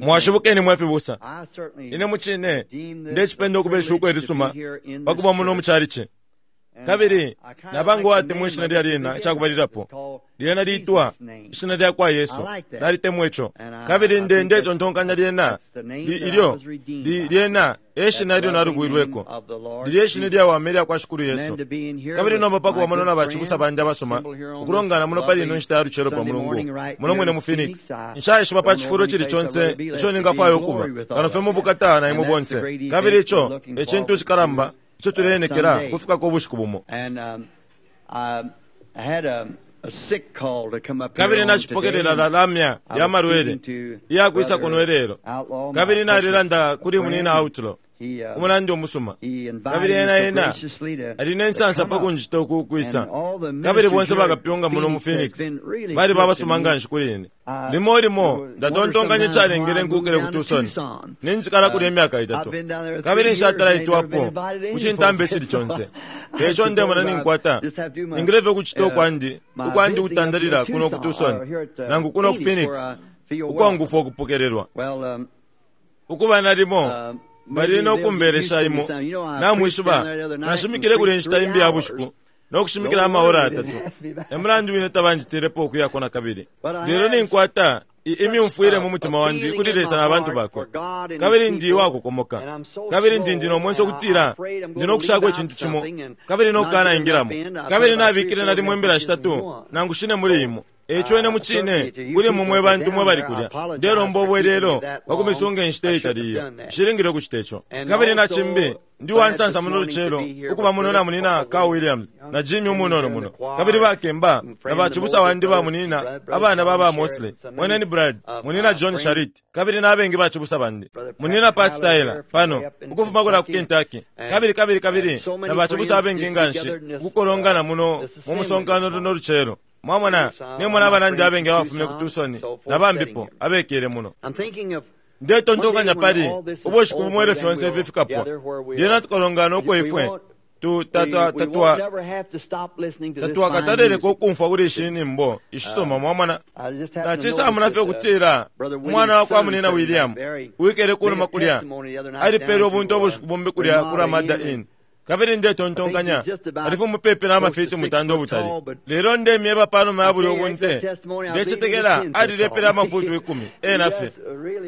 Mwashibukeni mwe fibusa. Ine mucine ndecipenda ukuba ishuko ilisuma pa kuba muno mu chalichi. Kabili naba ngo watemwa ishina lya lyena icakubalilapo. Lyena liitwa Ishina lyakwa Yesu. Nalitemwa ico. Kabili nde ndetontonkanya lyena li, ilyo, li, lyena e shina ilyo nalubwilweko. Lilye shina ilyawama ilya kwa Shikulu Yesu. Kabili nomba pa kuba muno na bacibusa bandi abasuma, ukulongana muno pali ino nshita ya lucelo pa Mulungu, muno mwine mu Phoenix. Nshaishiba pa cifulo icili conse ico ningafwaya ukuba, kano fye mu Bukata na imwe bonse. Kabili ico e cintu icikalamba ico tuleenekela ukufikako ubushiku bumo. Kabili nacipokelela la lamya ya malwele iya kwisa kuno ilelo. Kabili nalilanda kuli Munyina Outlaw, umunandi umusuma. Kabili ena, ena ali ne nsansa pa kunjita uku ukwisa. Kabili bonse bakapyunga muno mu Phoenix baliba abasuma nganshi kuli ine. Limo limo ndatontonkanya icalengele nkuukile ku Tucson. Ninjikala kulya imyaka itatu, kabili nshatala itwapo ku cintambi icili conse. Eico ndemona ninkwata, ningile fye ukucita ukwandi, ukwandi ukutandalila kuno ku Tucson, nangu kuno ku Phoenix, ukwangufwa ukupokelelwa. Ukuba nalimo bali no kumbelesha imo, namwishiba, nashimikile kulya inshita imbi ya bushiku, no kushimikila amaora yatatu. E mulandu wine tabanjitilepo ukuyako na kabili. Lelo ninkwata imyumfwile mu mutima wandi kuli Lesa na bantu bakwe, kabili ndi uwakokomoka, kabili ndi ndi no mwenso ukutila ndi no kushako icintu cimo kabili no kukanaingilamo. Kabili nabikile nalimo imbila shitatu nangu shine muli imo. Eico ine mucine kuli imwe mwe bantu mwe bali kulya, ndelomba ubwelelo pa kumisunga inshita iitali iyo. Nshilingile ukucita ico. Kabili na cimbi, ndi uwansansa muno lucelo ukuba muno na Munyina Carl Williams na Jimmy umunono muno, kabili bakemba na bacibusa wandi ba munyina, abana ba ba Mosley, Mweneni Brad, Munyina John Sharrit, kabili na bengi bacibusa bandi, Munyina Pat Tyler pano, ukufuma kulya ku Kentucky, kabili, kabili, kabili na bacibusa abengi nganshi ukukolongana muno mu musonkano luno lucelo. Mwamona, nimona abanandi abengi abafumine ku Tucson na bambipo abekele muno. Ndetontonkanya pali ubushiku bumo ilyo fyonse ifi fikapwa, lyena tukalongana uko ifwe tu, ta, ta, tatwa, tatwakataleleko ukumfwa kuli ishi nyimbo ishisuma. Mwamona, nacisamuna fye ukutila umwana wa kwa Munina William uwikele kunuma kulya alipele ubunte ubushiku bumbi kulya ku Ramada Inn. Kabili ndetontonkanya ali mupepi na mafiti mutanda ubutali. Lelo ndemyeba panuma ya bulyo bunte, ndecetekela alilepele amafutu ikumi, ena fye.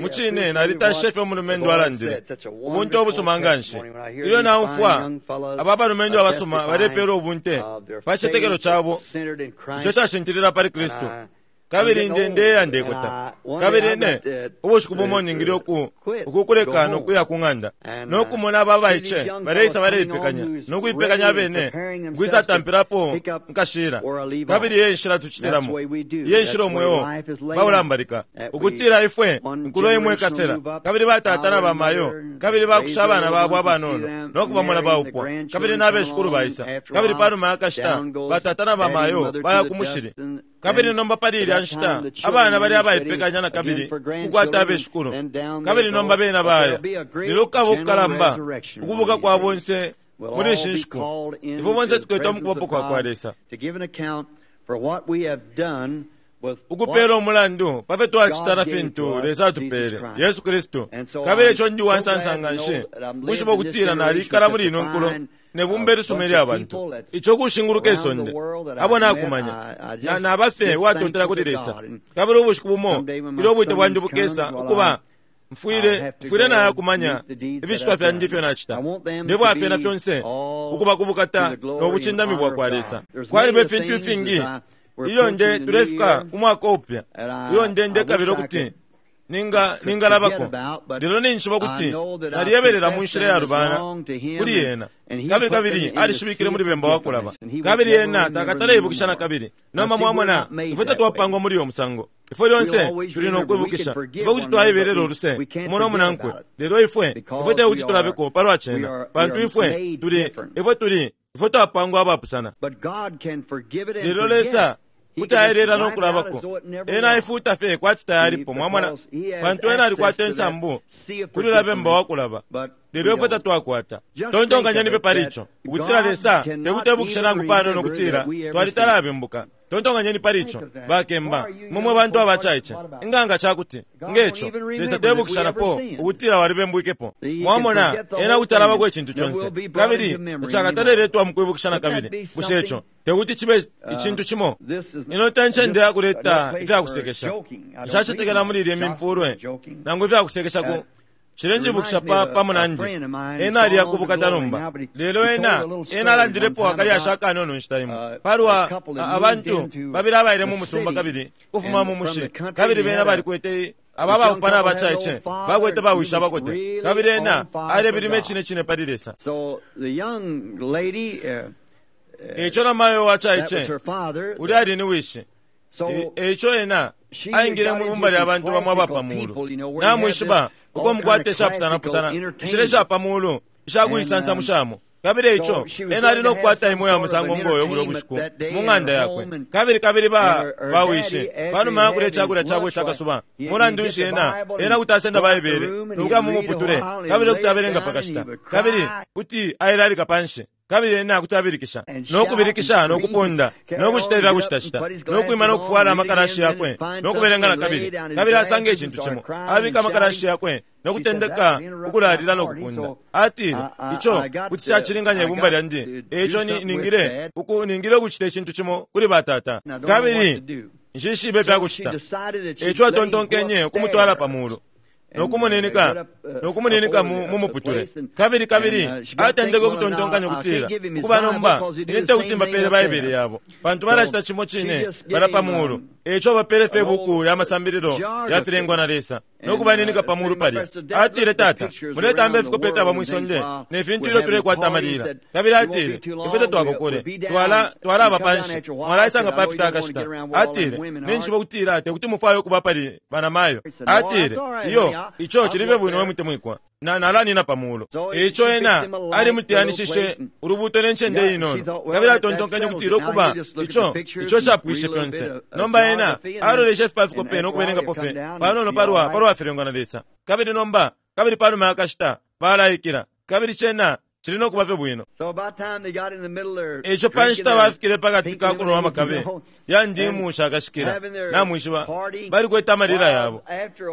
Mucine nalitashishe fye umulumendo alandile. Ubunte ubusuma nganshi. Ilyo naumfwa aba balumendo abasuma balepela ubunte pa cicetekelo cabo ico cashintilila pali Kristu. Kabili nde, ndeya ndekota. Kabili ine, ubushiku bumo ningile uku, ukukuleka no kuya ku ng'anda, no kumona aba abaice baleisa baleipekanya, no kuipekanya abene, ukwisatampilapo nkashila. Kabili e nshila tucitilamo. Iye nshila umweo baulambalika, ukutila ifwe, inkulo imo ikasela, kabili batata na bamayo, kabili bakusha abana babo abanono, no kubamona baupwa, kabili na beshikulu baisa. Kabili panuma ya kashita, batata na bamayo baya ku mushili. Kabili nomba pali ilya nshita abana bali abaipekanya na kabili kukwata abeshikulu, kabili nomba bena baya. Lelo kukaba ukukalamba ukubuka kwa bonse muli ishi nshiku. Ifwe bonse tuketwa mu kubapo kwa kwa Lesa ukupela umulandu pa fyo twacita na fintu Lesa atupele, Yesu Kristu. Kabili ico ndi uwansansa nganshi ukwishiba ukutila nalikala muli ino nkulo ne bumba ilisuma ilya bantu, ico kushinguluka isonde, abo nakumanya. Na, naba fye uwatontela kuli Lesa. Kabili ubushiku bumo ilyo ubwite bwandi bukesa, ukuba, mfwile, mfwile nayakumanya ificitwa fyandi ifyo nacita. Ndefwaya na fyonse ukuba ku bukata no bucindami bwakwa Lesa. Kwaliba ifintu ifingi ilyo nde tulefika ku mwaka upya, ilyo nde ndekabila ukuti ninga ningalabako, lelo ninjishiba ukuti naliyebelela mu nshila iyalubana kuli ena, kabili kabili alishibikile muli bemba wa kulaba, kabili ena takatale ibukisha na kabili. Nomba mwamona, ifwe tatwapangwa muli uyo musango. Ifwe lyonse tuli no kwibukisha. Ifwe kuti twaibelela uluse umo no munankwe, lelo ifwe ifwe te kuti tulabeko palwa cena, pantu ifwe tuli ifwe tuli ifwe twapangwa abapusana. Lelo Lesa kuti aelela no kulabako. Ena aifuuta fye kwati tayalipo, mwamona, pantu ena alikwata insambu kuli ulya bemba wa kulaba. Lelo ifwe tatwakwata. Tontonkanyeni fye pali ico, ukutila Lesa te kuti ebukishe nangu panono ukutila twalitalabembuka. Tontonkanyeni pali ico, bakemba, imwe mwe bantu abacaice. Inga nga ca kuti, nge co, Lesa tebukisha napo ukutila walibembwikepo? Mwamona, Ena kuti alabako icintu conse, kabili tacakataleletwa mukwibukisha nakabili. Bushe ico tekuti cibe icintu cimo? Ino te ncende ya kuleta ifya kusekesha. Nshacetekela muli ilye mimpulwe nangu ifya kusekesha ku Cilenjibukisha pa, pa munandi. Ena aliya ku bukata nomba. Lelo ena, ena alandilepo akalyashi akanono inshita imo, palwa a, abantu babili abaile mu musumba kabili kufuma mu mushi, kabili bena balikwete aba abaupana abacaice bakwete bawishi abakote, kabili ena alebilima icine cine pali Lesa. Eico namayo wacaice, ulya ali ni wishi. E ico ena aingile mwi bumba lya bantu bamo aba pa muulu. Namwishiba uko mukwata ishapusanapusana inshila isha pa muulu isha kuisansamushamo. Kabili e ico ena ali no kukwata imo ya musango ngo yo bulyo bushiku mu ng'anda yakwe. Kabili kabili ba, ba wishi, panuma ya kulya icakulya cabo ica kasuba, mulandu nshi ena, ena kuti asenda Baibele no kuya mu muputule, kabili kuti abelenga pa kashita, kabili kuti ailalika panshi. Kabili ena kuti abilikisha, no kubilikisha, no kupunda, no kucita ifya kucitacita, no kwima no kufwala amakalashi yakwe, no kubelenga na kabili, kabili asanga icintu cimo, abika amakalashi yakwe, no kutendeka ukulalila no kupunda. Atile, Ico kuti cacilinganya ibumba lyandi, e ico ni, ningile uku, ningile ukucita icintu cimo kuli batata. Kabili nshishibe ifya kucita. E ico atontonkenye ukumutwala pa mulu. No kumuninika no kumuninika mu, mu muputule. Kabili, kabili atendeke ukutontonkanya ukutila, Ukuba nomba, ine tekuti mbapele Baibele yabo, pantu balacita cimo cine balya pa mulu. E ico abapele fye ibuku lya masambililo ya filengwa na Lesa, no kubaninika pa mulu palya. Atile, Tata, muletamba ifikope ifyaba mwi sonde ne fintu ilyo tulekwata amalila. Kabili atile, Ifwe tatwakokole, twala, twalaba panshi. Mwalaisanga papita akashita. Atile, Ninjishiba ukutila tekuti mufwaye ukuba pali banamayo. Atile, Iyo, ico cili fye bwino we mutemwikwa. Na, nalanina pa mulu. E ico ena alimuteyanishishe ulubuuto ne ncende inono, kabili atontonkenye ukutila ukuba ico, ico capwishe fyonse. Nomba ena aloleshe ifi pa fikope no kubelengapo fye panono palwa, palwa filengwa na Lesa. Kabili nomba, kabili panuma ya kashita, balaikila, kabili cena cili no kuba fye bwino. E ico pa nshita bafikile pa kati ka kunwa amakabe ya ndimu shakashikila, namwishiba, balikwete amalila yabo.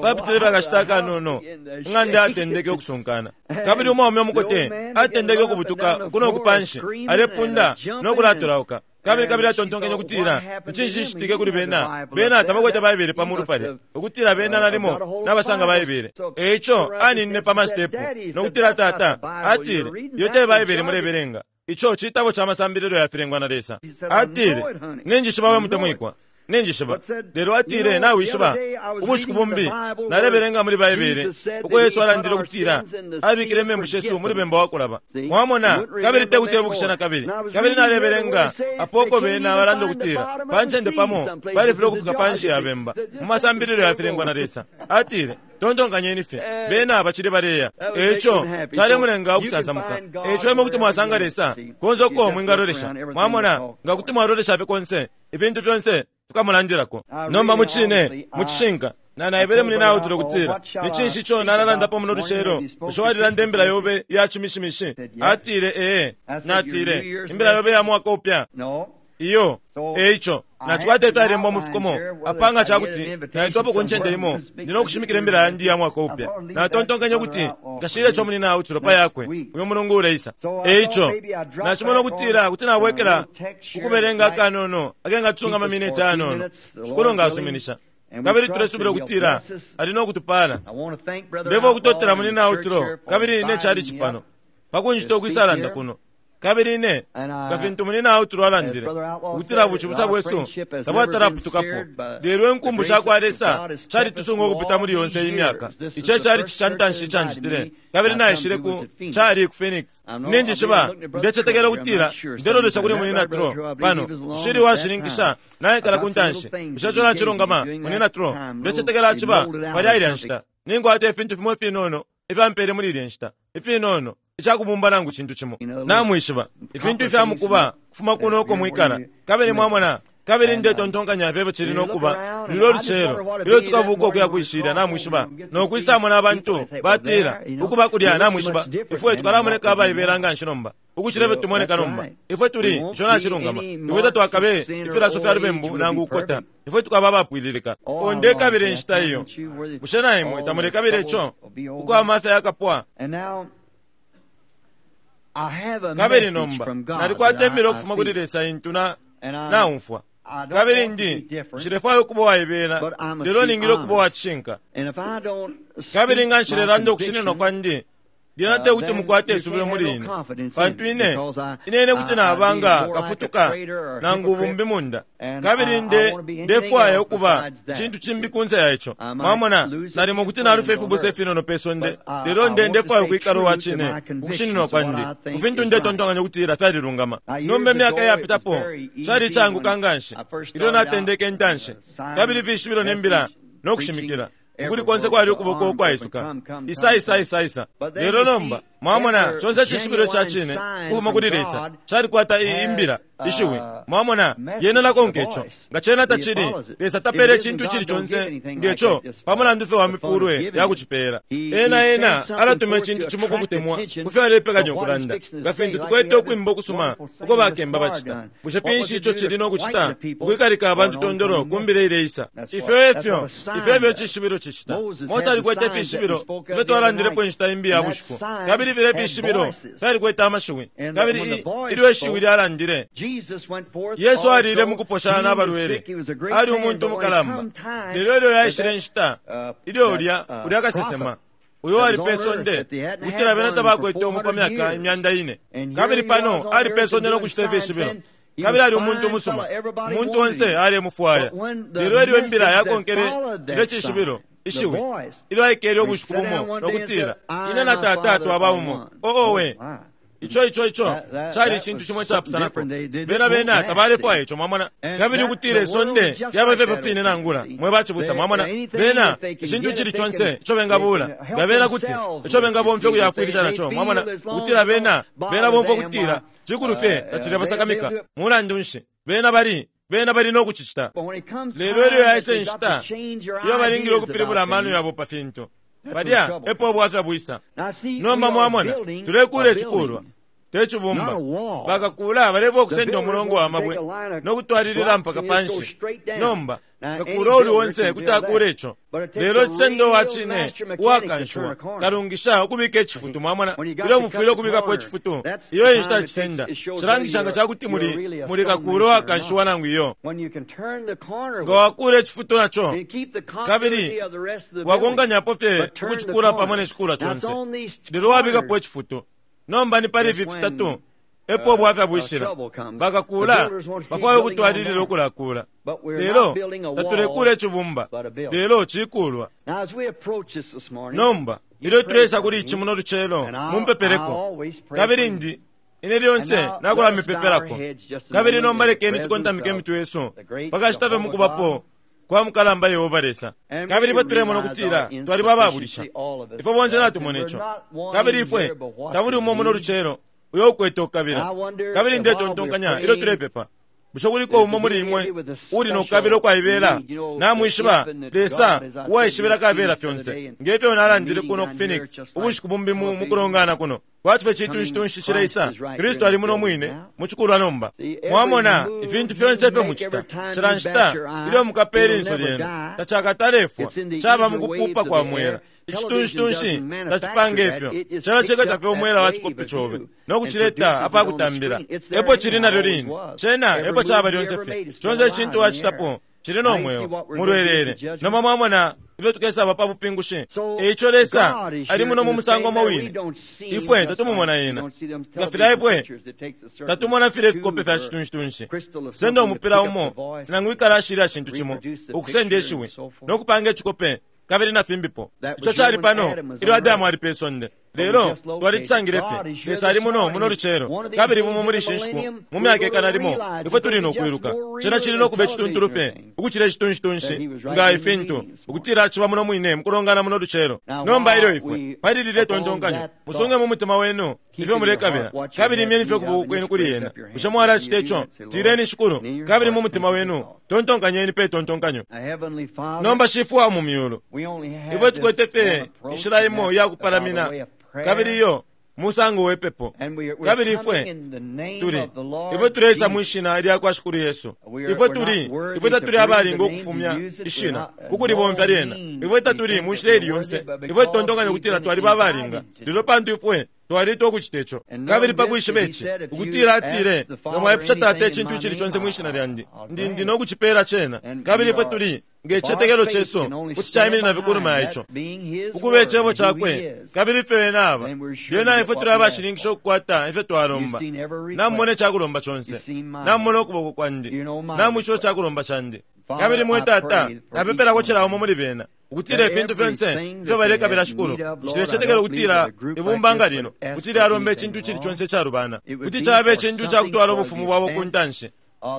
Papitile fye akashita akanono, ing'anda yatendeke ukusunkana, kabili umwaume umukote atendeke ukubutuka uku no ku panshi, alepunda no kulatolauka. Kabili, kabili atontonkenye ukutila, Ni cinshi cicitike kuli bena? Bena tabakwete Baibele pa mulu palya, ukutila bena nalimo nabasanga Baibele. E ico aninine pa masitepu, no kutila, Tata, atile, iyo te Baibele mulebelenga. Ico citabo ca masambililo ya filengwa na Lesa. Atile, Ninjishiba, we mutemwikwa. Ninjishiba. Lelo atile, Nawishiba, ubushiku bumbi nalebelenga muli Baibele uko Yesu alandile ukutila abikile imembu shesu muli bemba wa kulaba. Mwamona, kabili te kuti ebukisha na kabili. Kabili nalebelenga apo uko bena balanda ukutila pa ncende pamo balifilwa ukufika panshi ya bemba mu masambililo ya filengwa na Lesa. Atile, Tontonkanyeni fye, bena bacili baleya. E ico calemulenga ukusansamuka. E ico imwe kuti mwasanga Lesa konse uko mwingalolesha. Mwamona, nga kuti mwalolesha fye konse, ifintu fyonse fikamulandilako. Nomba mucine, mucishinka, na naebele muli Nautile ukutila, Ni cinshi ico nalalandapo muno lucelo? Bushe walilanda imbila yobe iya cimishimishi? Atile, Ee. Natile, Imbila yobe iya mwaka upya? Iyo. E ico, nacikwata ifyalembwa mu fikomo apa nga ca kuti naitwapo ku ncende imo, ndi no kushimikila imbila yandi iya mwaka upya. Natontonkenye ukuti nkashile ico muli Nautile pa yakwe uyu mulungu uleisa. E ico, nacimona ukutila kuti nabwekela ku kubelenga akanono akengatusunga amaminiti ayanono, Shikulu nga asuminisha. Kabili tulesubila ukutila Ali no kutupaala. Ndefwaya ukutotela Munyina Outlaw kabili ne chalichi pano, pa kunjita ukwisalanda kuno. Kabili ine, nga fintu Munyina Outlaw alandile, ukutila bucibusa bwesu tabwatalaputukapo, lelo inkumbu sha kwa Lesa shalitusunga ukupita muli yonse iyi myaka. Ici e chalichi ca ntanshi ica njitile. Kabili naishile ku, cali ku Phoenix. Ninjishiba, ndecetekela ukutila ndelolesha kuli Munyina Trow pano. Nshili uwashininkisha naikala ku ntanshi. Bushe ico nacilungama, Munyina Trow? Ndecetekela aciba palya ilya nshita. Ninkwata ifintu fimo ifinono ifyo ampele muli ilya nshita, ifinono, icakubumba nangu cintu cimo. Namwishiba, ifintu ifya mukuba kufuma kuno uko mwikala. Kabili mwamona. Kabili ndetontonkanya ifyo efyo cili no kuba lulyo lucelo ilyo tukabuka ukuya kwishilya, namwishiba, no kwisamona abantu batila, Ukuba kulya, namwishiba, ifwe tukalamoneka abaibela nganshi nomba ukucila ifyo tumoneka nomba. Ifwe tuli, ico nacilungama, ifwe tatwakabe ifilaso fya lubembu nangu ukukota. Ifwe tukaba abapwililika. Oh, ndekabila inshita iyo. Bushe na imwe tamulekabila ico? Uko amafya yakapwa. Kabili nomba nalikwata imbila ukufuma kuli Lesa intu na naumfwa. Kabili ndi, nshilefwaya ukuba uwaibela, lelo ningile ukuba uwa cishinka. Kabili nga nshilelanda ukushininwa kwandi, lyena te kuti mukwate isubilo muli ine, pantu ine, ine, ine kuti naba nga kafutuka nangu ubumbi munda, kabili nde, ndefwaya ukuba cintu cimbi kunse ya ico. Mwamona, nalimo kuti nalufya ifibusa ifinono pe sonde, lelo nde, ndefwaya ukwikala uwa cine ukushininwa kwandi ku fintu ndetontonkanya ukutila fyalilungama. Nomba imyaka iyapitapo, cali icaanguka nganshi ilyo natendeke intanshi, kabili ifishibilo ne mbila no kushimikila. Ukuli konse kwali ukuboko ukwaisuka, Isa, isa, isa, isa. Lelo nomba, mwamona, conse icishibilo ica cine ukufuma kuli Lesa calikwata i, imbila, ishiwi. Mwamona, lyena lakonka ico. Nga cena tacili, Lesa tapele icintu icili conse nge co pa mulandu fye wa mipulwe ya kucipela. Ena, Ena alatuma icintu cimo ku kutemwa ku fyo alepekanya ukulanda, nga fintu tukwete ukwimba ukusuma uko bakemba bacita. Bushe finshi ico cili no kucita? Ukwikalika abantu tondolo ku mbila ileisa. Ifyo efyo, ifyo efyo icishibilo cicita. Mose alikwete ifishibilo ifyo twalandilepo inshita imbi ya bushiku. Kabili filya ifishibilo fyalikwete amashiwi. Kabili i, ilyo ishiwi lyalandile, Yesu aliile mukuposha na balwele. Ali umuntu umukalamba. Lelo ilyo yaishile inshita, ilyo ulya, ulya kasesema, uyo wali pe sonde, ukutila bena tabakwete umu pa myaka imyanda ine. Kabili pano ali pe sonde no kucita ifishibilo. Kabili ali umuntu umusuma. Umuntu onse alemufwaya. Lelo ilyo imbila yakonkele cilye cishibilo, ishiwi, ilyo aikele ubushiku bumo no kutila, Ine na Tata twaba umo. Oh, owe! Ico, ico, ico cali icintu cimo icapusanako. Bena, bena tabalefwaya ico, mwamona. Kabili ukutila isonde lyaba ifyo fine nangula, mwe bacibusa, mwamona. Bena, icintu icili conse ico bengabuula, nga bena kuti, ico bengabomfya ukuyafwilisha naco, mwamona, ukutila bena, bena bomfwa ukutila cikulu fye tacilebasakamika. Mulandu nshi, bena bali, bena bali no kucicita. Lelo ilyo yaisa inshita iyo balingile ukupilibula amano yabo pa fintu, Palya epo ubwafya bwisa. Nomba mwamona, tulekuula icikulwa, te cibumba. Bakakuula balefwaya ukusenda umulongo wa mabwe no kutwalilila mpaka panshi. Nomba, kakuula uuli onse kuti akuula ico. Lelo cisenda uwa cine, uwakanshiwa, kalungisha ukubika icifutu. Mwamona, ilyo mufwile ukubikapo icifutu, iyo e nshita cisenda. Cilangisha nga ca kuti muli, muli kakuula uwakanshiwa nangu iyo. Nga wakuula icifutu naco, kabili wakonkanyapo fye ukucikuula pamo ne cikuulwa conse, lelo wabikapo icifutu. Nomba ni pali ifi fitatu epo ubwafya bwishila. Bakakuula bafwaya ukutwalilila ukulakuula, lelo tatulekuula icibumba, lelo cikuulwa. Nomba ilyo tuleisa kuli ici muno lucelo, mumpepeleko, kabili ndi Ine lyonse nakulamipepelako. Kabili nomba lekeni tukontamike imitwe yesu pa kashita fye mukubapo kwa mukalamba Yehova Lesa. Kabili ifwe tulemona ukutila twaliba ababulisha. Ifwe bonse natumona ico. Kabili ifwe tamuli umo muno lucelo uyo ukwete ukukabila. Kabili ndetontonkanya ilyo tulepepa, Bushe kuliko umo muli imwe uuli no kukabila ukwaibela? Namwishiba, Lesa uwaishibila kabela fyonse. Nge fyo nalandile kuno ku Phoenix ubushiku bumbi mu, mu kulongana kuno, kwati fye citunshi tunshi cileisa, Kristu ali muno mwine mu cikulwa nomba. Mwamona, ifintu fyonse ifyo mucita, cila nshita ilyo mukapa ilinso lyenu, tacakatalefwa. Caba mukupupa kwa mwela. Icitunshi-tunshi tacipanga ifyo. Cena cikata fye umwela wa cikope cobe no kucileta apa kutambila. Epo cili nalyo line. Cena epo caba lyonse fye. Conse icintu wacitapo cili no mweo mulwelele. Nomba mwamona ifyo tukesaba pa bupingushi. E ico Lesa ali muno mu musango umo wine. Ifwe tatumumona Ena. Nga filya ifwe tatumona filya ifikope fya citunshi-tunshi. Senda umupila umo nangu ikalashi ilya cintu cimo ukusenda ishiwi no kupanga icikope kabili na fimbipo. Ico cali pano ilyo Adamu ali pe sonde. Lelo twalicisangile fye. Lesa ali muno muno lucelo, kabili bumo muli ishi nshiku mu myaka ikana limo ifwe tuli no kwiluka. Cena cili no kuba icituntulu fye ukucila icitunshi nga ifintu, ukutila aciba muno mwine mukulongana muno lucelo. Nomba ilyo ifwe pali lilye tontonkanyo, musunge mu mutima wenu ifyo mulekabila, kabili imyeni fye ukuboko kwenu kuli ena. Bushe mwalacita ico? Tileni, Shikulu, kabili mu mutima wenu tontonkanyeni pe tontonkanyo. Nomba Shifwe wa mu myulu, ifwe tukwete fye inshila imo iya kupalamina, kabili iyo musango we pepo. Kabili ifwe tuli, ifwe tuleisa mwi Shina lya kwa Shikulu Yesu. Ifwe tuli, ifwe tatuli abalinga ukufumya Ishina kukulibomfya lyena. Ifwe tatuli mu nshila ili yonse. Ifwe tutontonkanya ukutila twaliba abalinga, lelo pantu ifwe twalitwa ukucita ico. Kabili pa kwishiba ici, ukutila atile, Nga mwaipusha Tata icintu icili conse mwi Shina lyandi, ndi, ndi no kucipela cena. Kabili ifwe tuli, nge cicetekelo cesu kuti caiminina fye kunuma ya ico, ukuba Icebo Cakwe, kabili ifyo Ena aba, lyena ifwe tuli abashininkisha ukukwata ifyo twalomba. Namumona icakulomba conse. Namumona ukuboko kwandi. Namwishiba icakulomba candi. Kabili, mwe Tata, napepelako cila umo muli bena, ukutila ifintu fyonse ifyo balekabila, Shikulu. Nshilecetekela ukutila ibumba nga lino kuti lyalomba icintu icili conse icalubana. Kuti caba icintu icakutwala ubufumu bwabo ku ntanshi.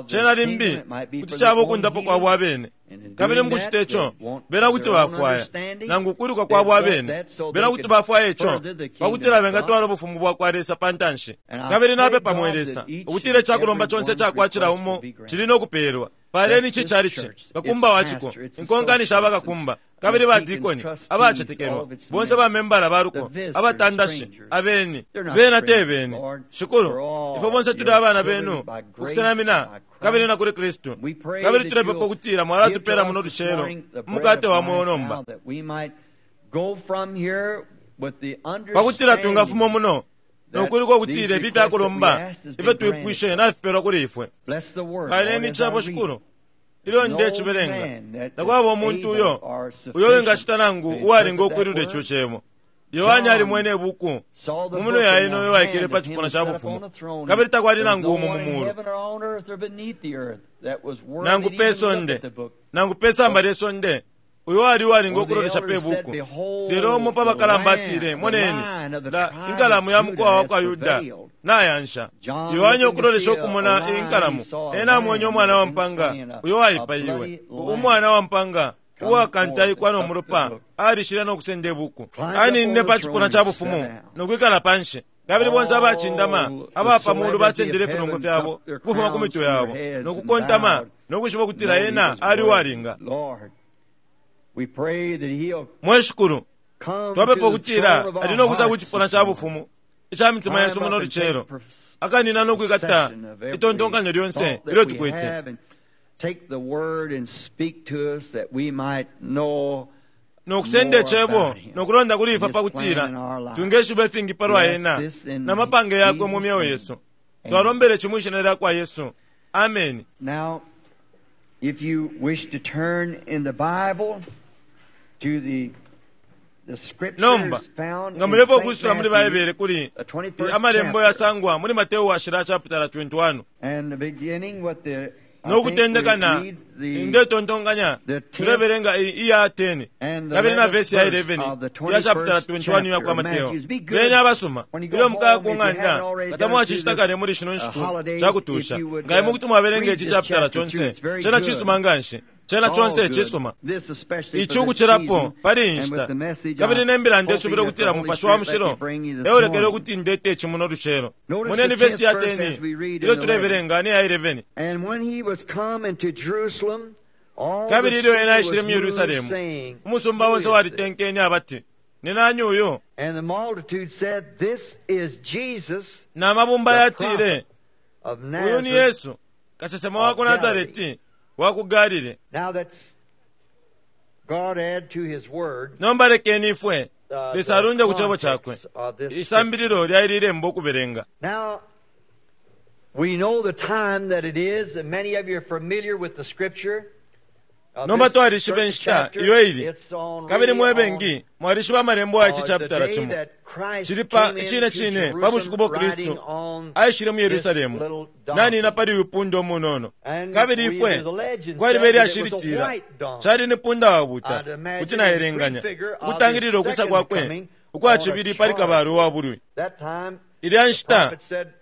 Cena limbi kuti caba ukundapo kwabo abene. Kabili mukucita ico, bena kuti bafwaya, nangu ukwiluka kwabo abene, bena kuti bafwaya ico, pakutila bengatwala ubufumu bwakwa Lesa pa ntanshi. Kabili napepa, mwe Lesa, ukutila icakulomba conse icakwa cila umo cili no kupelwa. Paleni ici chalichi, kakumba wa ciko, inkonkani sha bakakumba, kabili ba dikoni, abacetekelwa, bonse ba membala ba luko, abatandashi, abeni, bena te beni. Shikulu, ifwe bonse tuli abana benu, ukusenamina, kabili na kuli Kristu. Kabili tulepepa ukutila mwalatupela muno lucelo umukate wa mweo nomba, pakutila twingafuma muno nokwiluka ukutila ifi ifyakulomba ifyo twipwishe nafipelwa kuli ifwe. Paleni Icebo, Shikulu, ilyo ndecibelenga. Takwaba umuntu uyo uyo wingacita nangu uwalinga ukwilula ico Cebo. Yohane alimwene ibuku mu minwe ya ena uyo waikele pa cipuna ca bufumu, kabili takwali nangu umo mu mulu, nangu pe sonde, nangu pe samba lye sonde, uyo wali uwalinga ukulolesha pe buku. Lelo umo pa bakalamba atile, Moneni, la, inkalamu ya mukowa wa kwa Yuda nayansha. Yohane ukulolesha ukumona iyi nkalamu, ena amwenye umwana wa mpanga uyo waipaiwe, umwana wa mpanga uwakantaikwa no mulopa, alishile no kusenda ibuku. Aninine pa cipuna ca bufumu no kwikala panshi. Kabili bonse abacindama aba pa mulu basendele ifinongo fyabo ukufuma ku mitwe yabo no kukontama no kwishiba ukutila ena ali uwalinga. Mwe Shikulu, twapepa ukutila ali no kusa ku cipuna ca bufumu ica mitima yesu muno lucelo, akanina no kwikata itontonkanyo lyonse ilyo tukwete, no kusenda Icebo no kulonda kuli ifwe pakutila twingeshiba ifingi palwa Ena na mapange Yakwe mu myeo yesu. Twalombele ci mwi Shina lyakwa Yesu. Ameni. Now, if you wish to turn in the Bible to the Nomba nga mulepo ukwisula muli Baibele kuli amalembo yasangwa muli Mateo washila chapitala 21 no kutendeka na ndetontonkanya tulebelenga iya 10 kabili na vesi ya 11 iya chapitala 21 iya kwa Mateo. Beni abasuma ilyo mukaya ku ng'anda, nga tamwacicita kale muli shino nshiku ca kutusha, nga imwe kuti mwabelenga ici chapitala conse. Cena cisuma nganshi. Cena conse cisuma. Ici ukucilapo pali iyi nshita. Kabili ne mbila ndesubila ukutila Mupashi wa Mushilo eulekele ukuti ndete ici muno lucelo. Moneni vesi ya 10 ilyo tulebelenga ne ya 11. Kabili ilyo ena aishile mu Yerusalemu, umusumba onse walitenkene abati, Ni nani uyu? Na mabumba yatile, Uyu ni Yesu, kasesema wa ku Nasareti wa ku Galile. Nomba lekeni ifwe Lesa alunde ku Cebo Cakwe isambililo lya ili lembo ukubelenga. Now, we know the time that it is, and many of you are familiar with the scripture. Nomba twalishiba inshita iyo ili, kabili mwe bengi mwalishiba amalembo aya ici chapitala cimo. Cili pa icine cine pa bushiku bo Kristu aishile mu Yerusalemu nanina pali uyu punda umunono. Kabili ifwe kwaliba ilyashi litila cali ni punda wabuta, kuti naelenganya ukutangilila ukwisa kwakwe ukwa cibili pali kabalwe wa bulwi. Ilya nshita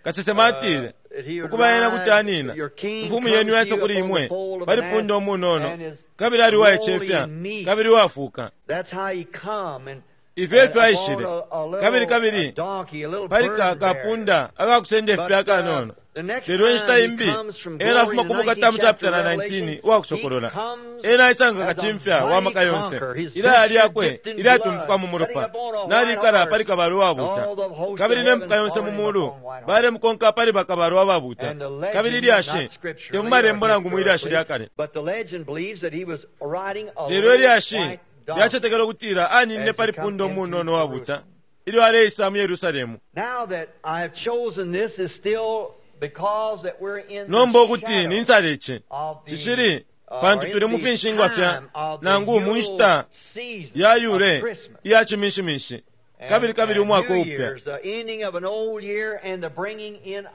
kasesema atile, ukuba ena kuti anina, imfumu yenu yaisa kuli imwe pali punda umunono, kabili ali uwaicefya kabili uwafuuka. Ifyo efyo aishile, kabili kabili pali kapunda akakusenda ifipe akanono. Lelo inshita imbi ena afuma ku bukata mu chapitala 19 uwa Kusokolola, ena aisanga kacimfya wa maka yonse, ilaya lyakwe ilyatumpuka mu mulopa, nalikala pali kabalwe wabuta, kabili ne mpuka yonse mu mulu balemukonka pali bakabalwe ababuta. Kabili ilyashi te mu malembo nangu mu ilyashi lya kale, lelo ilyashi lyacetekela ukutila aninine pali punda umunono wabuta ilyo aleisa mu Yerusalemu. Nomba ukuti ninsala ici cicili pantu tuli mu finshingwa fya nangu mu nshita ya yule iya ciminshiminshi, kabili kabili umwaka upya,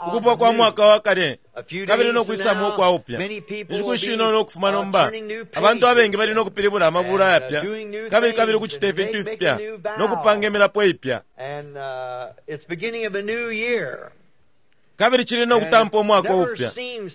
ukupwa kwa mwaka wa kale kabili no kwisamo ukwa upya. Inshiku shinono ukufuma nomba abantu abengi bali no kupilibula amabula ayapya, kabili kabili ukucita ifintu ifipya no kupanga imilapo ipya, kabili cili no kutampa umwaka upya.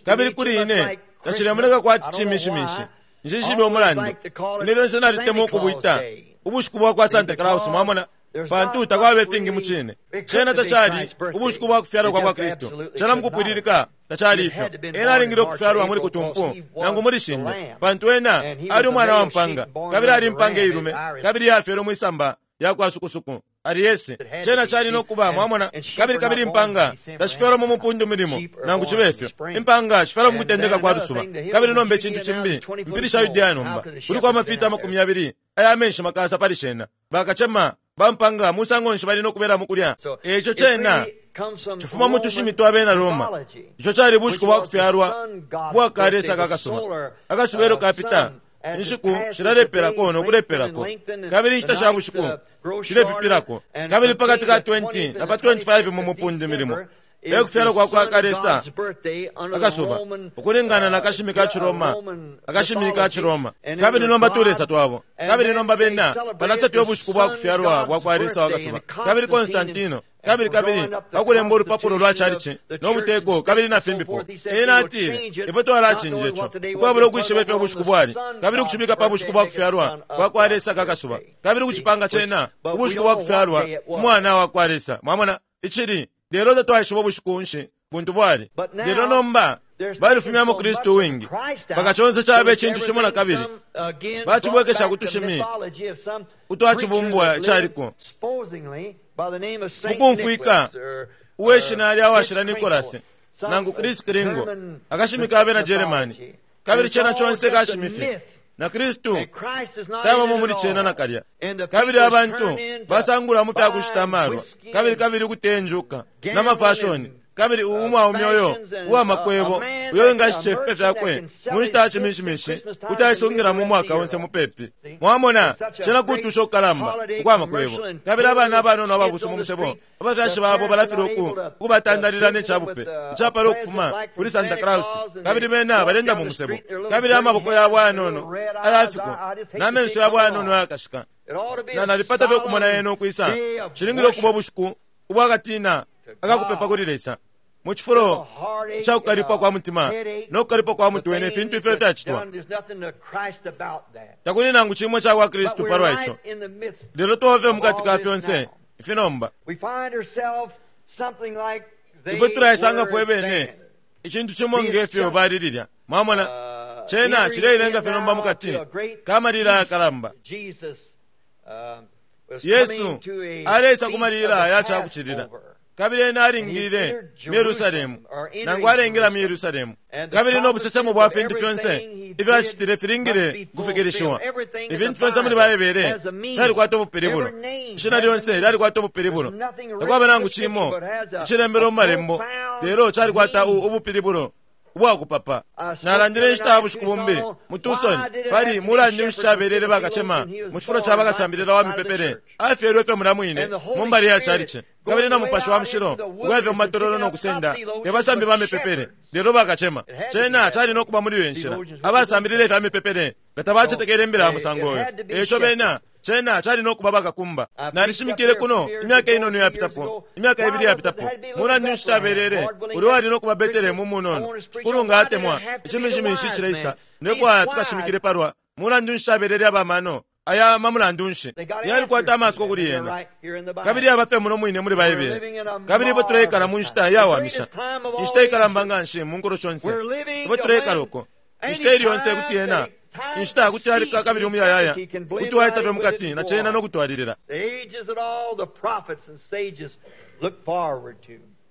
Kabili kuli ine tacilemoneka kwati cimishimishi. Nshishibe umulandu, ine lyonse nalitemwa ukubwita ubushiku bwa kwa Santa Claus, mwamona, pantu takwaba ifingi mu cine. Cena tacali ubushiku bwa kufyalwa kwa kwa Kristu, cena mukupwililika tacali ifyo. Ena alingile ukufyalwa muli Kutumpu nangu muli Shinde, pantu ena ali umwana wa mpanga, kabili ali impanga ilume, kabili yafyelwe mwisamba ya kwa sukusuku Ariese. Cena cali no kuba, mwamona. Kabili kabili impanga tashifyalwa mu mupundu milimo, nangu cibe fyo impanga shifyalwa mu kutendeka kwa lusuba. Kabili nomba icintu cimbi, mpili sha Yudea nomba kuliko amafita 20 aya menshi makasa pali shena. Bakacema bampanga musango nshi bali no kubela mukulya? Eco cena cifuma mu tushimi twa bena Roma. Ico cali bushiku bwa kufyalwa bwa kalesa kakasuba. Akasuba elo kapita, inshiku shilalepelako no kulepelako, kabili inshita sha bushiku shilepipilako, kabili pakati ka 20 na pa 25 mu mupundu milimo e kufyalwa kwa kwa kalesa akasuba, ukulingana na kashimi ka Ciroma, akashimi ka Ciroma. Kabili nomba tulesa twabo, kabili nomba bena balasefya ubushiku bwa kufyalwa bwa kwa lesa wa kasuba. Kabili Konstantino, kabili kabili pakulemba ulupapulo lwa chalichi no buteko kabili na fimbipo, ena atile, ifwe twalacinja ico ukwabula ukwishiba ifyo ubushiku bwali, kabili ukucibika pa bushiku bwa kufyalwa bwa kwa lesa kakasuba, kabili ukucipanga cena ubushiku bwa kufyalwa umwana wa kwa lesa. Mwamona icili lelo tatwaishiba ubushiku nshi buntu bwali. Lelo nomba balifumyamo Kristu wingi mpaka conse caba icintu cimo na kabili bacibwekesha ku tushimi utwacibumbwa icaliko mukumfwika uwe shina lya washila Nikolasi nangu Chris Kringo, akashimi ka bena Jeremani. Kabili cena conse kashimifi, na Kristu tabamo muli cena nakalya. Kabili abantu basangula mu fya kushita amalwa, kabili kabili ukutenjuka na mafashoni, kabili umwaume uyo uwa makwebo uyo wingashita ifipe fyakwe mu nshita ya cimishimishi kuti aisungila mu mwaka onse mupepi. Mwamona, cena kutusha ukukalamba ukwa makwebo. Kabili abana abanono ababusu mu musebo, abafyashi babo balafilwa ukubatandalila ne cabupe icapala ukufuma kuli Santa Claus, kabili bena balenda mu musebo, kabili amaboko yabo ayanono ayafiko na menso yabo ayanono ayakashika. Na nalipata fye ukumona yena ukwisa. Cilingile ukuba ubushiku ubwakatina akakupepa kuli Lesa, mu cifulo ca kukalipwa kwa mutima no kukalipwa kwa mutwe ne fintu ifyo fyacitwa. Takuli nangu cimo ca kwa Kristu palwa ico. Lelo twaba fye mukati ka fyonse ifi nomba. Ifwe tulaisanga fwe bene icintu cimo nge fyo bali lilya. Mwamona, cena cileilenga fye nomba mukati kamalila ayakalamba. Yesu aleisa ku malila ya cakucilila, kabili ena alingile mu Yerusalemu, nangu alengela mu Yerusalemu. Kabili no busesemo bwa fintu fyonse ifyo acitile filingile kufikilishiwa. Ifintu fyonse muli Baibele fyalikwata ubupilibulo, ishina lyonse lyalikwata ubupilibulo. Takwaba nangu cimo icilembelwe mu malembo lelo calikwata ubupilibulo ubwakupapa. Nalandile inshita ya bushiku bumbi mu Tucson pali mulandu nshi cabelele bakacema mu cifulo ca bakasambilila wa mipepele afyelwe fye mulya mwine mu mbali ya chalichi. Kabili na Mupashi wa Mushilo ukuya fye mu matololo no kusenda te basambi ba mipepele, lelo bakacema. Cena cali no kuba muli iyo nshila. Abasambilile ifya mipepele nga tabacetekele imbila ya musango uyo. E ico bena, cena cali no kuba bakakumba. Nalishimikile kuno imyaka inono iyapitapo, imyaka ibili iyapitapo. Mulandu nshi cabelele ulya wali no kuba Betelehemu umunono? Shikulu nga atemwa, Iciminshimishi icileisa, ndefwaya tukashimikile palwa Mulandu nshi cabelele aba mano aya ma mulandu nshi? Yalikwata amasuko kuli yena, kabili yaba fye muno mwine muli Baibele. Kabili ifwe tuleikala mu nshita iyawamisha, inshita ikalamba nganshi mu nkulo shonse. Ifwe tuleikala uko inshita ili yonse kuti yena inshita kuti yalika kabili umuyayaya kuti waisa fye mukati na cena no kutwalilila.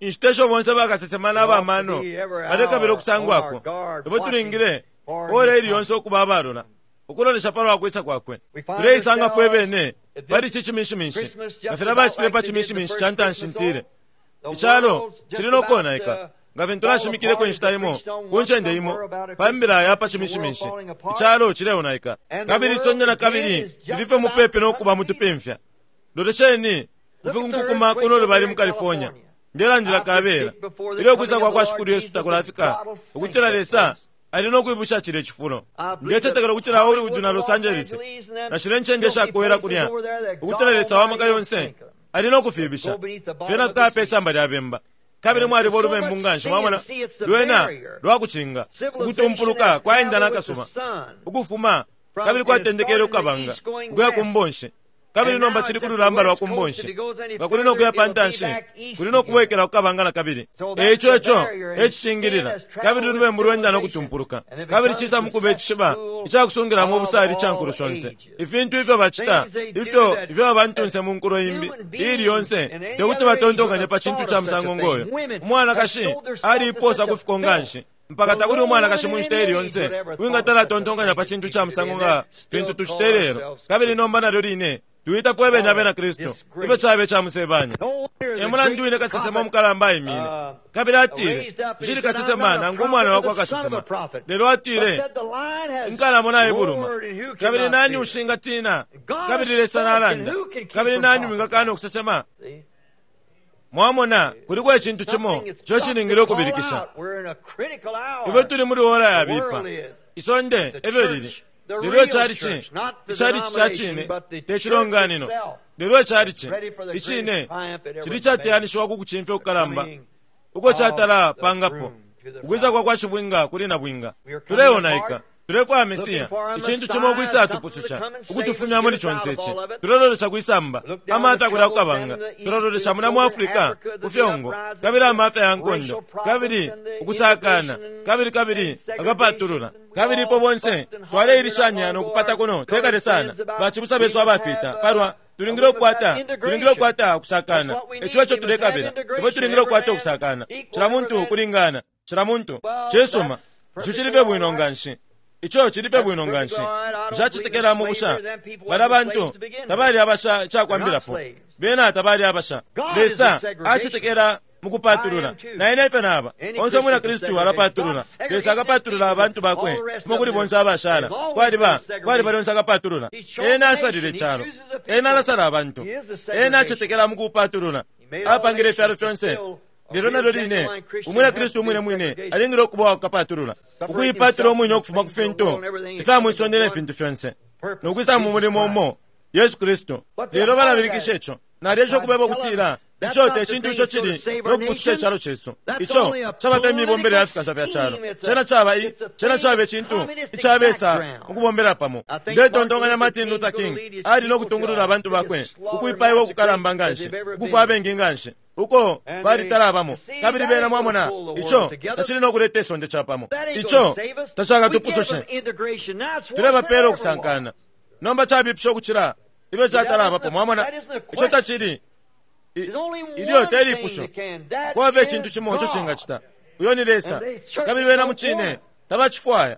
Inshita isho bonse bakasesema na bamano balekabila ukusangwako, ifwe tulingile ora ili yonse ukuba abalola ukulolesha palwa kwisa kwakwe. Tuleisanga fwe bene pali ici ciminshiminshi, nga filya bacitile pa ciminshiminshi ca ntanshi. Ntile, icalo cili no konaika, nga fintu nashimikileko inshita imo ku ncende imo pa mbila ya pa ciminshiminshi. Icalo cileonaika, kabili isonde na kabili lili fye mupepi no kuba mutupimfya. Lolesheni kufikukuma kuno lubali mu California. Ndelandila kabela ilyo kwisa kwa kwa Shikulu Yesu takulafika, ukutila Lesa ali no kwibusha cilya cifulo. Ndecetekela ukutila Hollywood na Los Angeles na shilya ncende ishakowela kulya, ukutila Lesa wa maka yonse ali no kufibisha fyena fikaya pe samba lya bemba. Kabili mwaliba ulubembu nganshi, mwamona, lwena lwakucinga. Ukutumpuluka kwaenda na kasuba ukufuma, kabili kwatendekele kukabanga ukuya ku mbonshi, kabili nomba cili ku lulamba lwa ku mbonshi. Nga kuli no kuya pa ntanshi, kuli no kubwekela ku kabanga na kabili. E ico ico e cicingilila. Kabili ulubembu lwenda no kutumpuluka, kabili cisa mu kuba icishiba ica kusungilamo ubusali ica nkulo shonse. Ifintu ifyo bacita, ifyo ifyo abantunse mu nkulo imbi iili yonse te kuti batontonkanye pa cintu ca musango ngo yo. Umwanakashi aliipoosa ku fiko nganshi mpaka takuli umwanakashi mu nshita iili yonse uwingatala atontonkanya pa cintu ca musango nga fintu tucita ilelo. Kabili nomba nalyo line tuita fwe bene Abena Kristu. Ifyo cabe ca musebanya! E mulandu wine kasesema umukalamba aimine kabili atile, Nshili kasesema nangu umwana wa kwa kasesema, lelo atile, Inkalamo naibuluma, kabili nani ushingatina? Kabili Lesa nalanda, kabili nani wingakana ukusesema? Mwamona, kuliko icintu cimo ico cilingile ukubilikisha. Ifwe tuli muli ora yabipa. Isonde efyo lili. Lelo icalici, icalici ca cine, te cilonganino, lelo icalici icine cili icateyanishiwa ku kucimfya kukalamba uko catala pangapo, ukwisa kwa kwa Shibwinga kuli Nabwinga. Tuleonaika. Tulefwaya Mesia, icintu cimo ukwisatupususha, ukutufumya muli conse ici. Tulelolesha kwisamba, amafya kulya kukabanga. Tulalolesha mulya mu Africa, ku fyongo, kabili amafya ya nkondo, kabili ukusakana, kabili kabili akapatulula. Kabili ifwe bonse twaleilishanya no kupata kuno te kale sana, bacibusa besu abafita, palwa tulingile ukukwata, tulingile ukukwata ukusakana. Ico eco tulekabila. Ifwe tulingile ukukwata ukusakana. Cila muntu ukulingana, cila muntu. Cisuma. Ico cili fye bwino nganshi. Ico cili fye bwino nganshi. Nshacetekela mu busha. Balya bantu tabali abasha icakwambilapo. Bena tabali abasha. Lesa acetekela mu kupatulula. Na ine efyo naba. Onse umwina Kristu alapatulula. Lesa akapatulula abantu bakwe fuma kuli bonse abashala. Kwaliba, kwaliba lyonse akapatulula. Ena asalile icalo. Ena alasala abantu. Ena acetekela mu kupatulula. Apangile ifyalo fyonse. Lelo nalyo line, Umwina Kristu umwine mwine alingile ukuba uwa kapatulula, ukuipatula umwine ukufuma ku fintu ifya mwi sonde ne fintu fyonse, no kwisa mu mulimo umo, Yesu Kristu. Lelo balabilikisha ico. Nalyesha ukubeba ukutila ico te cintu ico cili no kupususha icalo cesu. Ico caba fye mibombele ya fikansa fya calo. Cena caba i, cena caba icintu icabesa ukubombela pamo. Ndetontonkanya Martin Luther King ali no kutungulula abantu bakwe ku kwipaiwa ukukalamba nganshi, ukufwa abengi nganshi. uko balitalabamo. Kabili bena, mwamona, ico tacili no kuleta isonde capamo. Ico tacakatupusushe. Tulebapela ukusankana. Nomba cabipisha ukucila ifyo catalabapo. Mwamona, ico tacili ilyo te lipusho. Kwaba icintu cimo ico cingacita. Uyo ni Lesa. Kabili bena mucine tabacifwaya.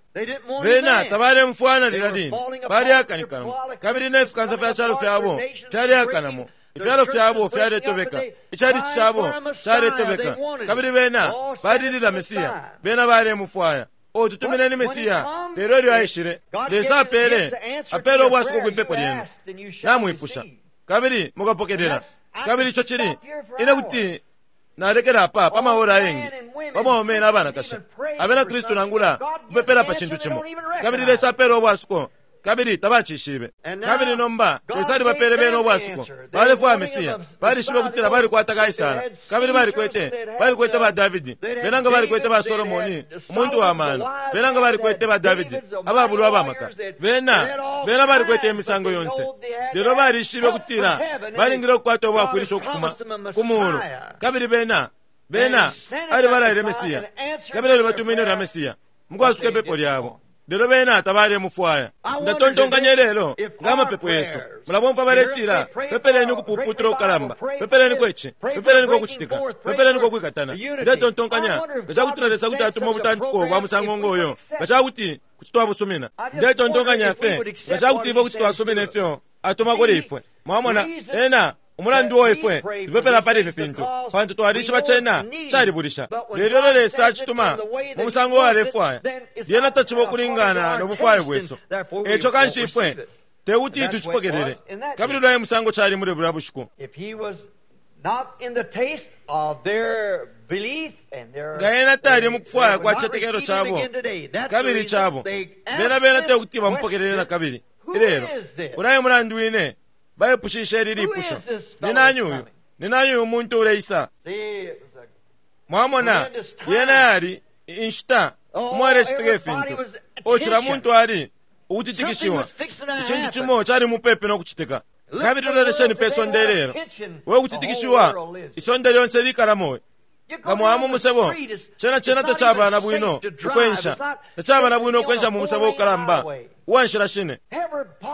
Bena tabalemfwana lilya line. Balyakanikanamo. Kabili ne fikansa fya calo fyabo fyalyakanamo. Ifyalo fyabo fyaletobeka, icalici cabo caletobeka, kabili bena balilila Mesiya. Bena balemufwaya. O, tutumineni Mesiya! Lelo ilyo aishile, Lesa apele, apele ubwasuko kwi pepo lyenu. Namwipusha, kabili mukapokelela. Kabili ico cili, ine kuti nalekela apa pa maora ayengi, pa baume na banakashi abena Kristu nangula kupepela pa cintu cimo, kabili Lesa apela ubwasuko kabili tabacishibe. Kabili nomba Lesa alibapele bena ubwasuko. Balefwaya Mesiya. Balishibe ukutila balikwata Kaisara, kabili balikwete, balikwete ba Davidi, bena nga balikwete ba Solomoni, umuntu wa mano, bena nga balikwete ba Davidi, ababulwa abamaka. Bena, bena balikwete imisango yonse. Lelo balishibe ukutila balingile ukukwata ubwafwilisho ukufuma ku muulu, kabili bena, bena alibalaile Mesiya, kabili alibatumine ulya Mesiya mukwasuka ipepo lyabo. Lelo bena tabalemufwaya. Ndatontonkanya ilelo nga amapepo yesu. Mulabomfwa baletila, pepeleni ukupuputula ukukalamba, pepeleniko ici, pepeleniko ukucitika, pepeleniko ukwikatana. Ndetontonkanya nga cakutila Lesa kuti atuma ubutantiko bwa musango ngoyo, nga cakuti kuti twabusumina. Ndetontonkanya fye nga cakuti ifwe kuti twasumina ifyo atuma kuli ifwe. Mwamona, ena umulandu uo ifwe tupepela pali ifi fintu, pantu twalishiba cena calibulisha. Lelo ilyo Lesa acituma mu musango uo alefwaya, lyena taciba ukulingana no bufwayo bwesu. Eco kanshi ifwe tekuti tucipokelele. Kabili ulya e musango cali muli bulya bushiku. Nga ena tali mukufwaya kwa cicetekelo cabo kabili cabo, bena bena tekuti bamupokelele nakabili ilelo. Ulya e mulandu wine baipushishe ili lipusho, Ni nani uyu? Ni nani uyu muntu uleisa? Mwamona, yena yali inshita umwalecitika ifintu. O, cila muntu ali ukutitikishiwa. Icintu cimo cali mupepi no kucitika. Kabili lolesheni pe sonde ilelo, we kutitikishiwa isonde lyonse likalamo. Nga mwaya mu musebo, cena cena tacaba na bwino ukwensha, tacaba na bwino ukwensha mu musebo ukalamba uwa nshila shine.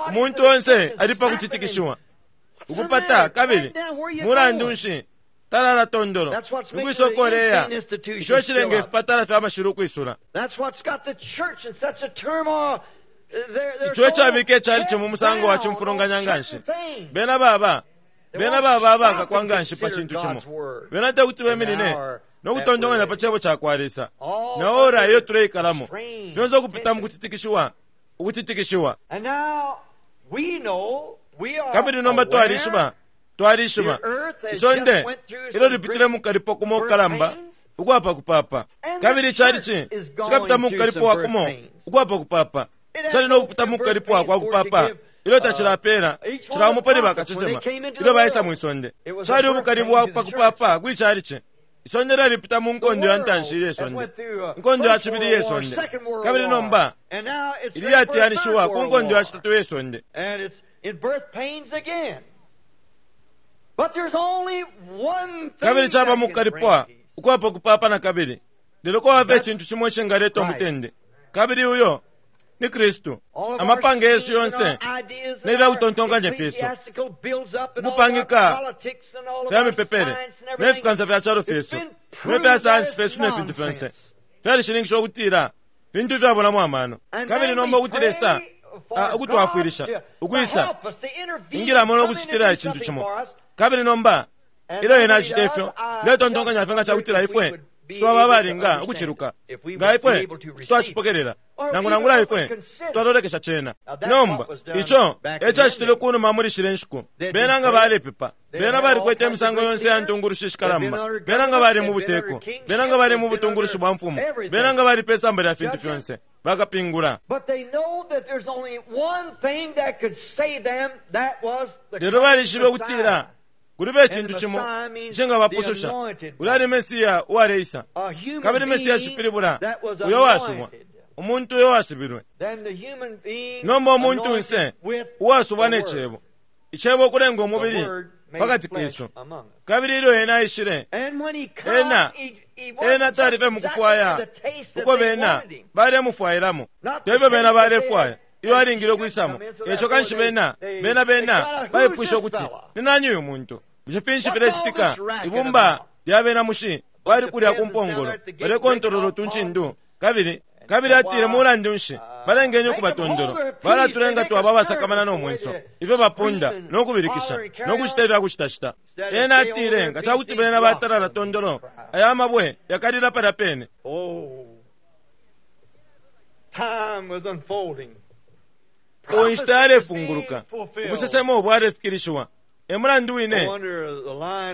Umuntu onse ali pa kutitikishiwa, ukupata, kabili mulandu nshi talala tondolo ukwisa ukoleya. Ico cilenga ifipatala fya mashilu ukwisula. Ico ecabika icalici mu musango wa cimfulunganya nganshi. Bena baba bena baba abakakwa nganshi pa cintu cimo. Bena tekuti beminine no kutontonkanya pa Cebo cakwa Lesa na ora iyo tuleikalamo, fyonse ukupita mu kutitikishiwa, ukutitikishiwa. Kabili nomba twalishiba, twalishiba isonde ilyo lipitile mu kalipo kumo kukalamba ukwapa kupapa, kabili icalici cikapita mu kukalipwa kumo ukwapa kupapa, cali no kupita mu kukalipwa kwa kupapa ilyo tacilapela cila umo pali bakasesema ilyo baisa mwi sonde. Cali ubukali bwa pa kupapa kwi calici. Isonde lyalipita mu nkondo ya ntanshi iye sonde, inkondo ya cibili iye sonde, kabili nomba ili yatiyanishiwa ku nkondo ya citatu iye sonde. Kabili caba mu kukalipwa ukwapa kupapa na kabili, lelo kwaba icintu cimo icingaleta umutende, kabili uyo ni Kristu. Amapange yesu yonse ne fya kutontonkanya fyesu, ukupangika fya mipepele ne fikansa fya calo fyesu ne fya sayansi fyesu ne fintu fyonse fyalishininkisha ukutila fintu ifyabulamo amano. Kabili nomba ukuti Lesa ukutwafwilisha ukwisa ingilamo no kucitila icintu cimo. Kabili nomba ilyo ena acita ifyo, ndetontonkanya fye nga cakutila ifwe twaba abalinga ukuciluka, nga ifwe twacipokelela, nangu nangula ifwe twalolekesha cena. Nomba ico ecacitile kunuma muli shile nshiku. Bena nga balepepa, bena balikwete imisango yonse ya ntungulushi shikalamba, bena nga bali mu buteko, bena nga bali mu butungulushi bwa mfumu, bena nga bali pe samba lya fintu fyonse, bakapingula. Lelo balishibe ukutila kulibe icintu cimo icingabapususha. Ulya ni Mesiya uwaleisa, kabili Mesiya cipilibula uyo wasubwa, umuntu uyo wasubilwe. Nomba umuntunse uwasubwa ne Cebo, Icebo ukulenga umubili pakati kesu. Kabili ilyo ena aishile, ena ena tali fye mukufwaya uko bena balemufwailamo, tefyo bena balefwaya iyo alingile ukwisamo. Eco kanshi bena bena bena baipwisha ukuti, Ni nani uyu muntu? Bushe finshi filecitika? Ibumba lya bena mushi bali kulya ku mpongolo balekontolola utuncindu. Kabili kabili atile, mulandu nshi balengenye ukuba tondolo? Balatulenga twaba abasakamana no mwenso, ifyo bapunda no kubilikisha no kucita ifya kucitacita. Ena atile, nga cakuti bena batalala tondolo, aya mabwe yakalila palya pene. O, inshita yalefunguluka, ubusesemo bwalefikilishiwa. E mulandu wine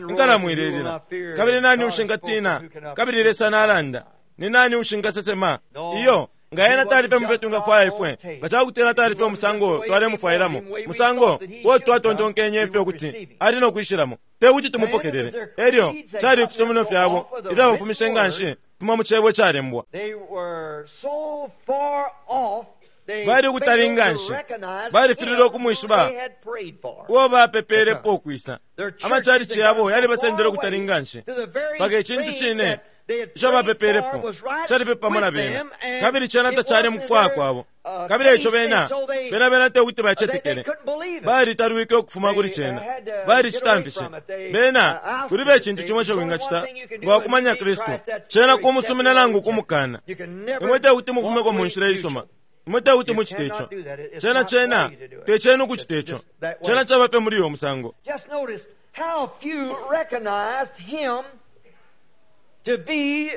inkalamo ilelila. Kabili nani ushingatina? Kabili Lesa nalanda. Ni nani ushingasesema? Iyo, nga ena tali fye mufyo twingafwaya ifwe, nga ca kuti ena tali fye umusango twalemufwailamo, musango uo twatontonkenye fye ukuti ali no kwishilamo, te kuti tumupokelele. Elyo cali ifisumino fyabo ifyabafumishe nga nshi fuma mu cebo icalembwa. Bali ukutali nga nshi, balifililwe ukumwishiba uo bapepeelepo ukwisa. Amacalici yabo yalibasendele ukutali nga nshi mpaka icintu cine ico bapepeelepo cali fye pamo na bena, kabili cena tacali mu kufwaya kwabo. Kabili eico bena, bena, bena te kuti bacetekele. Balitalwike ukufuma kuli cena. Balicitamfishe. Bena, kulibe icintu cimo ico wingacita nga wakumanya Kristu, cena kumusumina nangu kumukana. Imwe te kuti mufumeko mu nshila isuma. Imwe te kuti mucite ico. Cena, cena te cenu ukucita ico. Cena caba fye muli uyo musango. Just notice how few recognized him to be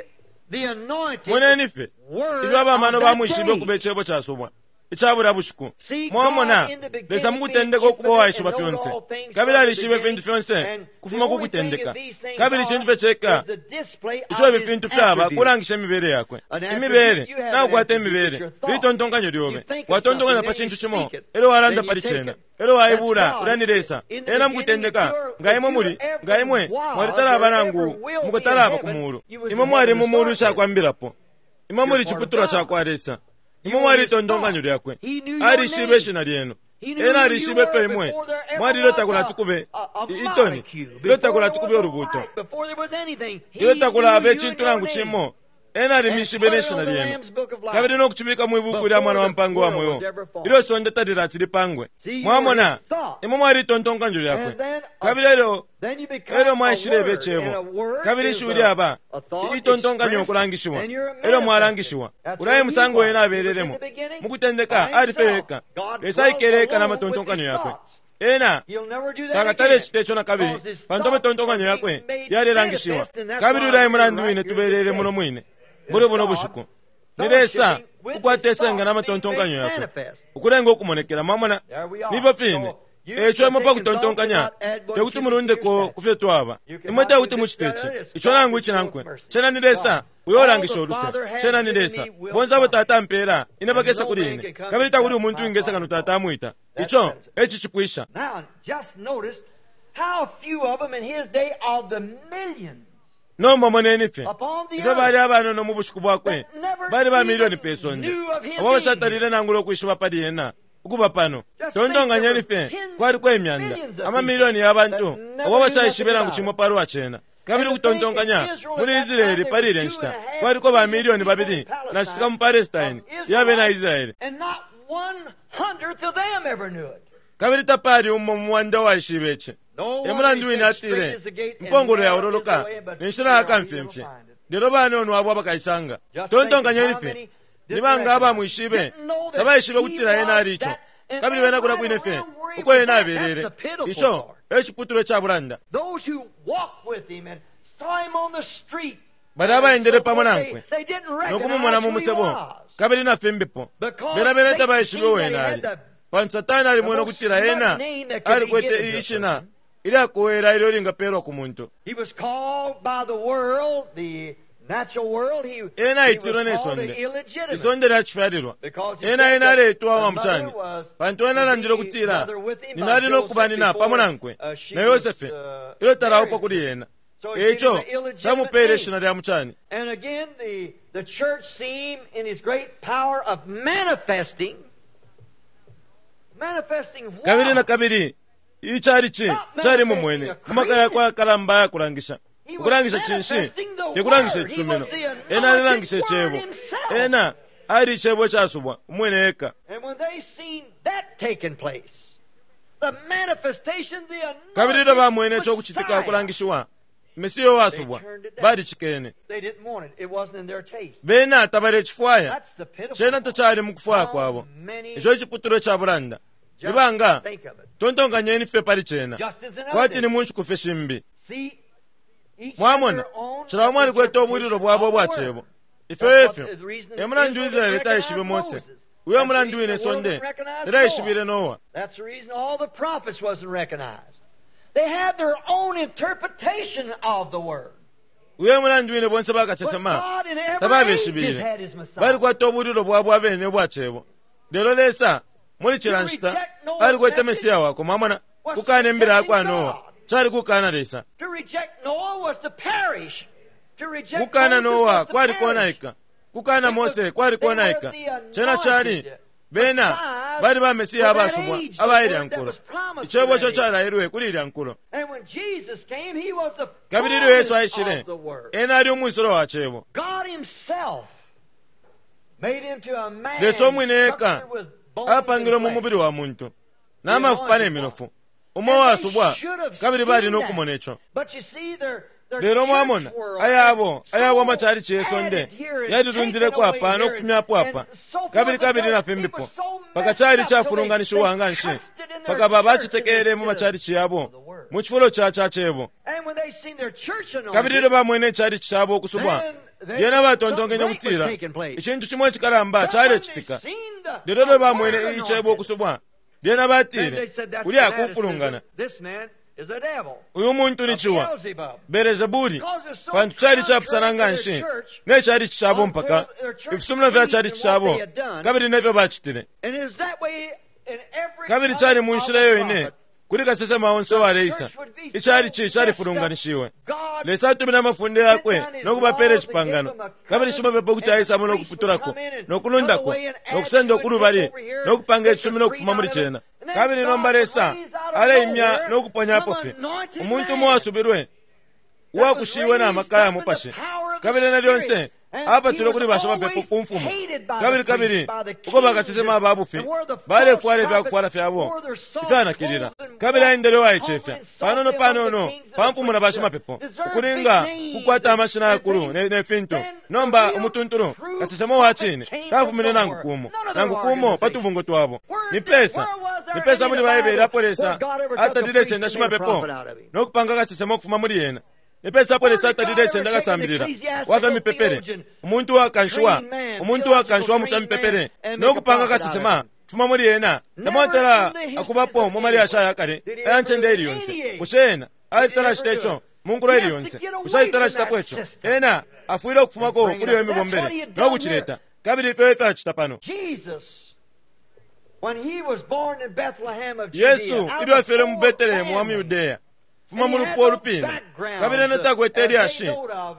the anointed Moneni fye word ifyo abamano of that bamwishibe day. ukuba icebo casubwa ica bulya bushiku. See, Mwamona, God in the beginning Lesa mu kutendeka being ukuba uwaishiba infinite and fyonse, know all things kabili from the alishibe beginning, ifintu fyonse and kufuma the ku only thing kutendeka. that these things Kabili are icintu fye ceka is the display ico of ifi his fintu fyaba attributes. kulangisha imibele yakwe. An attribute, Imibele, you have an nakukwata attribute, imibele, it's your thought. litontonkanyo lyobe. You think of Watontonkanya something, pa then you cintu cimo, speak it, elyo walanda then you pali take cena, it. elyo waibula, That's God. ulya ni Lesa. In the Ena mu beginning, kutendeka, if you're- nga imwe if muli, you ever nga imwe, was mwalitalaba or nangu ever will be mukatalaba in ku heaven, muulu. you was Imwe in mwali heaven mu to muulu start with. icakwambilapo. Imwe muli You're part of ciputulwa God. ca kwa Lesa. Imwe You mwali were itontonkanyo his lyakwe. thought. He knew your Alishibe name. ishina lyenu. He knew Ena who you alishibe were fyo imwe. before there ever Mwali was ilyo kube a itoni. molecule, Ilyo before takulati there kube was a ulubuto. light, before there was anything. He Ilyo takulaba knew you icintu and your nangu name. cimo, ena alimishibe And ne put it shina on the lyenu. Lamb's Book of Life. Kabili no kucibika mwi buku lya mwana wa mpango wa mweo. Before the world was ever formed. Ilyo isonde talilati lipangwe. See, you Mwamona, were his thought. imwe mwali itontonkanyo lyakwe. And then, Kabili elyo Then you become elyo a mwaishileba word, and a icebo. word Kabili is ishiwi a- lyaba a thought itontonkanyo expressed, ukulangishiwa. and you're Elyo manifested. mwalangishiwa. That's Ulya what e musango he ena was. He was in abelelemo. the beginning Mu kutendeka by ali fye himself. eka. God Lesa dwelt aikele eka na alone with matontonkanyo his yakwe. thoughts. Ena He'll never do that takatale again. cite ico na kabili Because his pantu thoughts amatontonkanyo are yakwe being made yalilangishiwa. manifest, and that's Kabili why ulya e we're mulandu right wine here tubelele today. muno mwine muli buno bushiku. Ni Lesa ukwata isenga na matontonkanyo yakwe ukulenga ukumonekela. Mwamona, nifyo fine. Eico imwe pa kutontonkanya te kuti mulundeko ku fyo twaba. Imwe te kuti mucite ici, ico nangu icinankwe. Cena ni Lesa uyo ulangisha uluse. Cena ni Lesa. Bonse abo Tata ampeela, ine bakesa kuli ine. Kabili takuli umuntu uwingesa kano Tata amwita. Ico e cicipwisha. Now, just notice how few of them in his day of the millions Nomba moneni fye upon the ifyo bali earth abanono mu bushiku bwakwe, bali ba milioni pe sonde abo bashatalile nangula ukwishiba pali ena ukuba pano. Tontonkanyeni fye, kwaliko imyanda amamilioni ya bantu abo bashaishibe nangu cimo palwa cena. Kabili ukutontonkanya muli Israeli pali ilya nshita kwaliko ba milioni 2 na citika mu Palestine ya bena Israeli, and not 1/100th of them ever knew it. kabili tapali umo mu mwanda uwaishibe ici. No E wonder mulandu he wine said, atile, "Straight is the gate and impongolo narrow is the yaololoka way, but ne nshila ya few are he kamfyemfye, will find it." lelo banono abo abakaisanga. Just Tontonkanyeni think of how fye, many ni banga abamwishibe didn't know that tabaishibe he kutila ena was ali ico, that, and kabili then bena kulya right kwine fye around where he uko was ena at, abelele. that's the pitiful Ico part. e ciputulwa ca bulanda. Those who walked with him and saw him on the street Bali abaendele pamo nankwe they didn't no kumumona recognize mu who he musebo was. kabili na fimbipo, Because bena bena Satan tabaishibe seen wena that he ali, had the pantu Satani alimwene the ukutila most ena smart name that could be alikwete given to a ishina person. ilyakowela ilyo lingapelwa ku muntu. He was called by the world, the natural world, he, Ena he was aitilwe ne called sonde, the illegitimate. isonde lya cifyalilwa. Because he Ena said ena that aleitwa the wa mucani, mother was pantu ena to alandile be ukutila mother with him by ninali no kuba Joseph nina pamo before, nankwe she na was, Yosefe ilyo talaupwa married. kuli ena. So he gave Eico him the illegitimate camupele name. ishina lya mucani. And again, the church seen in his great power of manifesting, manifesting what? Kabili na kabili icalici cali mumwene mu maka yakwe ayakalamba ayakulangisha. He was Ukulangisha cinshi? manifesting the Te kulangisha word. He icisumino. was the Ena alilangisha anointed icebo. word himself. Ena ali icebo icasubwa umwine eka. And when they seen that taking place, the manifestation, the Kabili ilyo bamwene anointed ico kucitika Messiah, ukulangishiwa, Mesiya uwasubwa, balicikene. they didn't want it. It wasn't in their taste. Bena tabalecifwaya. That's the pitiful Cena part. tacali mu kufwaya How kwabo. many Ico iciputulwa ca bulanda. just Nibanga think of it. tontonkanyeni fye pali cena. Just as in other Kwati ni days. mu nshiku fye shimbi. See, each had Mwamona, their own cila umo alikwete ubwililo bwabo ubwa interpretation of cebo. the word. Ifyo That's efyo. what the reason E mulandu Israel Israeli didn't taishibe recognize Mose. Moses. Uyo That's the mulandu reason wine the world sonde didn't recognize taishibile Noah. Noa. That's the reason all the prophets wasn't recognized. They had their own interpretation of the word. Uyo mulandu wine bonse But bakasesema God in every age has tababeshibile. had his Messiah. Balikwata ubulilo bwabo abene ubwa cebo. Lelo Lesa muli cila nshita alikwete Mesiya wakwe, mwamona, kukana imbila yakwa Noa cali kukana Lesa. To reject Noah was to perish. To reject Kukana Moses Noa was to kwali perish. konaika. Kukana Mose kwali konaika. Cena cali bena bali ba Mesiya abasubwa abailya nkulo. Icebo ico calailwe kuli ilya nkulo. And when Jesus came, he was the Kabili ilyo Yesu fullness aishile, of the word. ena ali umwisolo wa cebo. God himself made into a man Lesa umwine eka structured with bones apangilwe and mu flesh. mubili wa muntu n'amafupa n'eminofu umo wasubwa kabili bali n'okumona ekyo. But you see, their, their Lelo church mwamona world ayabo had ayabo so amachalichi yesonde added here and yalilundileko taken apa away here n'okufumyapo apa and so forth kabili and kabili so- na it fimbipo was so paka messed chali up till they chafulunganishiwa nga nshi trusted in their paka baba church achitekele mu instead of machalichi yabo the word. mu chifulo cha cha cebo. And when they seen their church Kabili anointed, ilyo bamwene echalichi chabo okusubwa then they- lyena batontonkenye something great was okutila taking place. ichintu chimwe chikalamba But when they chalechitika. seen the- Lelo ilyo the bamwene word icebo anointed, okusubwa lyena then batile they said, "That's kulya fanaticism. kufulungana. This man is a devil, Uyu muntu ni a chiwa Beelzebub." Belezebuli Because it's so pantu chali contrary chapusana to nga their nshi church, ne chalichi chabo mpaka until their church ifisumino fya creed chalichi and what chabo they had done. kabili nefyo bachitile. And it was that way in every Kabili other chali mu nshila other iyo ine prophet. kuli kasesema onse waleisa ichalichi chalifulunganishiwe. Lesa atumine amafunde yakwe nokubapela icipangano kabili shimapepo kuti aisamo nokuputulako nokulundako nokusenda okulubali nokupanga icisumino okufuma muli cena. Kabili nomba Lesa aleimya nokuponyapo fye umuntu umo wasubirwe uwakushiwe n'amaka ya mupashi kabili na lyonse apatulwe kuli bashimapepo ku mfumu kabili kabili uko bakasesema ababufi balefwala ifyakufwala fyabo ifyanakilila kabili aendele uwaicefya panono panono pa mfumu na bashimapepo ukulinga kukwata amashina yakulu ne fintu. Nomba umutuntulu kasesema wa cine tafumine nangu kumo nangu kumo pa tubungo twabo. Nipesa nipesa muli Baibele apo Lesa atalile senda shimapepo nokupanga kasesema okufuma muli yena. Nipesa apo Lesa atalile senda kasambilila wafya mipepele umuntu wakanshiwa umuntu wakanshiwa mufya mipepele nokupanga kasesema kufuma muli yena. Tamwatala akubapo mu malyashi ayakale aya ncende ili yonse. Bushe ena alitalacita ico mu nkulo ili yonse? Bushe alitalacitapo ico? Ena afwile okufumako kuli iyo mibombele nokucileta kabili ifyo efyo acita pano. Jesus, when he was born in Bethlehem of Judea, Yesu out ilyo of afyelwe mu poor Betelehemu wa mu family, Yudeya fuma mu lupwa olupina kabili ena takwete ilyashi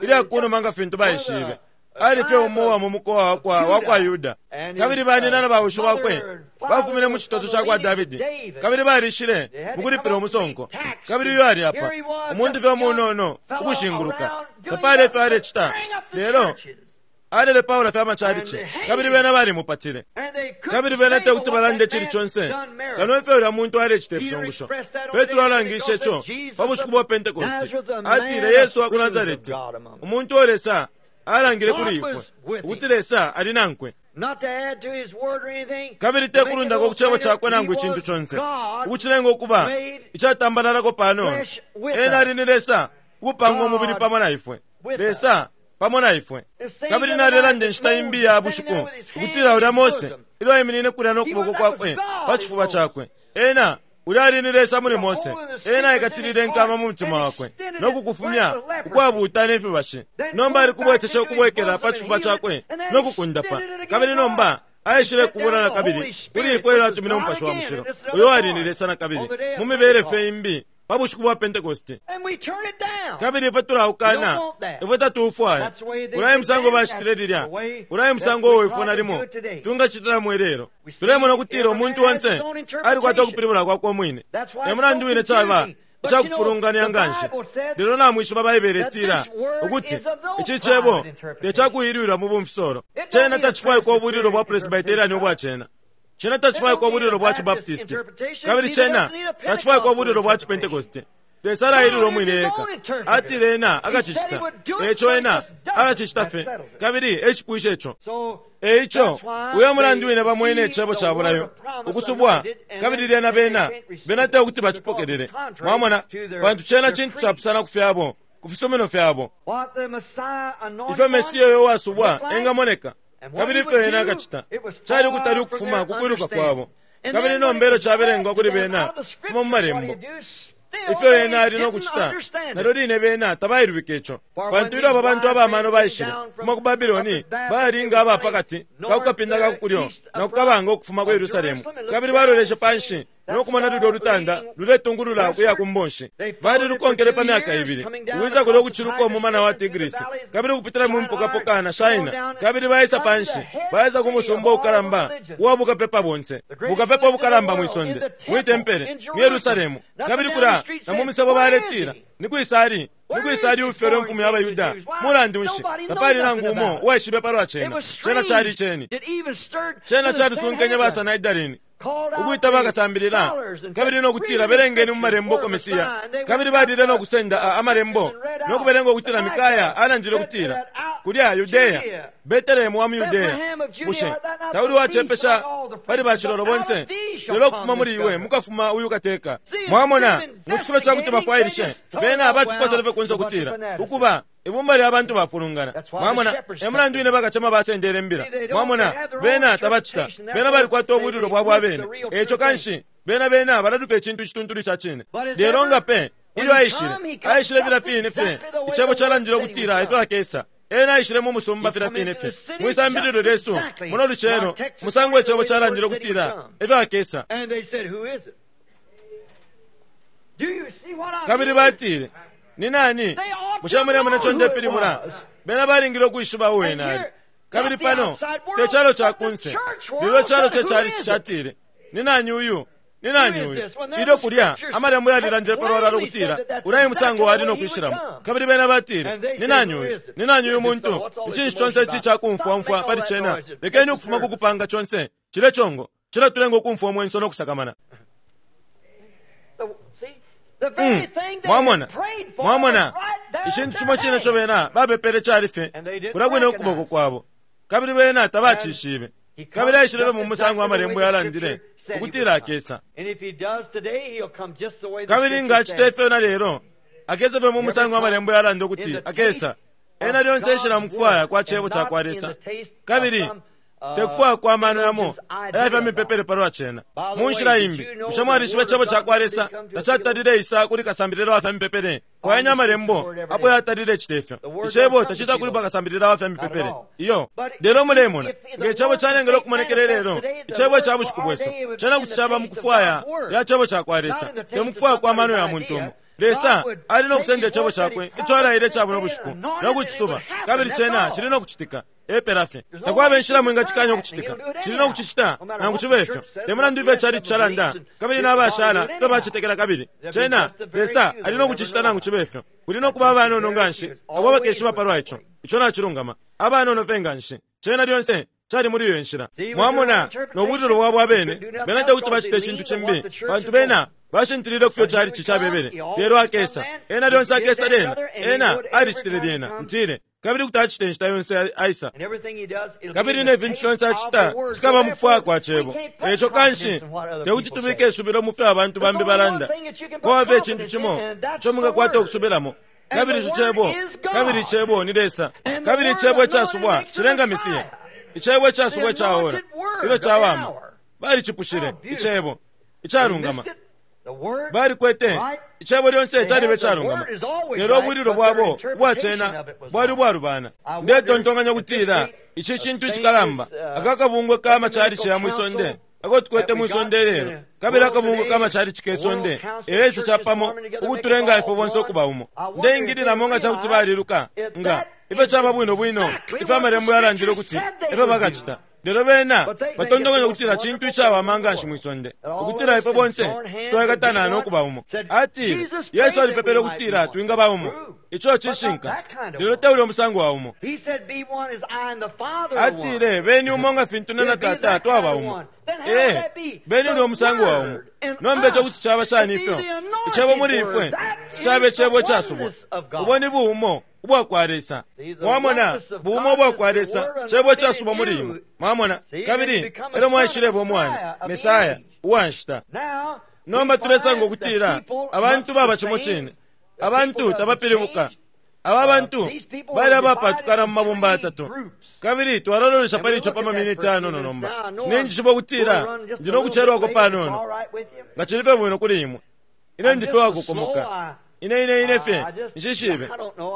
ilyakunuma nga fintu baishibe. Ali fye umo wa mu mukowa wakwa wakwa Yuda kabili banina na bawishi bakwe bafumine mu chitoto cha kwa Davidi kabili balishile mukulipila umusonko. Kabili uyo ali apa umuntu fye umunono ukushinguluka tapali efyo alecita lelo alele Paulo fye amachalichi kabili bena balimupatile and they couldn't kabili bena say te kuti what balande that chili man chonse done miracle. kano ifyo ulya muntu alecita ifisungusho. Petro alangishe ico pa bushiku bwa Pentekoste atile Yesu wa ku Nazareti umuntu uo Lesa alangile kuli ifwe ukuti Lesa ali nankwe. Not to add to his word or anything, Kabili to te make it kulundako all ku cebo plainer, chakwe he nangu was icintu chonse God ukucilenga ukuba made icatambalalako panono. flesh with Ena us. ali ni Lesa ukupanga umubili God pamo na ifwe. with Lesa pamo na ifwe. The same Kabili other nalelanda night inshita that imbi ya Moses bushiku standing there with his ukutila hands ulya in his Mose bosom. ilyo aiminine kulya n'okuboko He was- kwakwe that was God pa chifuba in Moses. chakwe. Ena ulya ali ni Lesa muli The Mose. hole in the Ena secret aikatilile in his inkama heart mu mutima and wakwe extended it n'okukufumya like the leprosy. ukwabuuta n'efibashi. Then Nomba pulled ali kubwesesha back into his ukubwekela pa bosom and chifuba healed it, chakwe and then n'okukundapa. extended it again Kabili to nomba us. aishile Sent kubula down na the kabili Holy kuli Spirit, ifwe ilyo which is atumine God umupashi wa again, mushilo and this is uyo another ali ni part Lesa na kabili on the day of mu mibele Pentecost. fye imbi pa bushiku bwa Pentekoste. And we turn it down. Kabili ifwe tulaukana We don't want that. ifwe tatuufwaya. That's the way they Ulaye did musango then. bachitile That's lilya the way ulaye that musango we uwo ifwe try to nalimo do it today. tungachitila mwelero. We see Tulemona ukutila every umuntu man has onse his own interpretation. alikwata ukupilibula kwakwe umwine. That's why E it's mulandu so wine chaba confusing. But you know, icakufulunganya the nga nshi. Bible said Lelo namwishiba Baibele that itila this word ukuti is of no ici cebo private interpretation. tecakuilwilwa mu bumfisolo. It don't Cena need a tacifwaikwa ubulilo bwa Presbyterian Presbyterian ubwa cena. Cena tacifwaikwa ubulilo bwa Chibaptisti kabili cena tacifwaikwa ubulilo bwa Chipentekoste. Lesa alailwila umwine eka atile ena akacicita eco ena alacicita fye kabili ecipwisha ico. So Eico that's why uyo mulandu wine they bamwene see icebo the ca word bulayo of promise ukusubwa anointed, and kabili then lyena they bena can't receive bena it te kuti because bacipokelele. it's contrary Mwamona to their- pantu cena their cintu creed. capusana ku fyabo ku fisumino fyabo. What the Messiah anointed Ifyo Mesiya uyo wasubwa looked like, engamoneka and what kabili he ifyo would ena do, akacita it was cali far ukutali from ukufuma their ku kwiluka understanding. kwabo. And Kabili then nombelo when it was cabelengwa read kuli to them bena out of the kufuma mu scriptures, what malembo. he'd do, Ifyo ena ali no kucita, nalyo line bena tabailwike ico. Pantu ilyo aba bantu abamano baishile kufuma ku Babiloni, bali nga aba pakati ka kukapinda ka kukulyo na kukabanga ukufuma ku Yerusalemu, kabili baloleshe panshi no kumona lulyo lutanda luletungulula ukuya ku mbonshi. Balilukonkele pa myaka ibili, ukwisa kulyo kuciluka umumana wa Tigrisi, kabili ukupitila mu mpokapoka na Shaina, kabili baisa panshi, baisa ku musumba ukalamba uwa bukapepa bonse, bukapepa ubukalamba mwi sonde, mwi tempele, mu Yerusalemu, kabili kulya na mu misebo baletila, Ni kwisa ali? Ni kwisa ali uufyelwe imfumu ya baYuda? Mulandu nshi, tapali nangu umo uwaishibe palwa cena. Cena cali iceni. Cena calisunkenye ba Sanhedrini ukwita bakasambilila kabili no kutila, Belengeni mu Malembo uko Mesia. Kabili balile no kusenda a, Amalembo no kubelenga ukutila Mikaya alandile ukutila, Kulya Yudea, Betelehemu wa mu Yudea, bushe tauli uwacepesha pali bacilolo bonse? Lelo ukufuma muli iwe mukafuma uyu kateka. Mwamona, mu cifulo ca kuti bafwailishe, bena baciposele fye kunse ukutila, Ukuba, ibumba lya bantu bafulungana. Mwamona, e mulandu wine bakacema basendele imbila. Mwamona, bena tabacita. Bena balikwata ubwililo bwabo abene. E ico kanshi, bena, bena balaluka icintu icituntulu ica cine. Lelo nga pe, ilyo aishile, aishile filya fine fye Icebo calandile ukutila efyo akesa. Ena aishile mu musumba filya fine fye. Mwi sambililo lyesu muno lucelo, musango Icebo calandile ukutila efyo akesa. Kabili batile, Ni nani? Bushe mulemona ico ndepilibula? Bena balingile ukwishiba uo ena ali. Kabili pano, te calo ca kunse, lelo icalo ce chalichi catile, Ni nani uyu? Ni nani uyu? Ilyo kulya, Amalembo yalilandile palwalala ukutila ulya e musango wali no kwishilamo. Kabili bena batile, Ni nani uyu? Ni nani uyu muntu? Ni cinshi conse ici ica kumfwa umfwa pali cena? Lekeni ukufuma ku kupanga conse cilye congo. Cilatulenga ukumfwa umwenso no kusakamana. Mm. Mwamona, mwamona, icintu cimo cine ico bena bapepele cali fye kulya kwine ukuboko kwabo, kabili bena tabacishibe. Kabili aishilebe mu musango Amalembo yalandile ukutila akesa. Kabili nga acita ifyo na lelo, akesa fye mu musango Amalembo yalanda ukuti akesa. Ena lyonse eshila mu kufwaya kwa Cebo cakwa Lesa, kabili te kufwaya kwa mano yamo aya fya mipepele palwa cena. Mu nshila imbi, bushe mwalishiba Icebo cakwa Lesa tacatalile isa kuli kasambilila wa fya mipepele? Kwayanya Amalembo apo yatalile cite fyo. Icebo tacisa kuli bakasambilila wa fya mipepele. Iyo. Lelo mulemona, nge Cebo calengele ukumonekela ilelo, Icebo ica bushiku bwesu, cena kuti caba mu kufwaya ya Cebo cakwa Lesa, te mu kufwaya kwa mano ya muntu umo. Lesa ali no kusenda Icebo Cakwe ico alaile ica buno bushiku no kucisuba, kabili cena cili no kucitika. Epela fye. Takwaba inshila mwingacikanya ukucitika. Cili no kucicita, nangu cibe fyo. Te mulandu ifyo icalici calanda, kabili na bashala ifyo bacetekela kabili, cena, Lesa ali no kucicita nangu cibe fyo. Kuli no kuba abanono nganshi abo abakeshiba palwa ico. Ico nacilungama. Abanono fye nganshi. Cena lyonse cali muli iyo nshila. Mwamona, no bwililo bwabo abene, bena tekuti bacite icintu cimbi, pantu bena bashintilile kufyo chalichi cabebele. Lelo akesa. Ena lyonse akesa lyena. Ena alicitile lyena, ntile, kabili kuti acita inshita yonse aisa. Kabili ne fintu fyonse acita cikaba mu kufwaya kwa Cebo. Eco kanshi tekuti tubike isubilo mu fyo abantu bambi balanda. Kwaba fye icintu cimo ico mwingakwata ukusubilamo, Kabili ico Cebo, kabili Icebo ni Lesa. Kabili Icebo icasubwa cilenga Mesiya. Icebo icasubwa ica ora, ilyo cawama. Balicipushile, Icebo, icalungama. Balikwete Icebo lyonse caliba icalungama, lelo ubwililo bwabo ubwa cena bwali ubwalubana. Ndetontonkanya ukutila ici cintu icikalamba, aka kabungwe ka machalichi ya mwi sonde ako tukwete mwi sonde ilelo, kabili akabungwe ka machalichi ke sonde elesa capamo ukutulenga ifwe bonse ukuba umo. Ndeingililamo nga cakuti baliluka nga ifyo caba bwino bwino ifyo Amalembo yalandile ukuti efyo bakacita. Lelo bena batontonkanya ukutila cintu icawama nganshi mwi sonde, ukutila ifwe bonse twaikatana no kuba umo. Atile, Yesu alipepele ukutila twingaba umo. Ico cishinka, lelo te ulya musango wa umo. Atile, Beni umo nga fintu ne na Tata twaba umo. Ee, beni ulya musango wa umo. Nomba ico kuti caba shani ifyo? Icebo muli ifwe kuti caba Icebo icasubwa. Ubo ni buumo ubwakwa Lesa. Mwamona, buumo ubwakwa Lesa, Cebo icasubwa muli imwe. Mwamona? Kabili elyo mwaishileba Umwana, Mesaya, uwa nshita. Nomba tulesanga ukutila abantu baba cimo cine. Abantu tabapilibuka. Aba bantu bali abapatukana mu mabumba yatatu. Kabili twalalolesha pali ico pa maminiti ayanono nomba. Ninjishiba ukutila ndi no kucelwako panono, nga cili fye bwino kuli imwe. Ine ndi fye wakokomoka. Ine, ine, ine fye nshishibe.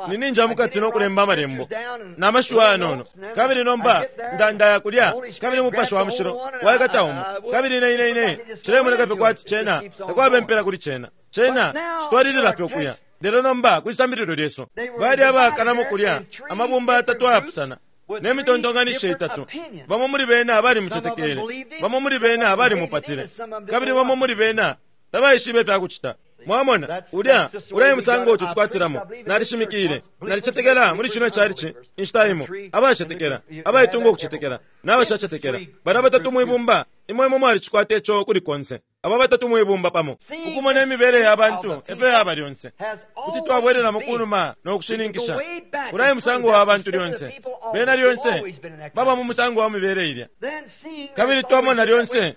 Ni ninja mukati no kulemba amalembo na mashiwi ayanono, kabili nomba ndandaya kulya, kabili Mupashi wa Mushilo waikata umo, kabili ine, ine, ine cilemoneka fye kwati cena takwaba impela kuli cena. Cena citwalilila fye ukuya. Lelo nomba kwisambililo lyesu, bali abakanamo kulya amabumba yatatu ayapusana ne mitontonkanisho itatu. Bamo muli bena balimucetekele, bamo muli bena balimupatile, kabili bamo muli bena tabaishibe ifya kucita. Mwamona, ulya ulya musango tucikwatilamo. Nalishimikile, nalicetekela muli cino chalichi inshita imo, abacetekela, abaitunga ukucetekela n'abashacetekela, bana batatu mwibumba imwe imwe mwalicikwata ico kuli konse. Aba batatu mwibumba pamo, ukumona imibele ya bantu efyo yaba lyonse, kuti twabwelelamo kunuma no kushininkisha ulya musango wa bantu lyonse. Bena lyonse baba mu musango wa mibele ilya, kabili twamona lyonse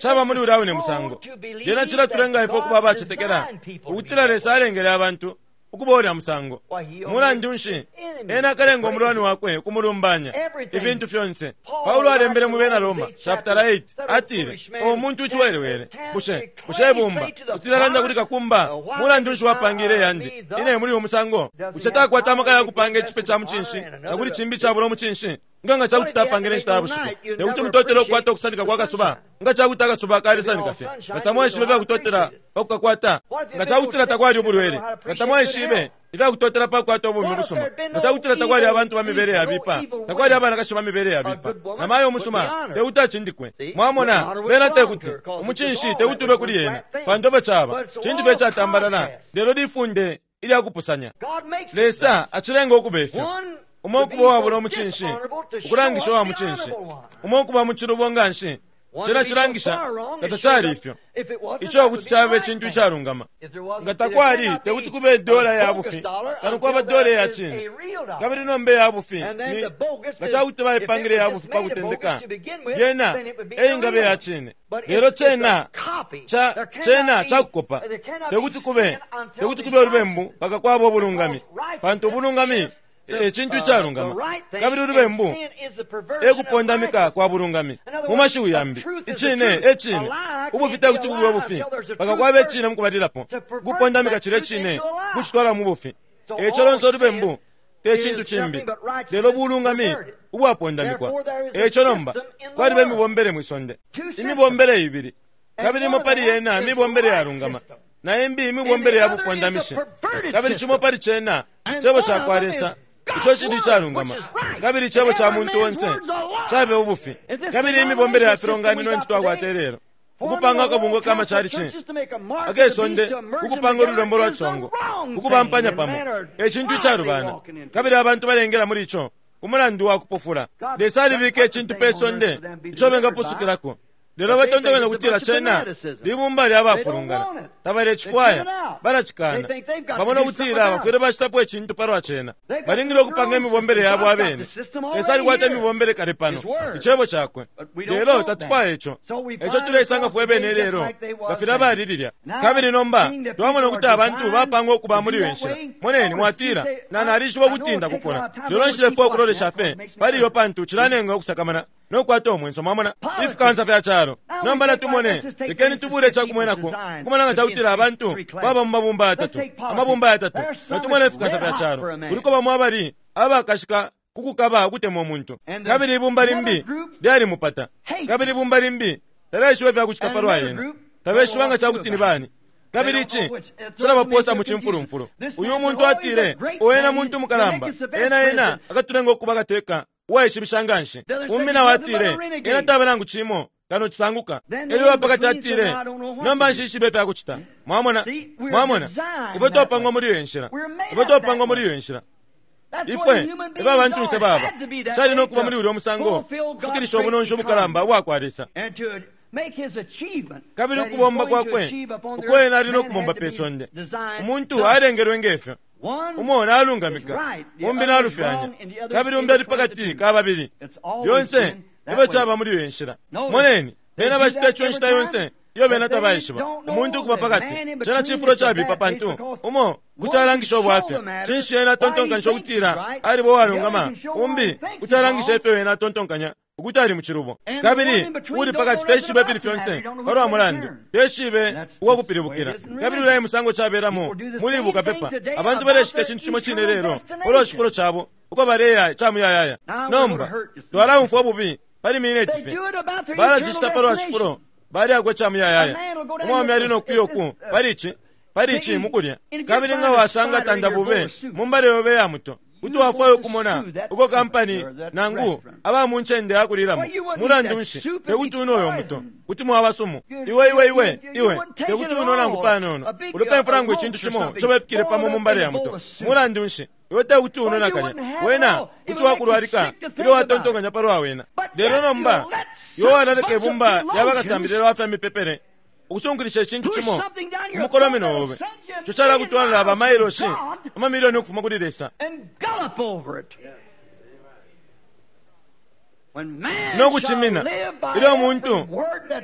caba muli ulya wine musango. Lyena cilatulenga ifwe ukuba abacetekela ukutila Lesa alengele abantu ukuba ulya musango. Mulandu nshi, ena akalenga umulwani wakwe ukumulumbanya, ifintu fyonse. Paulo alembele mu Bena Roma chapter 8, atile, o muntu uciwelewele, bushe bushe ibumba kuti lalanda kuli kakumba, mulandu nshi wapangile yandi ine muli uyu musango? Bushe takwata amaka ya kupanga icipe ca mucinshi na kuli cimbi cabula umucinshi? Nga nga cakuti tapangile inshita ya bushiku, tekuti mutotele ukukwata ukusanika kwa kasuba. Nga cakuti akasuba kalisanika fye, nga tamwaishibe ifyakutotela pa kukakwata. Nga cakutila takwali ubulwele, nga tamwaishibe ifyakutotela pa kukwata ubumi busuma. Nga cakutila takwali abantu ba mibele yabipa, takwali abanakashi ba mibele yabipa, na mayo umusuma tekuti acindikwe. Mwamona, bena tekuti umucinshi tekuti ube kuli yena, pantu efyo caba cintu fye catambalala. Lelo lifunde ilya kupusanya. Lesa acilenga ukuba ifyo, umo ukuba uwabula umucinshi ukulangisha uwa mucinshi, umo ukuba mu cilubo nga nshi cena cilangisha nga tacali ifyo. Ico kuti caba icintu icalungama. Nga takwali, tekuti kube dola ya bufi kano kwaba dola ya cine. Kabili nomba ya bufi ni, nga cakuti baipangile ya bufi pa kutendeka, lyena eyingabe ya cine. Lelo cena ca cena cakukopa. Tekuti kube, tekuti kube ulubembu mpaka kwaba ubulungami, pantu ubulungami e cintu icalungama, kabili ulubembu e kupondamika kwa bulungami. Mu mashiwi yambi, icine e cine, ubufi tekuti bube bufi mpaka kwaba icine mukubalilapo, kupondamika cilya cine kucitwala mu bufi. Eco lonse ulubembu te cintu cimbi lelo bulungami ubwapondamikwa. Eco nomba kwaliba imibombele mwi sonde, imibombele ibili, kabili imo pali yena mibombele yalungama, na imbi imibombele ya bupondamishi. Kabili cimo pali cena cebo ca kwa Lesa, ico cili icalungama, kabili icebo ca muntu onse cabe ubufi. Kabili imibombele ya filonganino intu twakwata ilelo, ukupanga akabungwe ka macalici akesonde, ukupanga ululembo lwa ciswango, ukubampanya pamo, e cintu icalubana, kabili abantu balengela muli ico ku mulandu wa kupofula. Lesa alibika icintu pe sonde ico bengapusukilako, lelo batontonkanya ukutila cena libumba lya bafulungana. Tabalecifwaya, balacikana. Bamona ukutila bafwile bacitapo icintu palwa cena, balingile ukupanga imibombele yabo abene. Lesa alikwata imibombele kale pano, icebo cakwe, lelo tatufwaya ico. Eco tuleisanga fwe bene lelo nga filya bali lilya. Kabili nomba twamona ukuti abantu bapangwa ukuba muli iyo nshila. Moneni, mwatila, na nalishiba ukuti ndakukula, lelo nshilefwaya ukulolesha fye pali iyo pantu cilanenga ukusakamana no kukwata umwenso. Mwamona ifikansa fya calo. Nomba natumone, lekeni tubule icakumwenako ukumona nga cakutila abantu baba mu mabumba yatatu, amabumba yatatu. Natumone ifikansa fya calo, kuliko bamo abali abakashika kukukaba ukutemwa umuntu, kabili ibumba limbi lyalimupata, kabili ibumba limbi talyaishiba ifya kucita palwa yena, tabeshiba nga cakuti ni bani, kabili ici cilabaposa mu cimfulumfulu. Uyu muntu atile, o ena muntu mukalamba, ena ena akatulenga ukuba kateka uwaishibisha nga nshi. Umbi nao atile, ena taba nangu cimo kano cisanguka. Elyo uwapakati atile, nomba nshishibe ifya kucita. Mwamona, mwamona, ifwe twapangwa muli iyo nshila, ifwe twapangwa muli iyo nshila. Ifwe ifwe abantunse baba cali no kuba muli ulya musango kufikilisha ubunonshi ubukalamba ubwa kwa Lesa, kabili ukubomba kwakwe uko ena ali no kubomba pe sonde. Umuntu alengelwe ngefyo, umo nalungamika, umbi nalufyanya, kabili umbi ali pakati ka babili. Lyonse ifyo caba muli iyo nshila. Moneni, bena bacita ico inshita yonse iyo bena tabaishiba. Umuntu ukuba pakati, cena cifulo cabipa, pantu umo kuti alangisha ubwafya, cinshi ena atontonkanisha ukutila aliba uwalungama, umbi kuti alangisha ifyo ena atontonkanya. Ukuti ali mucilubo. Kabili uli pakati teshibe ifili fyonse palwa mulandu, teshibe uwakupilibukila. Kabili ulya e musango cabelamo muli bukapepa. Abantu balecita icintu cimo cine lelo palwa cifulo cabo uko baleya ica muyayaya. Nomba twalaumfwa ububi pali mineti fye. Balacicita palwa cifulo balyako ica muyayaya. Umwaume ali no kuya uku pali ici pali ici mukulya. Kabili nga wasanga tandabube mu mbale yobe ya muto, kuti wafwaya ukumona uko kampani nangu aba mu ncende ya kulilamo. Mulandu nshi, te kuti unwe uyo muto, kuti mwaba sumu. Iwe, iwe, iwe, iwe te kuti unwe nangu panono. Ulupemfu nangu icintu cimo ico bepikile pamo mu mbale ya muto. Mulandu nshi, iwe te kuti unwe nakalya. Wena kuti wakulwalika ilyo watontonkanya palwa wena. Lelo nomba iwe walaleka ibumba lya bakasambilila ba fya mipepele ukusunkilisha icintu cimo ku mukolomino obe, ico calakutwalila ba mailoshi amamilioni ukufuma kuli Lesa no kucimina. Ilyo umuntu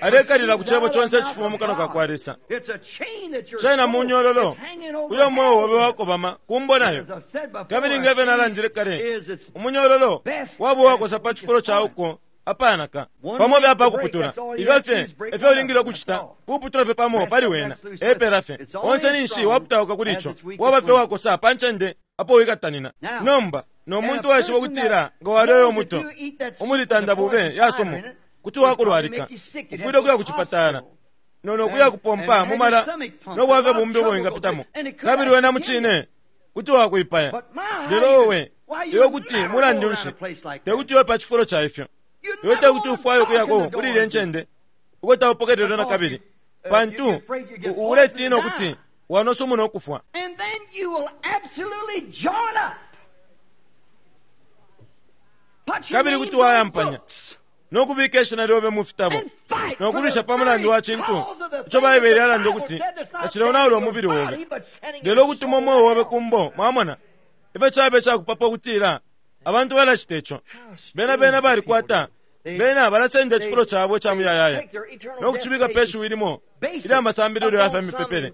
alekalila ku cebo conse icifuma mu kanwa ka kwa Lesa, cena munyololo uyo mweo obe wakobama kumbo nayo. Kabili nge fyo nalandile kale, umunyololo waba uwakosa pa cifulo ca uko apanaka pamo fye apakuputula. Ifyo fye efyo ulingile ukucita, kuputula fye pamo pali wena, epela fye. Onse ninshi waputauka kuli ico, waba fye wakosa pa ncende apo wikatanina. Nomba no muntu waishiba ukutila nga walya uyo muto umuli tandabube ya sumu, kuti wakulwalika, ufwile ukuya ku cipatala no no kuya kupompa mu mala no bwafya bumbi ubo wingapitamo, kabili wena mucine kuti wakuipaya. Lelo owe, iwe kuti mulandu nshi te kuti uye pa cifulo ca ifyo? Iwe te kuti ufwaye ukuyako kuli ilya ncende uko taupokelelwe na kabili, pantu uletina ukuti wanosa umu no kufwa. And then you will absolutely join up. Put your Kabili names kuti on wayampanya books no kubika ishina lyobe mu fitabo and fight no for kulwisha the pa mulandu very wa cintu cause of the ico thing that Baibele the yalanda Bible ukuti said that's not tacileonaula sending your umubili body, obe, but sending lelo your ukutuma soul umweo obe to hell. kumbo. Mwamona ifyo cabe cakupapa ukutila abantu balacita ico. Bena bena balikwata, bena balasenda icifulo cabo ica muyayaya no kucibika pe shiwi limo ilya masambililo ya fya mipepele,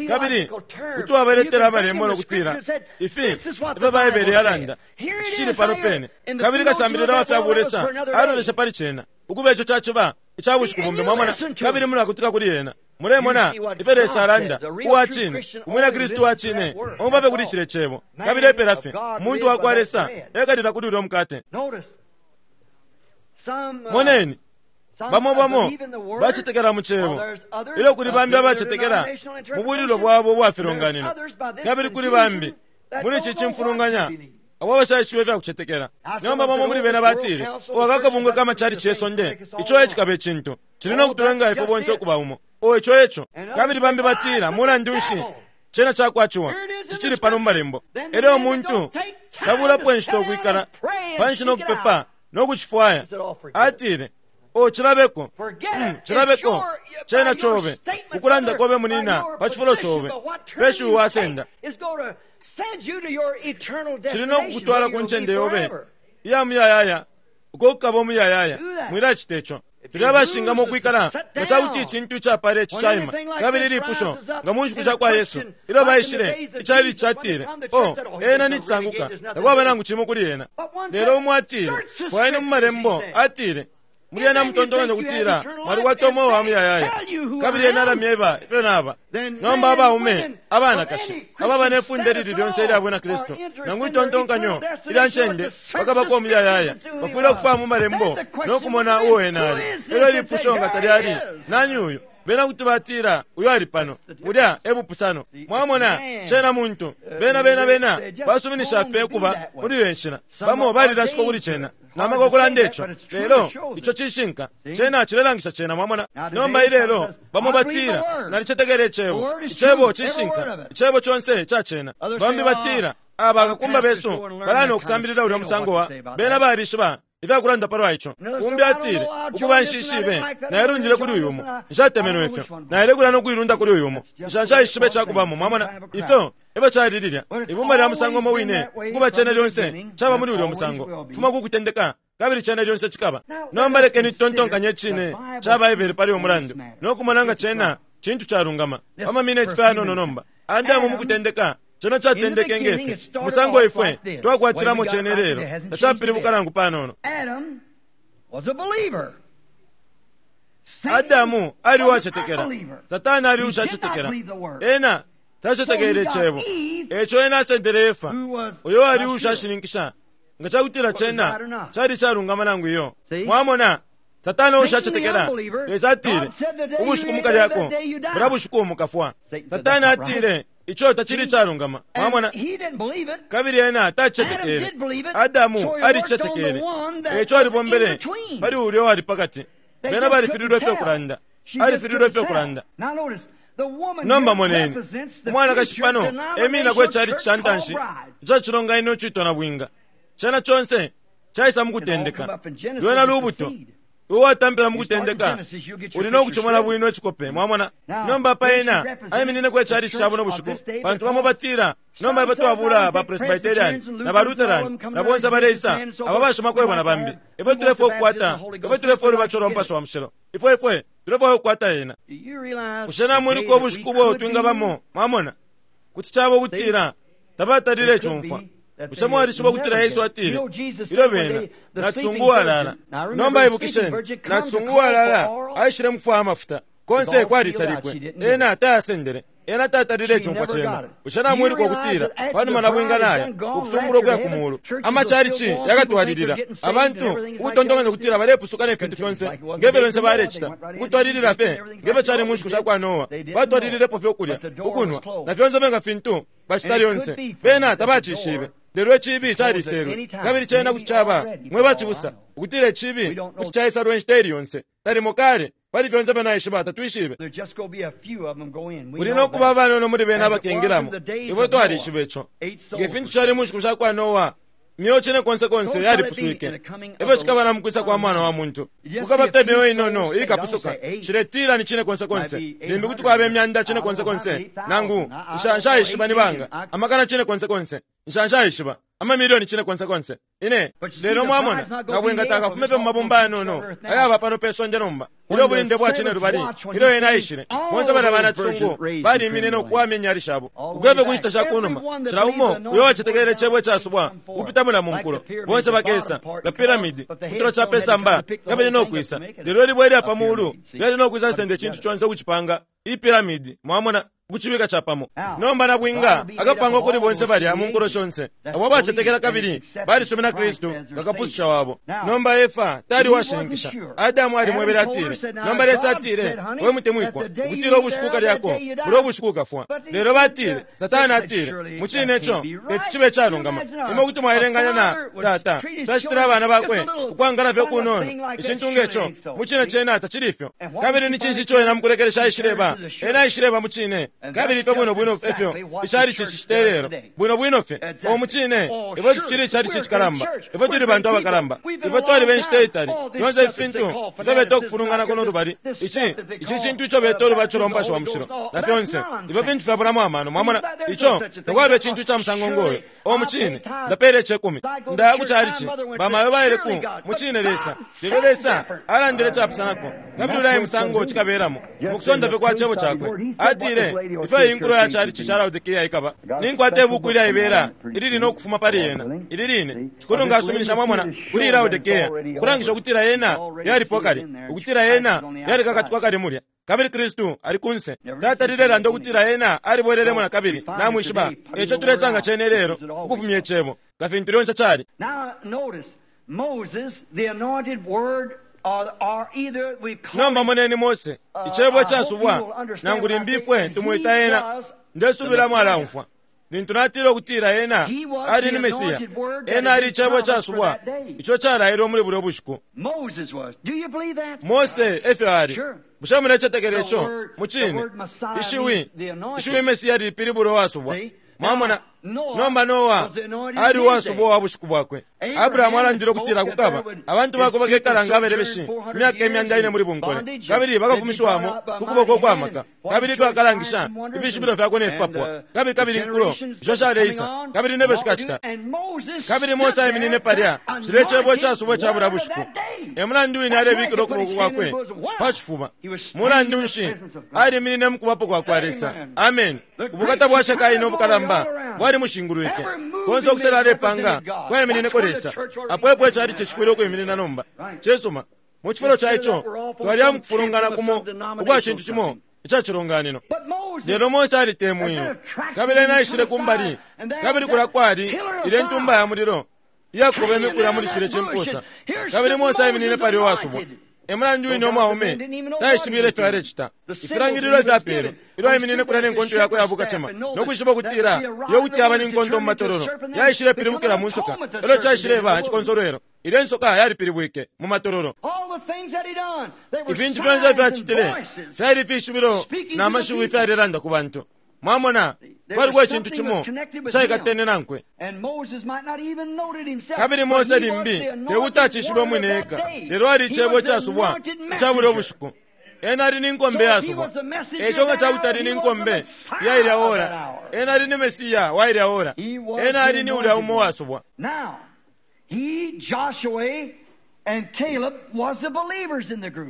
kabili kuti wabaletela amalembo no kutila ifi ifyo Baibele yalanda, ici cili pano pene. Kabili kasambilila wa fya bulesa alolesha pali cena ukuba ico caciba ica bushiku bumbi, mwamona, kabili mulakutika kuli ena. Mulemona ifyo Lesa alanda, uwa cine, umwina Kristu wa cine omfwa fye kuli cile cebo, kabili epela fye. Umuntu wa kwa Lesa ekalila kuli ulya mukate. Notice, some, Moneni, some bamo bamo believe in the word, bacetekela mu cebo, while there's others ilyo kuli that bambi believe in abacetekela denominational mu bwililo interpretation, bwabo ubwa there's filonganino, others by this kabili kuli confusion bambi that muli don't ici know what to cimfulunganya believe. abo abashaishiba ifya kucetekela. Nomba bamo muli bena batile, uwa kakabungwe ka macalici ye sonde, ico e cikaba icintu cili no kutulenga ifwe bonse ukuba umo. O, ico eco. Kabili bambi batila, mulandu nshi, cena cakwaciwa, cicili pano mu malembo. Elyo umuntu tabulapo inshita ukwikala panshi no kupepa no kucifwaya, atile, o, cilabeko, cilabeko, cena cobe, ukulanda kobe munina pa cifulo cobe, pe shiwi wasenda cili no kukutwala ku ncende yobe iya muyayaya, uko kukaba umuyayaya. Mwilacita ico. Tuli abashingamo ukwikala nga ca kuti icintu icapala ici caima. Kabili ilipusho nga mu nshiku sha kwa Yesu ilyo baishile, icali catile, o, ena ni cisanguka, takwaba nangu cimo kuli ena. Lelo umo atile, fwayeni mu malembo, atile, muli ena mutontonkanya ukutila mwalikwata umweo wa muyayaya, kabili ena alamyeba ifyo naba. Nomba abaume, abanakashi ababa ne funde lili lyonse ilya bwina Kristu nangu itontonkanyo ilya ncende bakabako umuyayaya, bafwile ukufwaya mu malembo no kumona uo ena ali. Elyo ilipusho nga talyali, nani uyu? Bena kuti batila, uyo ali pano. Bulya e bupusano. Mwamona, cena muntu. Bena bena bena basuminisha fye ukuba muli iyo nshila. Bamo balilashikwa kuli cena namaka ukulanda ico, lelo ico cishinka. Cena cilelangisha cena, mwamona. Nomba ilelo bamo batila, nalicetekela icebo, icebo cishinka, icebo conse ca cena. Bambi batila, aba kakumba besu balana ukusambilila ulya musango wa bena balishiba ifyakulanda palwa ico. Umbi atile, ukuba nshishibe, nailundile kuli uyu umo, nshatemenwe ifyo, nailekula no kuilunda kuli uyu umo, nshaishibe icakubamo. Mwamona ifyo efyo cali lilya ibumba lya musango umo wine, ukuba cena lyonse caba muli ulya musango fuma ku kutendeka, kabili cena lyonse cikaba. Nomba lekeni tutontonkanye icine ca Baibele pali uyu mulandu no kumona nga cena cintu calungama. Pa mamineti fye ayanono nomba. Adamu mu kutendeka, cena catendeke nge fi, umusango ifwe twakwatilamo cene lelo tacapilibuka nangu panono. Adam Adamu ali uwacetekela, Satana ali ushacetekela. Ena tacetekele Icebo, eco ena asendele Efa, uyo ali ushashininkisha nga cakutila cena cali calungama nangu iyo. Mwamona? Satana uushacetekela, Lesa atile, Ubushiku mukalyako, bulya bushiku mukafwa. Satana atile, Ico tacili icalungama. Mwamona? Kabili ena tacicetekele. Adamu alicicetekele, eico alibombele pali ulya uwali pakati. Bena balifililwe fye ukulanda. Alifililwe fye ukulanda. Nomba moneni, umwanakashi pano emininako icalici ca ntanshi ica cilonganino icitwa nabwinga. Cena conse caisa mukutendeka. Lwena lubuto. Iwe watampila mukutendeka, uli no kucimona bwino icikope. Mwamona? Nomba apa ena aiminineko icalici ca buno bushiku, pantu bamo batila, Nomba ifwe twabula ba Presbyterian, na ba Lutheran, na bonse abaleisa, aba bashimakwebo na bambi. Ifwe tulefwaya ukukwata, ifwe tulefwaya ulubatisho lwa Mupashi wa Mushilo. Ifwe, ifwe tulefwaya ukukwata yena. Bushe namwiluka ubushiku ubo twingabamo? Mwamona? Kuti caba ukutila tabatalile cumfwa. Bushe mwalishiba ukutila Yesu atile, Ilyo bena, nacisungu uwalala. Nomba ibukisheni, nacisungu uwalala aishile mukufwaya amafuta. Konse kwalisalikwe. Ena tayasendele. Ena tatalile icumfwa cena. Bushe namwiluka ukutila, panuma nabwinga naya, ukusumbulwa ukuya ku Mulu, ama chalichi yakatwalilila, abantu ukutontonkanya ukutila balepusuka ne fintu fyonse nge fyo lyonse balecita, ukutwalilila fye nge fyo cali mu nshiku shakwa Noa, batwalililepo fye ukulya, ukunwa, na fyonse fye nga fintu bacita lyonse. Bena tabacishibe. Lelo iciibi caliselwe, kabili cena kuti caba, mwe bacibusa, ukutila iciibi kuti caisalwa inshita ili yonse, nalimo kale. Pali fyonse ifyo naishiba, tatwishibe. Kuli no kuba abanono muli bena abakengilamo. Ifwe twalishiba ico. Nge fintu cali mu nshiku sha kwa Noa, imyeo cine konse konse yalipuswike, e fyo cikaba na mu kwisa kwa Mwana wa muntu. Kukaba fye imyeo inono iikapusuka. Nshiletila ni cine konse konse. Limbi kuti kwaba imyanda cine konse konse, nangu, nsha, nshaishiba ni banga, amakana cine konse konse. Nsha, nshaishiba. Amamilioni cine konse konse. Ine. Lelo, mwamona, Nabwinga takafume fye mu mabumba ayanono ayaba pano pe sonde nomba. Ilyo ubulinde bwa cine lubali, ilyo Ena aishile, bonse balya banacisungu baliimine no kuwamya inyali shabo. Ukuya fye ku nshita sha kunuma, cila umo uyo uwacetekele Cebo icasubwa ukupita mulya mu nkulo, bonse bakesa, nga pyramid, kutula ca pe samba, kabili no kwisa. Lelo ilibwe ilya pa mulu lyali no kwisa senda icintu conse ukucipanga i pyramid, mwamona. ukucibika capamo. Nomba nabwinga akapangwa kuli bonse balya mu nkulo shonse abo abacetekela kabili balisumina Kristu nga Kapususha wabo. Nomba Efa tali uwashininkisha. Adamu alimwebele atile, Nomba Lesa atile, we mutemwikwa, ukutila ubushiku ukalyako, bulya ubushiku ukafwa. Lelo batile, Satana atile, Mucine ico teti cibe icalungama. Imwe kuti mwaelenganya na tata tacitile abana bakwe ukwangala fye ukunono, icintu nge co. Mucine cena tacili ifyo. Kabili ni cinshi ico ena mukulekelesha aishileba? Ena aishileba mucine. Kabili ifyo bwino bwino efyo ichalichi cicita ilelo. Bwino bwino fye. Oh, mucine, ifwe tucili ichalichi icikalamba. Ifwe tuli bantu abakalamba. Ifwe twaliba inshita itali. Fyonse ifi fintu ifyo beta ukufulungana kuno lubali, ici, ici cintu ico beta ulubatisho lwa Mupashi wa Mushilo, na fyonse, ifyo fintu fyabulamo amano. Mwamona? Ico, takwaba icintu ica musango ngoyo. Oh, mucine, ndapela icekumi. Ndaya ku chalichi. Bamayo baile ku, mucine Lesa. Lelo Lesa alandile icapusanako. Kabili ulya e musango cikabelamo, mukusonda fye kwa Cebo Cakwe. Atile, Ifyo iyi nkulo ya chalichi ca Laodikea ikaba! Ninkwata ibuku ilyaibela ilili no kufuma pali yena, ili line. Shikulu nga asuminisha, mwamona, kuli Laodikea, ukulangisha ukutila yena yalipwa kale, ukutila yena yalikakatikwa kale mulya, kabili Kristu ali kunse. Tatalile landa ukutila Ena alibwelelemo nakabili, namwishiba. Eico tulesanga cena ilelo, ukufumya Icebo, nga fintu lyonse cali. Moses, the anointed word, or, or either we call Nomba moneni Mose, Icebo icasubwa, nangu limbi ifwe tumwita ena. Ndesubila mwalaumfwa. Lintu natile ukutila ena ali ni Mesiya, ena ali Icebo icasubwa ico calailwe muli bulyo bushiku. Moses was. Do you believe that? Mose efyo ali. Bushe mulecetekela ico? Mucine. Ishiwi, ishiwi Mesiya lipilibula uwasubwa. Mwamona? Nomba Noa ali uwasubwa uwa bushiku bwakwe. Abrahamu alandile ukutila kukaba abantu bakwe bakekala nga abelebeshi imyaka imyanda ine muli bunkole, kabili bakafumishiwamo ku kuboko ukwa maka, kabili ifyo akalangisha ifishibilo fyakwe ne fipapwa, kabili kabili inkulo isho shaleisa, kabili nefyo shikacita. Kabili Mose aiminine palya, cilya Cebo icasubwa ica bulya bushiku. E mulandu wine alebikila ukuboko kwakwe pa cifuba. Mulandu nshi? Aliminine mu Kubapo kwa kwa Lesa. Ameni. Ubukata bwa Shekaina ubukalamba bwali mushingulwike. Konse ukusela alepanga kwaiminineko Lesa. Apo epo icali cifwile ukwiminina nomba. Cisuma. Mu cifulo ca ico, twaliya mu kufulungana kumo ukwa cintu cimo ica cilonganino. Lelo Mose alitemwinwe, kabili ena aishile ku mbali, kabili kulya kwali ilye ntumba ya mulilo iyakobeme kulya muli cilye cimpusa, kabili Mose aiminine palya uwasubwa. E mulandu wine umwaume taishibile ifyo alecita. Ifilangililo ifyapelwe ilyo aiminine kulya ne nkonto yakwe ya bukacema, no kwishiba ukutila iyo kuti yaba ni nkonto mu matololo, yaishilepilibukila mu nsoka, elyo caishileba icikonsolwelo. Ilyo insoka yalipilibwike mu matololo. Ifintu fyonse ifyo acitile fyali fishibilo na mashiwi ifyalelanda ku bantu. Mwamona, kwaliko icintu cimo icaikatene nankwe. Kabili Mose limbi te kuti acishibe umwine eka, lelo ali Icebo icasubwa ica bulyo bushiku. Ena ali ni nkombe yasubwa. E ico nga ca kuti ali ni nkombe ya ilya ora, ena ali ni Mesiya wa ilya ora. Ena ali ni ulya umo uwasubwa.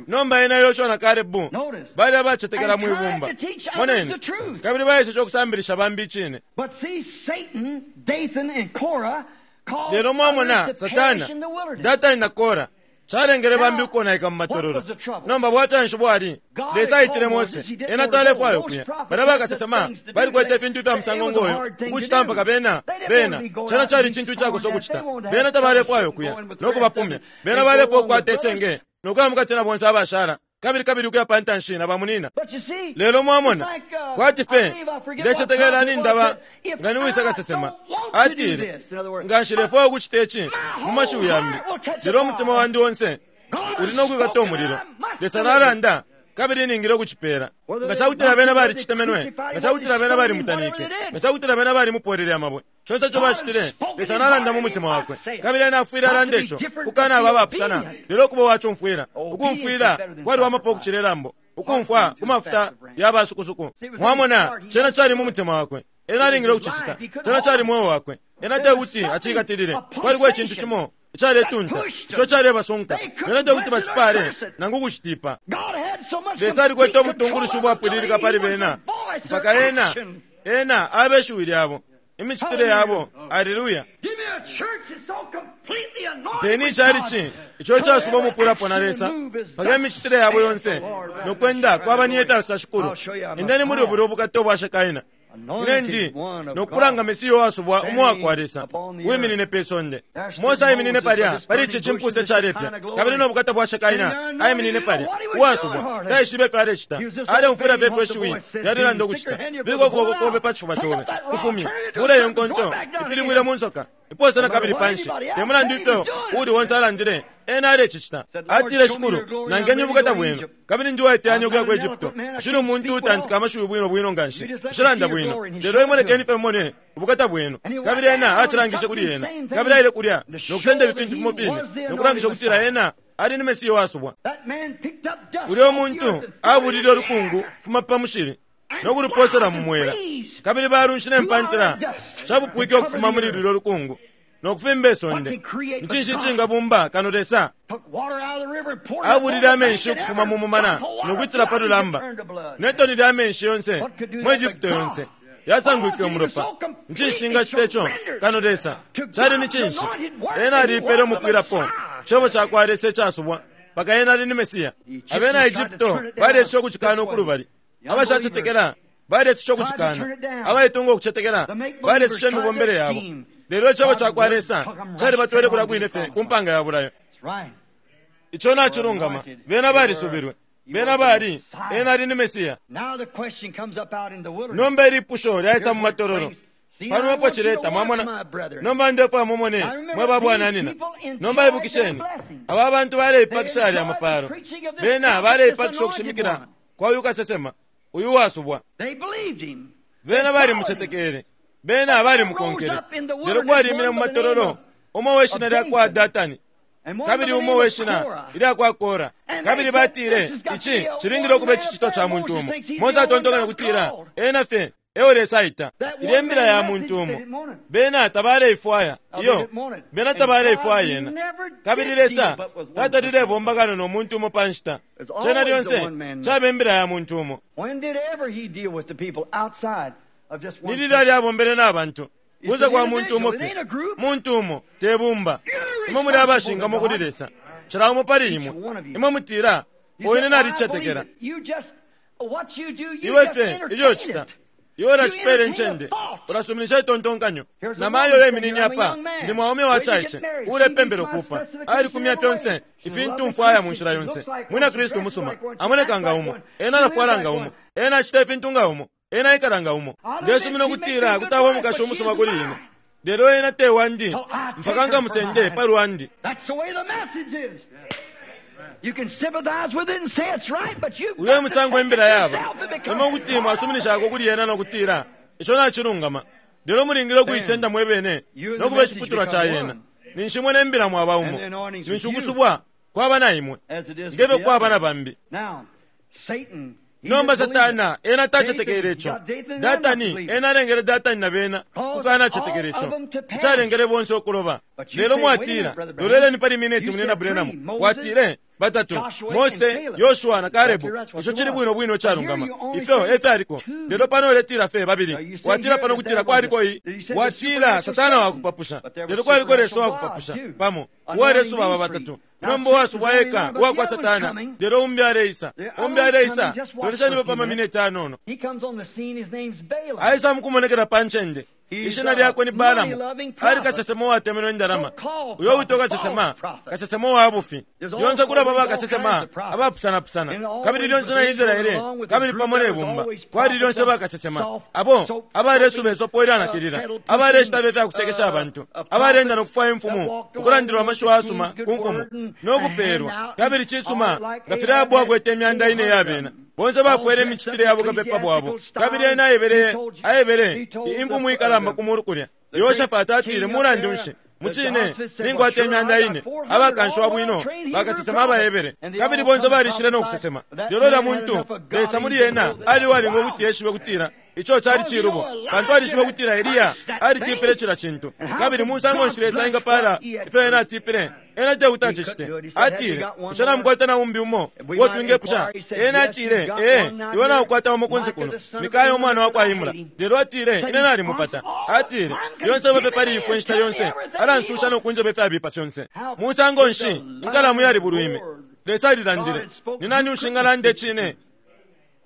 Nomba ena, Yoshua na Kalebu bali abacetekela mwi bumba. Moneni, kabili baeseshe ukusambilisha bambi icine. Lelo mwamona, Satana, Datani na Kora calengele bambi ukonaika mu matololo. Nomba bwafya nshi bwali? Lesa aitile Mose, ena talefwaya ukuya. Balya bakasesema balikwete ifintu ifya musango ngoyo ukucita mpaka bena, bena, cena cali icintu icakosa ukucita. Bena tabalefwaya ukuya no kubapumya. Bena balefwaya ukukwata isenge no kuya mukati na bonse abashala, kabili kabili ukuya pa ntanshi na bamunina. Lelo mwamona, kwati fye, ndecetekela nindaba nga ni wisa kasesema, atile, Nga nshilefwaya ukucita ici, mu mashiwi yambi, lelo umutima wandi onse uli no kwikata umulilo. Lesa nalanda, kabili ningile ukucipela. Nga cakutila bena balicitemenwe, nga cakutila bena balimutanike, nga cakutila bena balimupolele amabwe, conse ico bacitile, Lesa nalanda mu mutima wakwe, kabili ena afwile alanda ico, kukanaba abapusana, lelo ukuba uwacumfwila. Ukumfwila kwaliwamapo ukucila ilambo, ukumfwa ku mafuta ya basukusuku. Mwamona, cena cali mu mutima wakwe. Ena alingile ukucicita. Cena cali mweo wakwe. Ena tekuti acikatilile. Kwaliko icintu cimo icaletunta ico calebasunka. Bena tekuti bacipale nangu ukucitipa. Lesa alikwete ubutungulushi ubwapwililika pali bena mpaka Ena, Ena abe shiwi lyabo, imicitile yabo. Aleluya! Mpeni icalici ico icasuba umupwilapo na Lesa mpaka imicitile yabo yonse no kwenda kwaba ni ifya Shikulu. Endeni muli bulya ubukata ubwa Shekaina. Ine ndi no kulanga Mesiya uwasubwa umo wakwa Lesa, uwiminine pe sonde. Mose aiminine palya pali ici cimpusa icalepya, kabili no bukata bwa Shekaina aiminine palya, uwasubwa, taishibe ifyo alecita. Aleumfwila fye ifyo ishiwi lyalelanda ukucita. Bika ukuboko kobe pa cifuba cobe, kufumye, bula iyo nkonto, ipilibwile mu nsoka, ipose na kabili panshi. Te mulandu ifyo uuli onse alandile, ena alecicita. Atile, Shikulu, nangeni ubukata bwenu, kabili ndi uwaiteyanya ukuya ku Egupto. Nshili umuntu uutantika amashiwi bwino bwino nga nshi. Nshilanda bwino. Lelo imwe lekeni fye mone ubukata bwenu. Kabili ena acilangishe kuli ena. Kabili aile kulya no kusenda ifi fintu fimo fine, no kulangisha ukutila ena ali ni Mesiya uwasubwa. Ulyo muntu abulile ulukungu ukufuma pa mushili no kulupoosela mu mwela, kabili balunshi ne mpantila shapupwike ukufuma muli lulyo lukungu no kufimba isonde. Ni cinshi icingabumba kano Lesa? Abulile amenshi ukufuma mu mumana no kwitila pa lulamba, ne toni lya menshi yonse mu Egupto yonse yasangwike umulopa. Ni cinshi cingacita ico kano Lesa? Cali ni cinshi? Ena aliipele umupwilapo ku Cebo cakwa Lesa icasubwa, mpaka ena ali ni Mesiya. Abena Egupto baleesha ukucikana ukulubali. Abashacetekela balesesha ukucikana, abaitunga ukucetekela balesesha imibombele yabo. Lelo Icebo ca kwa Lesa calibatwele kulya kwine fye ku mpanga ya bulayo. Ico nacilungama. Bena balisubilwe. Bena bali, Ena ali ni Mesiya. Nomba ilipusho lyaisa mu matololo. Pano epo cileta, mwamona. Nomba ndefwaya mumone, mwe ba bwananyina. Nomba ibukisheni, aba bantu baleipakisha yalya mapalo. Bena baleipakisha ukushimikila kwa uyu kasesema, uyu uwasubwa. Bena balimucetekele. Bena balimukonkele. Lelo kwalimine mu matololo umo we shina lya kwa Datani kabili umo we shina ilya kwa Kora. Kabili batile, Ici cilingile ukuba icicitwa ca muntu umo. Mose atontonkanya ukutila ena fye eo Lesa aita. Ilya imbila ya muntu umo. Bena tabaleifwaya. Iyo, bena tabaleifwaya yena. Kabili Lesa tatalilebomba kano no muntu umo pa nshita. Cena lyonse caba imbila ya muntu umo. Ni lilali abombele na bantu kunze kwa muntu umo fye, muntu umo, te bumba. Imwe muli abashingamo kuli Lesa, cila umo pali imwe. Imwe mutila, Ine nalicetekela. Iwe fye ilyo ucita, iwe ulacipela incende, ulasuminisha itontonkanyo. Na mayo uyo apa, ndi mwaume wacaice uulepembela ukuupa, alikumya fyonse ifintu mfwaya mu nshila yonse. Mwina Kristu umusuma, amoneka nga umo, ena alafwala nga umo, ena acita ifintu nga umo, ena aikala nga umo. Ndesumina ukutila kuti aba umukashi umusuma kuli ine, lelo ena te wandi mpaka nkamusende pa lwandi. Uyo e musango imbila yaba. Imwe kuti mwasuminishako kuli yena no kutila, Ico nacilungama. Lelo mulingile ukuisenda mwe bene no kuba iciputulwa ca yena. Ninshi imwe ne mbila mwaba umo. Ninshi ukusubwa kwaba na imwe, nge fyo kwaba na bambi. Nomba Satana ena tacetekele ico. Datani ena alengele Datani na bena ukukanacetekela ico. Icalengele bonse ukuloba. Lelo mwatila, Loleleni pali mineti, Munyina Branham. Watile, Batatu, Mose, Yoshua na Kalebu. Ico cili bwino bwino icalungama. Ifyo e fyaliko. Lelo pano uletila fye babili. Watila pano kutila kwaliko i. Watila Satana wakupapusha. Lelo kwaliko Lesa wakupapusha, pamo. Uwalesuba aba batatu. Nomba uwasubwa eka uwa kwa Satana, lelo umbi aleisa. Umbi aleisa. Lolesheni pa mamineti anono. Aisa mukumonekela pa ncende. Ishina lyakwe ni Balaamu. Ali kasesema uwatemenwe indalama. Uyo uwitwa kasesema, kasesema uwa bufi. Lyonse kulaba bakasesema abapusanapusana. Kabili lyonse na Israele, kabili pamo ne bumba, kwali lyonse bakasesema abo abalesuba isopo ilyanakilila, abaleshitaba ifya kusekesha abantu, abaleenda no kufwaya imfumu, ukulandilwa amashiwi ayasuma ku mfumu, no kupeelwa. Kabili cisuma, nga filya Ahabu akwete imyanda ine iya bena. Bonse bafwele imicitile ya bukapepa bwabo. Kabili ena aebele, aebele imfumu ikalamba ku mulu kulya, Yehoshafati atile, Mulandu nshi, mucine, ninkwata imyanda ine abakanshiwa bwino bakasesema abaHebere. Kabili bonse balishile no kusesema. Lelo ulya muntu, Lesa muli ena, ali uwalinga ukuti eshibe ukutila ico cali cilubo, pantu alishibe ukutila Eliya alitipile cila cintu. Kabili musango nshi Lesa engapaala ifyo ena atipile? Ena tekuti acicite. Atile, Bushe namukwata na umbi umo uo twingepusha? Ena atile, Ee, iwe naukwata umo kunse kuno, Mikaya umwana wa kwa Imula. Lelo atile, Ine nalimupata. Atile, Lyonse aba fye pali ifwe inshita yonse, alansusha no kunjeba ifyabipa fyonse. Musango nshi inkalamu yalibulwime? Lesa alilandile. Ni nani ushingalanda icine?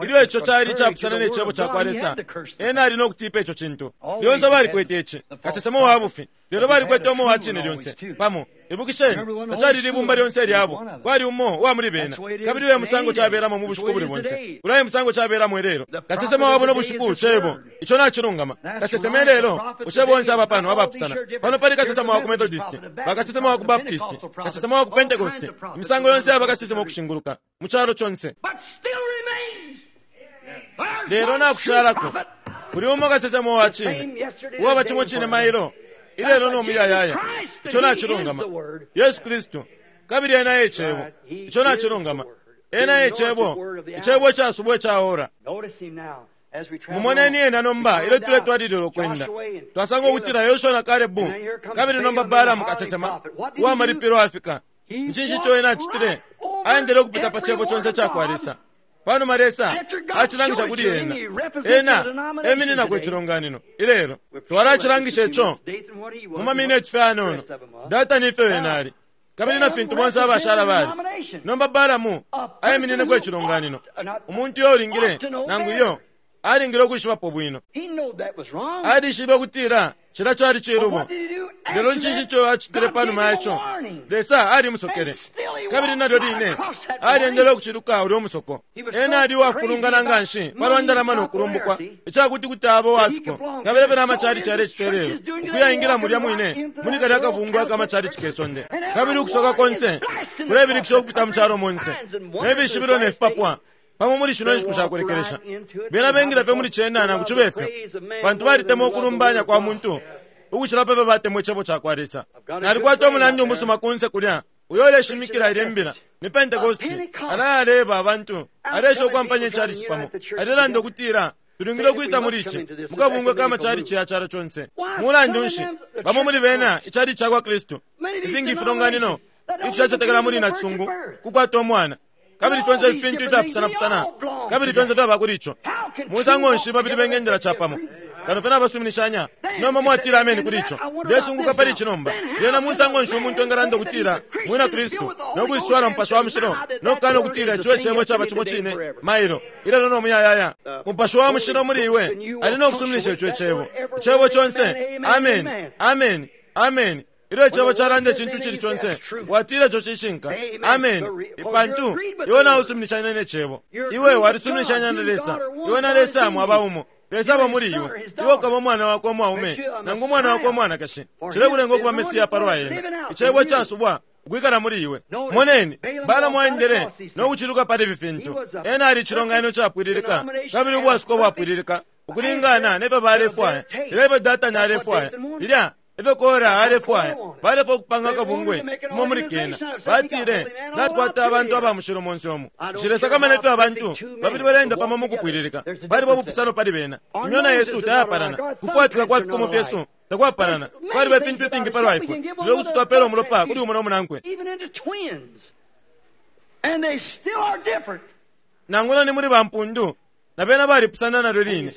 Ilyo ico cali icapusana ne Cebo cakwa Lesa, ena ali no kutipa ico cintu. Lyonse balikwete ici, kasesema uwa bufi, lelo balikwete umo uwa cine lyonse, pamo. Ibukisheni, tacali libumba lyonse ilyabo, kwali umo uwa muli bena. Kabili uyo e musango cabelamo mu bushiku ubuli bonse. Ulya e musango cabelamo ilelo. Kasesema wa buno bushiku Cebo. Ico nacilungama. Kasesema ilelo, bushe bonse aba pano abapusana? Pano pali kasesema wa ku Methodisti, bakasesema wa ku Baptisti, kasesema wa ku Pentekoste, imisango yonse yaba kasesema ukushinguluka mu calo conse. Lelo nakushalako kuli umo kasesema uwa cine, uwaba cimo cine mailo, ilelo no muyayaya. Ico nacilungama. Yesu Kristu, kabili Ena e Cebo. Ico nacilungama. Ena e Cebo, Icebo icasubwa ica ora. Mumoneni Ena nomba ilyo tuletwalilila ukwenda. Twasanga ukutila Yoshua na Kalebu, kabili nomba Balaamu kasesema uwa malipilo afika. Ni cinshi ico ena acitile? Aendele ukupita pa Cebo conse icakwa Lesa. Panuma Lesa acilangisha kuli ena, ena emininako icilonganino ilelo. Twalacilangisha ico mu mamineti fye ayanono. Datani ifyo ena ali, kabili na fintu bonse abashala bali. Nomba Balaamu aiminineko icilonganino, umuntu uyo ulingile, nangu iyo, alingile ukwishibapo bwino. Alishibe ukutila cilya cali cilubo. Lelo ncinshi ico acitile panuma ya ico? Lesa alimusokele. Kabili nalyo line alyendele ukuciluka ulyo musoko. Ena ali uwafulungana nganshi palwa ndalama no kulumbukwa ica kuti kuti aba uwa fiko. Kabili efyo na machalichi yalecita ilelo, ukuya ingila mulya mwine muli kalya kabungwe aka machalichi ke sonde. Kabili ukusoka konse kulebilikisha ukupita mu calo monse, ne fishibilo ne fipapwa. Pamo muli shino nshiku sha kulekelesha, bena bengila fye muli cena nangu cibe fyo, pantu balitemwa ukulumbanya kwa muntu ukucila pa fyo batemwa Icebo ca kwa Lesa. Nalikwata umunandi umusuma kunse kulya uyo uleshimikila ilye mbila. Ni Pentekoste. Alaya aleeba abantu, aleesha ukwampanya icalici pamo. Alelanda ukutila tulingile ukwisa muli ici, mu kabungwe ka macalici ya calo conse. Mulandu nshi, bamo muli bena, icalici ca kwa Kristu, ifingi ifilonganino ifishacetekela muli nacisungu kukwata umwana, kabili fyonse ifi fintu ifyapusanapusana, kabili fyonse fyaba kuli ico. Musango nshi babili bengendela capamo? Kano fye nabasuminishanya. Nomba mwatila ameni kuli ico. Ndesunguka pali ici nomba. Lyena musango nshi umuntu engalanda ukutila mwina Kristu, no kwiswala Mupashi wa Mushilo, no kukana ukutila ico Icebo caba cimo cine mailo, ilelo no muyayaya? Mupashi wa Mushilo muli iwe ali no kusuminisha ico Icebo. Icebo conse, ameni, ameni, ameni. Ilyo Icebo calanda icintu icili conse, watila ico cishinka, ameni, pantu iwe nausuminishanya ne Cebo. Iwe walisuminishanya na Lesa. Iwe na Lesa mwaba umo. Lesa aba muli iwe. Iwe ukaba umwana wakwe umwaume nangu umwana wakwe umwanakashi. Cilekulenga ukuba Mesiya palwa ena. Icebo icasubwa ukwikala muli iwe. Moneni, Balaamu aendele no kuciluka pali ifi fintu. Ena ali icilonganino capwililika kabili ubwasuko bwapwililika ukulingana ne fyo balefwaya, lelo ifyo Datani alefwaya, filya efyo Kora alefwaya. Balefwaya ukupanga akabungwe kumo muli kena. Batile, Natukwata abantu aba mushilo monse umu. Nshilesakamana ifyo abantu babili baleenda pamo mukupwililika. Paliba ubupusano pali bena. Imyona yesu tayapalana. Kufwatika kwa fikomo fyesu takwapalana. Kwaliba ifintu ifingi palwa ifwe, lelo kuti twapela umulopa kuli umo no munankwe. Nangula ni muli bampundu, na bena balipusana nalyo line.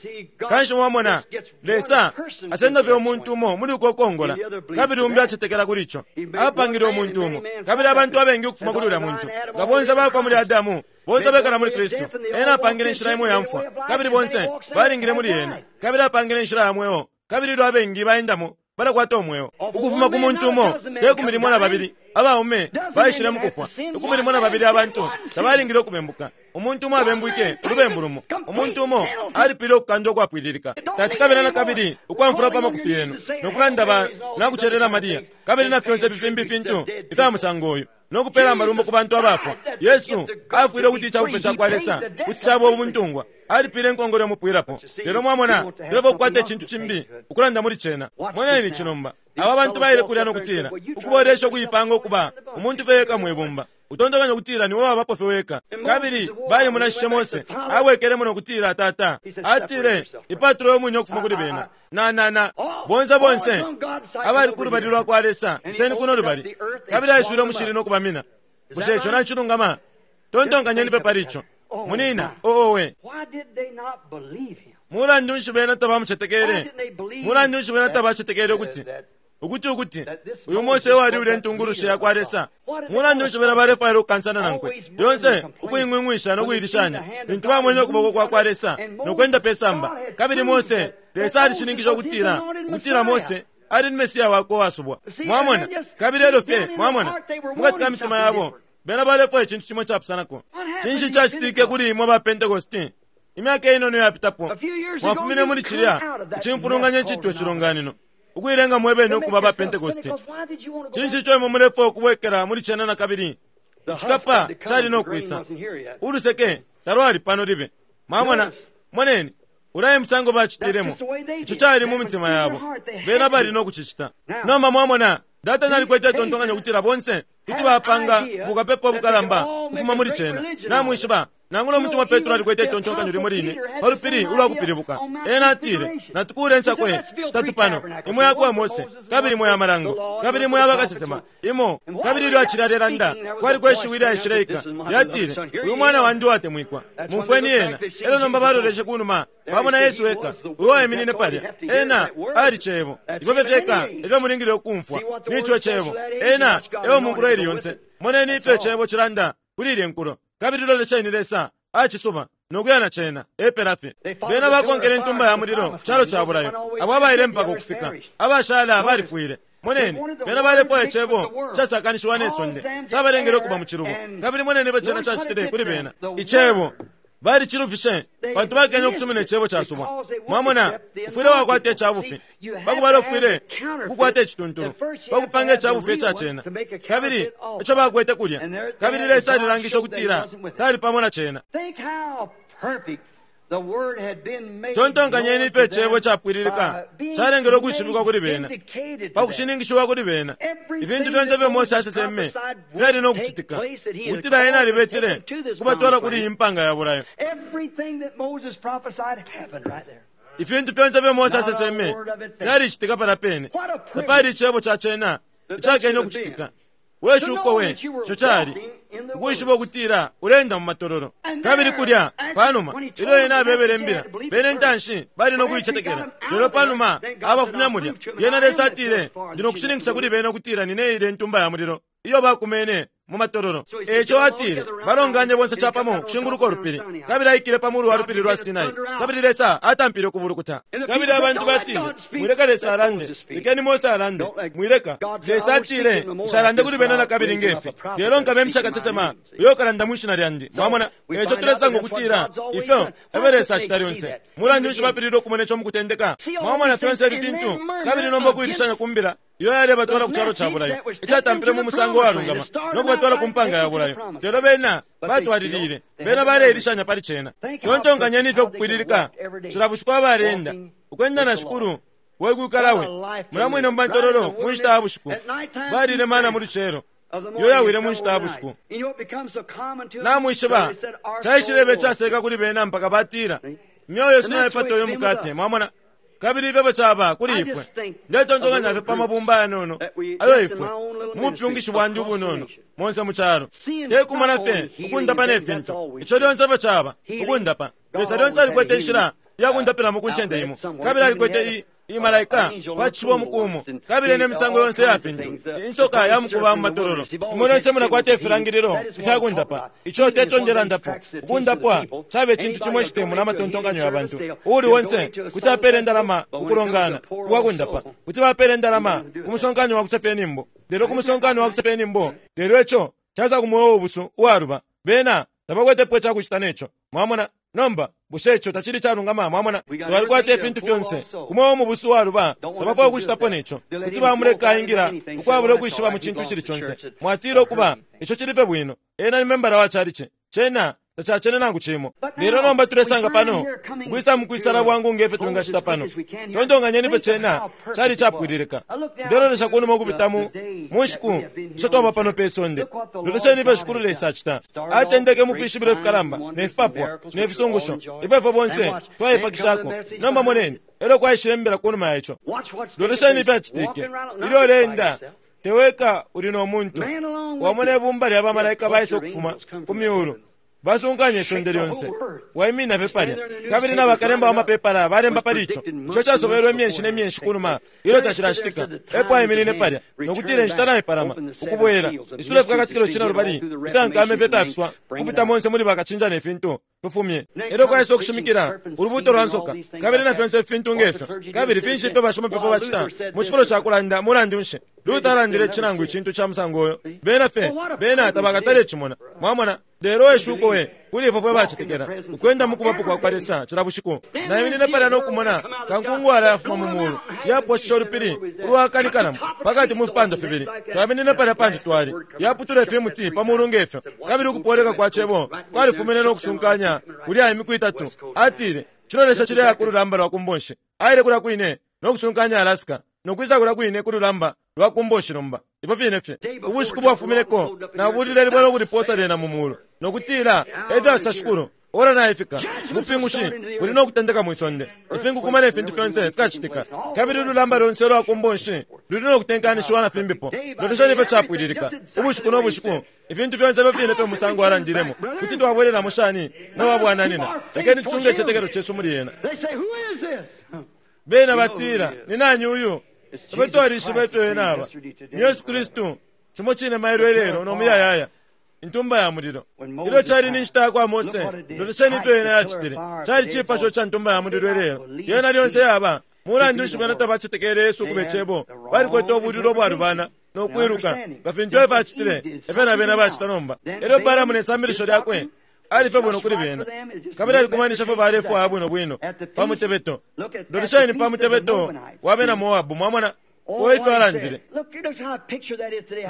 Kanshi mwamona, Lesa asenda fye umuntu umo muli uko kongola, kabili umbi acetekela kuli ico. Apangile umuntu umo, kabili abantu abengi ukufuma kuli ulya muntu. Nga bonse bafwa muli Adamu, bonse bekala muli Kristu. Ena apangile inshila imo ya mfwa, kabili bonse balingile muli ena. Kabili apangile inshila ya mweo, kabili ilyo abengi baendamo, balakwata umweo. Ukufuma ku muntu umo, te 12 abaume baishile mukufwa. 12 abantu tabalingile ukubembuka. Umuntu umo abembwike ulubembu lumo. Umuntu umo alipile ukukandwa ukwapwililika. Tacikabila na kabili ukwamfula pa makufi yenu no kulanda ba nakucelela Maria, kabili na fyonse ifi fimbi ifintu ifya musango uyu, no kupela amalumbo ku bantu abafwa. Yesu afwile ukuti icabupe ca kwa Lesa kuti caba ubuntungwa. Alipile inkongole umupwilapo. Lelo mwamona, tulefwaya ukukwata icintu cimbi ukulanda muli cena. Moneni ici nomba. Aba bantu baile kulya no kutila, ukubolesha ukuipanga ukuba umuntu fye eka mwibumba. Utontonkanya ukutila niwe wabapo fye weka. Kabili balimunashishe Mose, abwekelemo no kutila, Tata, atile, ipatule umwine ukufuma kuli bena. Na, na, na, bonse bonse abali ku lubali lwa kwa Lesa, iseni kuno lubali. Kabili aiswile umushili no kubamina. Bushe ico nacilungama? Tontonkanyeni fye pali ico. Munina, owe. Mulandu nshi bena tabamucetekele? Mulandu nshi bena tabacetekele ukuti ukuti ukuti uyu Mose ewali ulya intungulushi ya kwa Lesa? Mulandu nshi bena balefwaila ukukansana nankwe lyonse, ukuing'wing'wisha no kuilishanya, lintu bamwene ukuboko kwa kwa Lesa no kwenda pe samba? Kabili Mose, Lesa alishininkisha ukutila ukutila Mose ali ni Mesiya wakwe uwasubwa. Mwamona? Kabili elyo fye, mwamona, mukati ka mitima yabo, bena balefwaya icintu cimo icapusanako. Cinshi cacitike kuli imwe ba Pentecosti? Imyaka inono iyapitapo, mwafumine muli cilya icimfulunganya icitwa icilonganino, ukuilenga mwebene ukuba ba Pentecosti. Cinshi ico imwe mulefwaya ukubwekela muli cena nakabili? Icikapa cali no kwisa. Uluseke talwali pano libe. Mwamona? Moneni, ulya e musango bacitilemo. Ico cali mu mitima yabo. Bena bali no kucicita. Nomba mwamona, Datani alikwete itontonkanyo ukutila bonse kuti bapanga bukapepa ubukalamba ukufuma muli cena. Namwishiba, nangula umutumwa Petro alikwete itontonkanyo limo line pa lupili ulwa kupilibuka. Ena atile, Natukuule insakwe shitatu pano, imo yakwa Mose, kabili imo ya malango, kabili imo ya bakasesema, imo. Kabili ilyo acili alelanda, kwaliko ishiwi ilyaishileika, lyatile, Uyu Mwana wandi uwatemwikwa, mumfweni ena. Elyo nomba baloleshe kunuma, bamona Yesu eka, uyo waiminine palya. Ena ali Cebo. Ifyo fye fyeka efyo mulingile ukumfwa, ni ico Cebo. Ena eo mu nkulo ili yonse. Moneni ifyo Icebo cilanda kuli ilye nkulo, kabili lolesheni Lesa acisuba no kuya na cena. Epela fye. Bena bakonkele intumba ya mulilo ku calo ca bulayo, abo abaile mpaka ukufika, abashala balifwile. Moneni, bena balefwaya Icebo icasakanishiwa ne sonde, cabalengele ukuba mu cilubo. Kabili moneni ifyo cena cacitile kuli bena. Icebo balicilufishe pantu bakenye ukusumina Icebo casubwa. Mwamona, ufwile wakwata icabufi pakubala, ufwile ukukwata icituntulu pakupanga icabufi ica cena. Kabili ico bakwete kulya, kabili Lesa alilangishe ukutila tali pamo na cena. Tontonkanyeni ifyo Icebo capwililika calengele ukwishibikwa kuli bena, pa kushininkishiwa kuli bena. Ifintu fyonse ifyo Mose aseseme fyali no kucitika, ukutila ena alibetile ukubatwala kuli iyi mpanga ya bulayo. Ifintu fyonse ifyo Mose aseseme fyalicitika palya pene. Tapali icebo ca cena icakene ukucitika. We shuko we ico cali ukwishiba ukutila uleenda mu matololo. Kabili kulya panuma ilyo ena abebele imbila, bena intanshi bali no kuicetekela, lelo panuma abafumya mulya, lyena Lesa atile, Ndi no kushininkisha kuli bena ukutila nine ilya Intumba ya Mulilo iyo bakumene mu matololo. E ico atile, Balonganye bonse capamo ukushinguluka ulupili, kabili aikile pa mulu wa lupili lwa Sinai, kabili Lesa atampile ukubulukuta. Kabili abantu batile, Mwileka Lesa alande, lekeni Mose alande. Mwileka. Lesa atile, Nshalande kuli bena nakabili nge fi, lelo nkabemsha kasesema uyo ukalanda mwi shina lyandi. Mwamona? E ico tulesanga ukutila ifyo e fyo Lesa acita lyonse. Mulandu nshi bafililwe ukumona ico mukutendeka? Mwamona fyonse ifi fintu, kabili nomba ukuilishanya ku mbila iyo yalebatwala ku calo ca bulayo, icatampile mu musango uwalungama no kubatwala ku mpanga ya bulayo. Lelo bena batwalilile, bena baleilishanya pali cena. Tontonkanyeni ifyo kupwililika cila bushiku abaleenda, ukwenda na Shikulu we kwikala we mulya mwine mu matololo mu nshita ya bushiku. Balile mana mu lucelo, iyo yawile mu nshita ya bushiku. Namwishiba, caishileba icaseeka kuli bena mpaka batila, Imyeo yesu naipata uyu mukate. Mwamona? Kabili ifyo efyo caba kuli ifwe. Ndetontonkanya fye pa mabumba ayanono ayo ifwe, mu bupyungishi bwandi ubunono, monse mu calo. Te kumona fye ukundapa ne fintu. Ico lyonse efyo caba, ukundapa. Lesa lyonse alikwete inshila iya kundapilamo ku ncende imo. Kabili alikwete i, i malaika pa cishiba umuku umo, kabili ne misango yonse iya fintu, insoka ya mukuba mu matololo. Imwe lyonse mulakwata ifilangililo ifya kundapa. Ico te co ndelandapo. Ukundapwa caba icintu cimo icitemuna amatontonkanyo ya bantu. Uuli onse kuti apela indalama ku kulongana ukwa kundapa. Kuti bapela indalama ku musonkano wa kusefya inyimbo. Lelo ku musonkano wa kusefya inyimbo, lelo ico caisa ku mweo ubusu uwaluba. Bena tabakwetepo icakucita ne co. Mwamona? Nomba, bushe ico tacili icalungama? Mwamona? Twalikwata ifintu fyonse. Umo umubusu uwaluba, tabafwaya ukucitapo ne co. Kuti bamuleka aingila ukwabula ukwishiba mu cintu icili conse. Mwatila, Ukuba, ico cili fye bwino. Ena ni membala wa chalichi. Cena tacacene nangu cimo. Lelo nomba tulesanga pano, ukwisa mukwisala bwangu nge fyo twingacita pano. Tontonkanyeni ifyo cena cali icapwililika. Ndelolesha kunuma ukupita mu, mu nshiku isho twaba pano pe sonde. Lolesheni ifyo Shikulu Lesa acita. Atendeke mu fishibilo ifikalamba, ne fipapwa, ne fisungusho, ifyo ifwe bonse twaipakishako. Nomba moneni, elyo kwaishile imbila kunuma ya ico. Lolesheni ifyacitike. Ilyo uleenda, te weka uli no muntu. Wamona ibumba lya bamalaika baisa ukufuma ku myulu. Basunkanya isonde lyonse. Waiminina fye palya. Kabili na bakalemba wa mapepala balemba pali ico, ico casobelwe imyeshi ne myeshi kunuma ilyo tacilacitika. Epo aiminine palya, no kutila inshita naipalama, ukubwela, isula Ifikakatikilo Cinelubali ifya nkama ifyo ifyafiswa, ukupita monse muli bakacinja ne fintu, fifumye. Elyo kwaisa ukushimikila, ulubuuto lwa nsoka, kabili na fyonse ifi fintu nge fyo. Kabili finshi ifyo bashimapepo bacita? Mu cifulo ca kulanda, mulandu nshi, Luther alandile ici nangu icintu ca musango uyo. Bena fye, bena tabakatale cimona. Mwamona? Lelo we shuko we kuli ifwe fwe bacetekela, ukwenda mu Kubapo kwakwa Lesa cila bushiku! Naiminine palya no kumona kankungwala yafuma mu mulu, yaposhishe ulupili ulwaakanikanamo pakati mu fipandwa fibili. Twaiminine palya pantu twali, yaputula ifimuti pa mulu nge fyo, kabili ukupoleka kwa Cebo kwalifumine no kusunkanya kulya imiku itatu. Atile, Cilolesha cileya ku lulamba lwa ku mbonshi. Aile kulya kwine no kusunkanya Alaska, no kwisa kulya kwine ku lulamba lwa ku mboshi nomba. Ifyo fine fye. Ubushiku bwafumineko, nabulile libwe no kulipoosa lyena mu mulu, no kutila, E fyasosa Shikulu, ora naifika. Ubupingushi buli no kutendeka mwi sonde. Ifinkukuma ne fintu fyonse fikacitika, kabili ululamba lonse ulwa ku mbonshi luli no kutenkanishiwa na fimbipo. Lolesheni ifyo capwililika, ubushiku no bushiku, ifintu fyonse ifyo fine fye umusango alandilemo. Kuti twabwelelamo shani mwe ba bwananyina? Lekeni tusunge icitetekelo cesu muli ena. Bena batila, Ni nani uyu? Ifwe twalishiba ifyo Ena aba. Ni Yesu Kristu, cimo cine mailo, ilelo, no muyayaya, Intumba ya Mulilo. Ilyo cali ni nshita yakwa Mose, lolesheni ifyo Yena yacitile. Cali cipasho ca Ntumba ya Mulilo ilelo. Yena lyonse yaba. Mulandu nshi bena tabacetekele Yesu ukube Cebo? Balikwete ubulilo ubwalubana no kwiluka. Nga fintu Efa acitile, efyo na bena bacita nomba. Elyo Balaamu ne sambilisho lyakwe ali fye bwino kuli bena, kabili alikumanishe fyo balefwaya bwino bwino pa mutebeto. Lolesheni pa mutebeto wa bena Moabu, mwamona, uo ifyo alandile.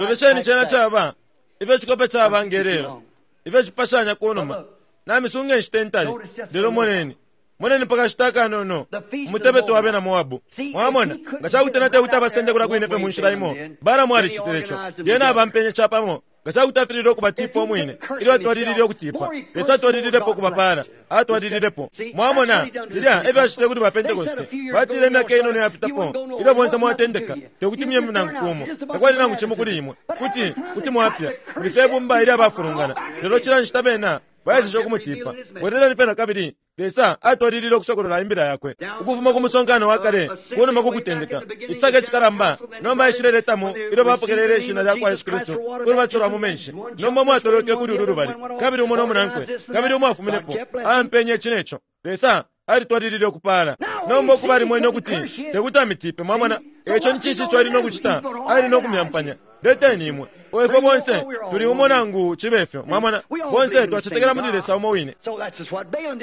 Lolesheni cena caba, ifyo icikope caba nge lelo, ifyo cipashanya kunuma. Namisunga inshita intali, lelo moneni. Moneni pa kashita akanono, umutebeto wa bena Moabu. Mwamona, nga ca kuti ena tekuti abasende kulya kwine fye mu nshila imo, Balaamu alicitile ico. Lyena abampenye capamo. Nga ca kuti afililwe ukubatiipa umwine ilyo atwalilile ukutiipa, Lesa atwalililepo ukubapaala. Atwalililepo. Mwamona, filya e fyo acitile kuli ba Pentekoste. Batile imyaka inono iyapitapo, ilyo bonse mwatendeka, te kuti muye nangu kumo. Takwali nangu cimo kuli imwe. Kuti, kuti mwapya. Muli fye ibumba ilya bafulungana. Lelo cila nshita bena baeseshe ukumutiipa, bweleleni fye na kabili. Lesa atwalilile ukusokolola Imbila Yakwe ukufuma ku musonkano wa kale kunuma ku kutendeka. Icisaka icikalamba nomba aishileletamo ilyo bapokelele Ishina lya kwa Yesu Kristu ku lubatisho lwa mu menshi. Nomba umo atolweke kuli ulu lubali, kabili umo no munankwe, kabili umo afuminepo, aampenye ici ne co. Lesa alitwalilile ukupaala. Nomba ukuba alimwene ukuti te kuti amitipe, mwamona, e ico ni cinshi ico ali no kucita? Ali no kumyampanya. Leteni imwe. O ifwe bonse tuli umo nangu cibe fyo. Mwamona? Bonse twacetekela muli Lesa umo wine.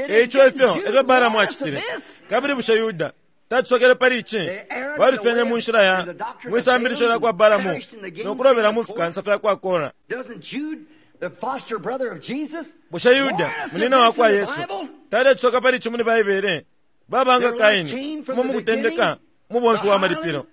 E ico ifyo efyo Balaamu acitile. Kabili bushe Yuda tatusokele pali ici? Balufyenye mu nshila ya mwi sambilisho lya kwa Balaamu no kulobela mu fikansa fya kwa Kora. Bushe Yuda, munina wa kwa Yesu, taletusoka pali ici muli Baibele? Baba nga Kaini, fuma mu kutendeka, umubomfi wa malipilo,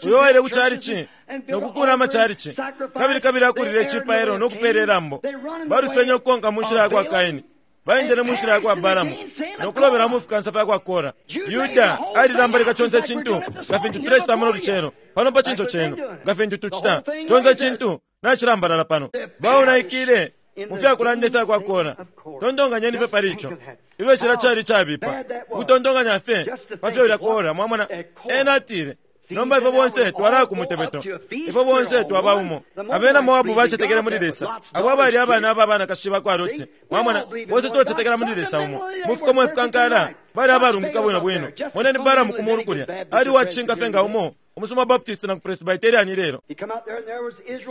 uyo waile ku calici no kukuula amacalici, kabili kabili akulile icipailo no kupeela ilambo. Balufyenye ukukonka mu nshila ya kwa Kaini, baendele mu nshila ya kwa Balamu, no kulobela mu fikansa fya kwa Kora. Yuda alilambalika conse icintu nga fintu tulecita muno lucelo pano pa cinso cenu, nga fintu tucita conse icintu nacilambalala pano. Baonaikile mu fya kulanda ifya kwa Kora. Tontonkanyeni fye pali ico. Ifyo cilya cali icabipa, ukutontonkanya fye pa fyo ulya Kora, mwamona. Ena atile, Nomba ifwe bonse twalaya ku mutebeto. Ifwe bonse twaba umo. Abena Moabu bacetekele muli Lesa, abo abali abana aba banakashi ba kwa Loti. Mwamona, bonse twacetekela muli Lesa umo. Mu fikomo ifikankala, bali abalungika bwino bwino. Moneni Balaamu ku mulu kulya, ali uwa cishinka fye nga umo umusuma Baptist na Presbyterian ilelo.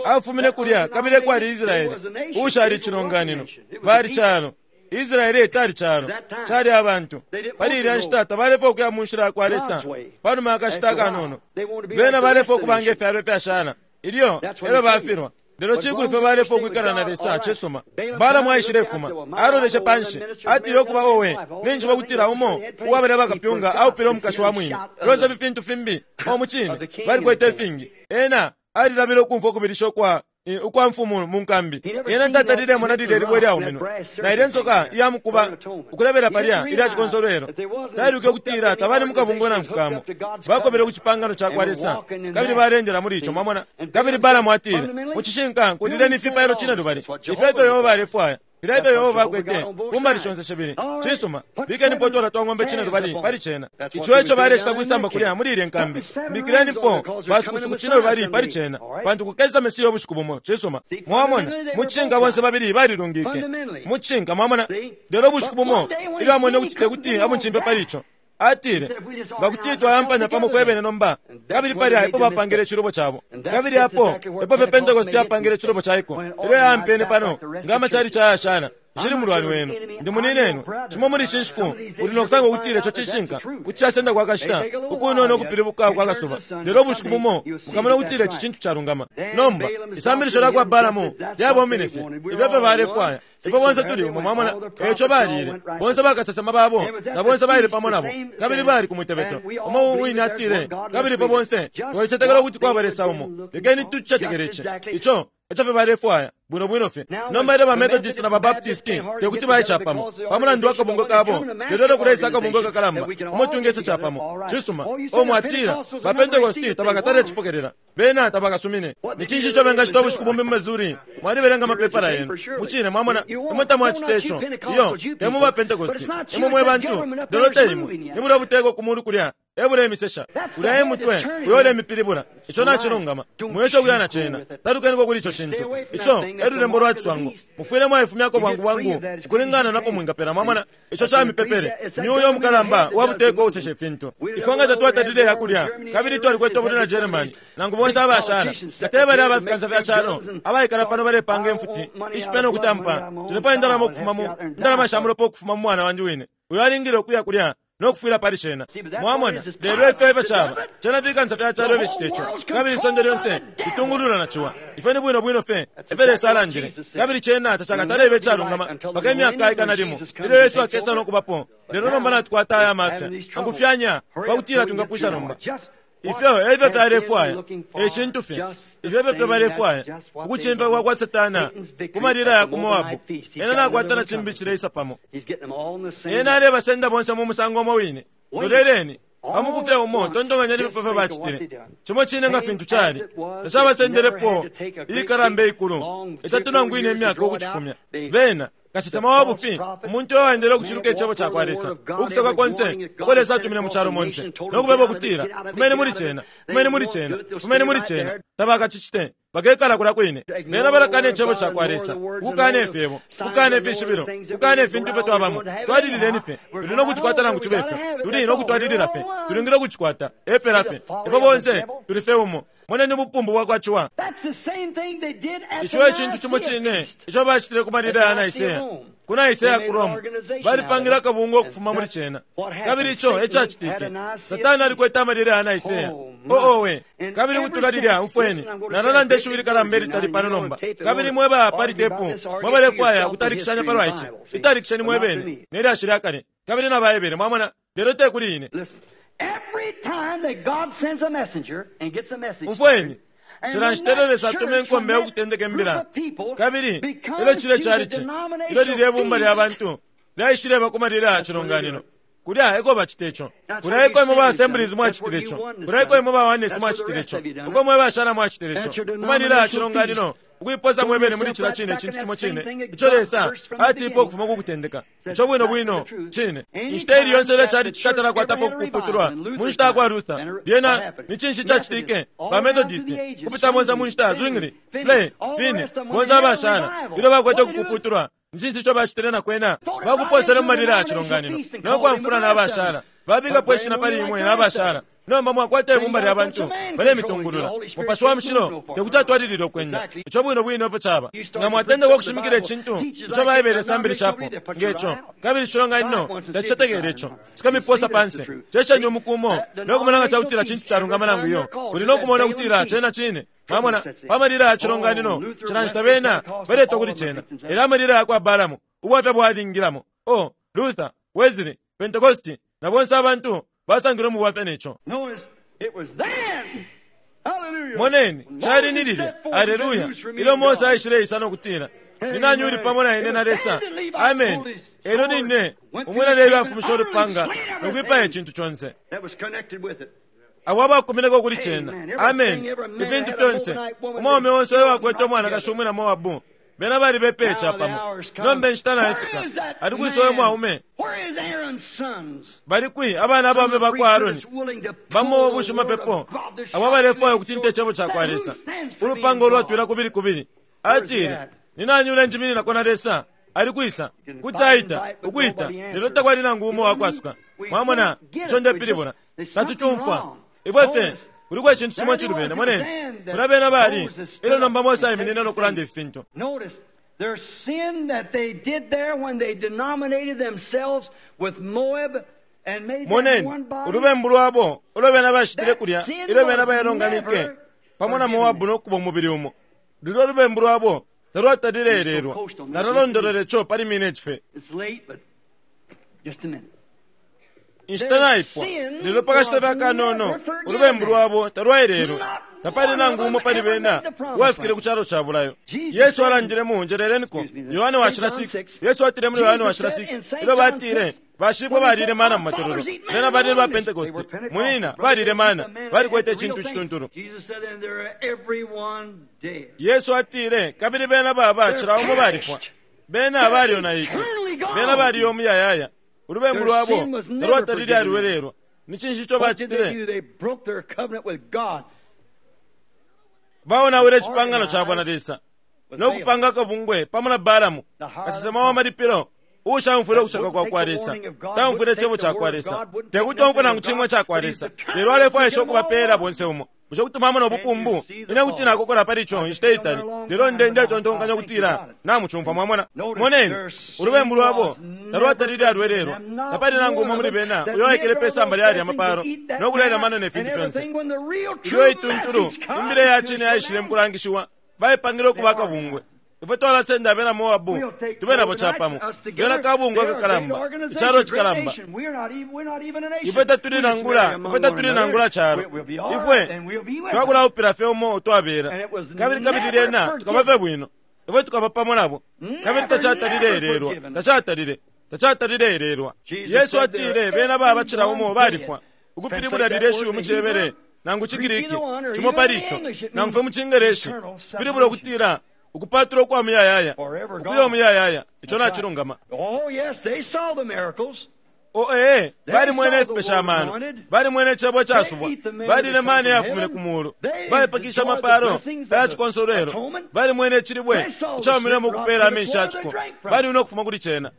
Afumine kulya kabili ekwali Israele, uushali icilonganino. Bali calo. Israele tali calo, cali abantu. Pali ilya nshita tabalefwaya ukuya mu nshila yakwa Lesa. Panuma ya kashita akanono, bena balefwaya ukuba nge fyalo ifyashala. Ilyo elyo bafilwa. Lelo cikulu fye balefwaya ukwikala na Lesa, cisuma. Balaamu aishilefuma, aloleshe panshi, atile ukuba owe, ninjishiba ukutila umo uwa balya bakapyunga aupile umukashi wa mwine. Fyonse ifi fintu fimbi, oh, mucine, balikwete ifingi. Ena alilabile ukumfwa ukubilisha ukwa ukwa mfumu mu nkambi. Ena tatalilemona lilye libwe lyauminwe, na ilye nsoka iya mukuba ukulebela palya ilya cikonsolwelo. Tailwike ukutila tabali mu kabungwe nangu kamo. Bakobele ku cipangano ca kwa Lesa, kabili baleendela muli ico. Mwamona? Kabili Balaamu atile, Mu cishinka, nkulileni ifipailo cinelubali. Ifyo efyo Yehova alefwaya. Filya efyo Yehova akwete ku mbali shonse shibili. Cisuma, bikenipo utwana twa ng'ombe cinelubali pali cena. Ico eco balecita kwisamba kulya muli ilye nkambi. Mbikilenipo basukusuku cinelubali pali cena, pantu kukesa Mesiya ubushiku bumo. Cisuma. Mwamona, mu cishinka bonse babili balilungike. Mu cishinka, mwamona. Lelo ubushiku bumo, ilyo amwene ukuti tekuti amucimfye pali ico, Atile, Nga kuti twayampanya pamo fwebene nomba, kabili palya epo bapangile icilubo cabo. Kabili apo epo fye Pentecost yapangile icilubo caiko, ilyo yaampene pano nga amachalichi ayashala. Nshili mulwani wenu. Ndi muninenwe. Cimo muli ishi nshiku, uli no kusanga ukutila ico cishinka. Kuti casendako akashita ukunono ukupilibuka kwa kasuba, lelo ubushiku bumo mukamona ukutila ici cintu calungama. Nomba, isambilisho lya kwa Balaamu lyabomine fye. Ifyo efyo balefwaya. Ifwe bonse tuli umo, mwamona. Eico baliile, bonse bakasesema babo na bonse baile pamo nabo, kabili bali ku mutebeto umo wine. Atile, Kabili ifwe bonse twalicetekela ukuti kwaba Lesa umo. Lekeni tucicetekele ici. Ico eco fye balefwaya, bwino bwino fye. Nomba ilyo ba Methodist na ba Baptist te kuti baye capamo, pa mulandu wa kabungwe kabo, lelo ilyo kuleisa akabungwe kakalamba umo twingesa capamo, cisuma. O, mwatila, ba Pentecost tabakatale cipokelela. Bena tabakasumine. Ni cinshi ico bengacita ubushiku bumbi mu Missouri? Mwalibelenga amapepala yenu. Mucine, mwamona, imwe tamwacita ico. Iyo, te mwe ba Pentecosti. Imwe mwe bantu, lelo te imwe. Ni bulya buteko ku mulu kulya e bulemisesha. Ulya e mutwe uyo ulemipilibula. Ico nacilungama. Mwiesha ukuya na cena. Talukeniko kuli ico cintu. Ico e lulembo lwa ciswango. Mufwile mwaifumyako bwangu bwangu ukulingana napo mwingapela. Mwamona? Ico ca mipepele. Ni uyo umukalamba wa buteko uusesha ifintu. Ifwe nga tatwatalile iya kulya, kabili twalikwete ubulwi na Germany, nangu bonse abashala, nga te balya aba fikansa fya calo abaikala pano balepanga imfuti ishipya no kutampa, nshilefwaya indalama ukufuma mu, indalama sha mulopa ukufuma mu mwana wandi wine, uyo alingile ukuya kulya no kufwila pali cena. Mwamona? Lelo ifyo efyo caba. Cena fikansa fya calo ificita ico. Kabili isonde lyonse litungululwa na ciwa. Ifyo ni bwino bwino fye efyo Lesa alandile. Kabili cena tacakatale ibe icalungama mpaka imyaka ikana limo, ilyo Yesu akesa no kubapo. Lelo nomba natukwata aya mafya. Angufyanya, pa kutila twingapwisha nomba. Ifyo efyo fyalefwaya, e cintu fye. Ifyo efyo fyo balefwaya, ukucimfya kwa kwa Satana ku malila ya ku Moabu. Ena nakwata na cimbi cileisa pamo. Ena alebasenda bonse mu musango umo wine. Loleleni, pa muku fye umo, tontonkanyeni pa fyo bacitile. Cimo cine nga fintu cali, tacabasendelepo iikalamba ikulu, itatu nangu ine imyaka ukucifumya. Bena, kasesema wa bufi, umuntu uyo waendele ukuciluka Icebo cakwa Lesa, ukusoka konse uko Lesa atumine mu calo monse, no kubeba ukutila, Fumeni muli cena, fumeni muli cena, fumeni muli cena. Tabakacicite. Bakekala kulya kwine. Bena balakana Icebo cakwa Lesa, ukukana Ifyebo, ukukana ifishibilo, ukukana ifintu ifyo twabamo. Twalilileni fye. Tuli no kucikwata nangu cibe fyo. Tuli no kutwalilila fye. Tulingile ukucikwata. Epela fye. Ifwe bonse tuli fye umo. Moneni ubupumbu bwakwa ciwa. Ico e cintu cimo cine ico bacitile ku malila ya Nicaea. Ku Nicaea ku Rome, balipangile akabungwe ukufuma muli cena. Kabili ico e cacitike. Satana alikwete amalila ya Nicaea. Oh, owe. Kabili ukutula lilya, umfweni, nalalanda ishiwi likalamba ilitali pano nomba. Kabili mwe ba pali tepu, mwe balefwaya ukutalikishanya palwa ici, italikisheni mwe bene ne lyashi lya kale. Kabili na Baebele, mwamona, lelo te kuli ine. Umfweni, cila nshita ilyo Lesa atuma inkombe ya kutendeka imbila, kabili ilyo cilye chalichi, ilyo lilye bumba lya bantu lyaishileba ku malila ya cilonganino, kulya eko bacita ico. Kulya eko imwe ba Assemblies mwacitile ico. Kulya eko imwe ba Oneness mwacitile ico. Uko mwe bashala mwacitile ico. Ku malila ya cilonganino, ukuiposa mwebene muli cila cine icintu cimo cine ico Lesa atipa ukufuma ku kutendeka. Ico bwino bwino cine. Inshita ili yonse ilyo cali cikatala kwatapo ukuputulwa mu nshita yakwa Luther, lyena ni cinshi cacitike? Ba Methodist, kupita monse mu nshita, Zwingli, Slay, Finney, bonse abashala, ilyo bakwete ukupuputulwa, ni cinshi ico bacitile na kwena? Bakuposele mu malila ya cilonganino no kwamfula na abashala. Babikapo ishina pali imwe na abashala. Nomba mwakwata ibumba lya bantu balemitungulula. Mupashi wa Mushilo tekuti atwalilile ukwenda. Ico bwino bwino efyo caba. Nga mwatendeka ukushimikila icintu ico Baibele isambilishapo nge co, kabili icilonganino tacicetekele ico, cikamiposa panse. Cesheni umuku umo no kumona nga cakutila cintu calungama nangu iyo. Uli no kumona ukutila cena cine. Mwamona, pa malila ya cilonganino, cila nshita bena baletwa kuli cena. Elyo amalila yakwa Balaamu, ubwafya bwalingilamo. Oh, Luther, Wesley, Pentecosti, na bonse abantu basangilwe mu bwafya ne co. Moneni, cali ni lilya, aleluya, ilyo Mose aishileisa no kutila, Ni nani uli pamo na ine na Lesa? Ameni. Elyo line umwina Lebi afumishe ulupanga no kwipaya icintu conse. Abo abakumineko kuli cena. Ameni. Ifintu fyonse. Umwaume onse uyo wakwete umwanakashi umwina Moabu, bena balibepeye capamo. Nomba inshita naifika. Ali kwisa uyo mwaume? Bali kwi abana abaume bakwa Aaroni? Bamo bushimapepo abo abalefwaya ukutinta icebo cakwa Lesa, ulupanga ulwatwila kubili kubili. Atile, Ni nani ulenjimininako na Lesa? Ali kwisa? Kuti aita, ukwita, lelo takwali nangu umo uwakwasuka. Mwamona ico ndepilibula? Tatucumfwa. Ifwe fye, kuliko icintu cimo icilubene. Moneni, kulya bena bali, elyo nomba Mose aiminine no kulanda ifi fintu. Their sin that they did there when they denominated themselves with Moab and made them Moneni, one body. ulubembu lwabo ulo bena bacitile kulya That sin ilyo bena was bailonganike never pamo na forgiven. Moabu no kuba umubili umo. Lulyo lubembu lwabo talwatalile elelwa. Nalalondolola ico pali mineti fye. It's late, but just a minute. Inshita naipwa, lelo pa kashita fye akanono, ulubembu lwabo talwaelelwe. Tapali nangu umo pali bena uwafikile ku calo ca bulayo. Yesu alandile mu, njeleleniko, Yohane Washila 6. Yesu atile muli Yohane Washila 6, ilyo batile, Bashifwe balile mana mu matololo. Bena bali ni ba Pentecosti. Munyina, balile mana. Balikwete icintu icituntulu. Jesus said, and they're everyone dead. Yesu atile, kabili bena baba cila umo balifwa. Bena balyonaike. Bena baliyo umuyayaya. Ulubembu lwabo talwatalile alwelelwa. Ni cinshi ico What did they bacitile? do? They broke their covenant with God. Baonawile icipangano cabo na Lesa no kupanga akabungwe pamo na Balaamu, kasesema wa malipilo, uushaumfwile ukusoka kwa kwa Lesa, taumfwile icebo ca kwa Lesa, te kuti omfwe nangu cimo ica kwa Lesa, lelo alefwaisha ukubapeela bonse umo. Bushe kuti mwamona ubupumbu? Ine kuti nakokola pali ico inshita itali, lelo nde ndetontonkanya ukutila namucumfwa. Mwamona? Moneni, ulubembu lwabo talwatalile alwelelwa. Tapali nangu umo muli bena uyo waikele pe samba lya yalya mapalo no kulya mana ne fintu fyonse. Ilyo ituntulu, imbila ya cine yaishile mu kulangishiwa, baipangile ukuba akabungwe. Ifwe twalasenda abena Moabu tube nabo capamo. Bena kabungwe akakalamba, icalo cikalamba. Ifwe tatuli nangula, ifwe tatuli nangula calo. Ifwe twakulaupila fye umo twabela. Kabili kabili lyena tukaba fye bwino. Ifwe tukaba pamo nabo. Kabili tacatalile elelwa, tacatalile, tacatalile elelwa. Yesu atile bena baba cila umo balifwa. Ukupilibula lilye shiwi mu ciHebere nangu ciGriki, cimo pali ico, nangu fye mu ciNgeleshi, cipilibula ukutila ukupatula ukwa muyayaya, ukuya umuyayaya. Ico nacilungama. O ee, balimwene ifipesha amano, balimwene icebo icasubwa, balile mani yafumine ku muulu, baipakisha amapalo aya cikonsolwelo, balimwene icilibwe icaumine ukupeela amenshi ya ciko, balimwene ukufuma kuli cena.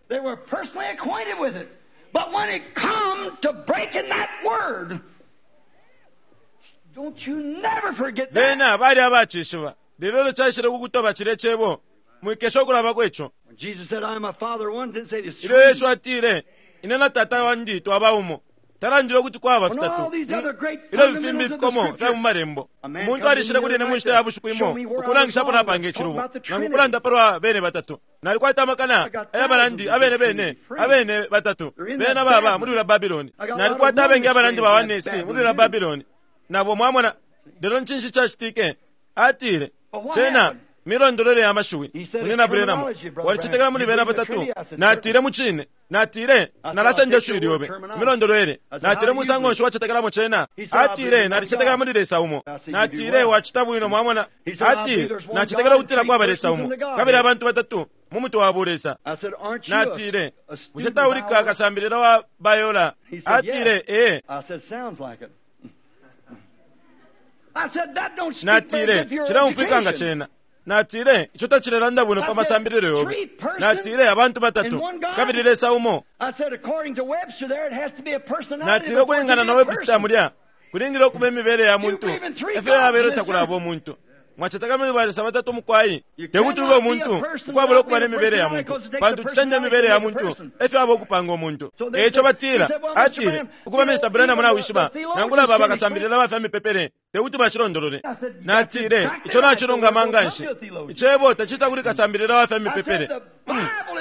But when it come to breaking that word, don't you never forget that. Bena bali abacishiba, lelo ilyo caishile ku kutoba cilye cebo, mwikesha ukulabako ico. When Jesus said, I am my Father one, didn't say there's Ilyo Yesu atile, Ine na Tata wandi twaba umo, talandile ukuti kwaba fitatu. Ilyo ifi fimbi ifikomo fya mu Malembo. Umuntu alishile kuli ine mu nshita ya bushiku imo ukulangisha apo napanga icilubo, nangu ukulanda palwa bene batatu. Nalikwata amakana aya balandi abene bene, abene batatu. Bena baba muli ulya Babiloni. Nalikwata abengi abalandi ba Oneness muli ulya Babiloni. Nabo mwamona. Lelo ncinshi cacitike? Atile, Cena milondolwele ya mashiwi. Munyina Branham, walicetekela muli bena batatu? Natile, Mucine. Natile, Nalasenda ishiwi lyobe. Milondolwele. Natile, Musango nshi wacetekelamo cena? Atile, Nalicetekela muli Lesa umo. Natile, Wacita bwino, mwamona. Atile, Nacetekela ukutila kwaba Lesa umo, kabili abantu batatu mu mutwe wa bulesa. Natile, Bushe tauli ka kasambilila wa Bayola? Atile, Ee. Natile, Cileumfwika nga cena. Natile, Ico tacilelanda bwino pa masambililo yobe. Natile, Abantu batatu, kabili Lesa umo. Natile, Ukulingana na Webster mulya, kulingile ukuba imibele ya muntu efyo yabelo takulaba umuntu. Mwaceteka muli balesa batatu mukwai? Te kuti ube umuntu ukwabula ukuba ne mibele ya muntu, pantu cisenda imibele ya muntu efyo aba ukupanga umuntu. E ico batila, atile, Ukuba Mr. Branham nawishiba, nangula baba kasambilila ba fya mipepele te kuti bacilondolole. Natile, Ico nacilungama nganshi. Icebo tacisa kuli kasambilila wa fya mipepele.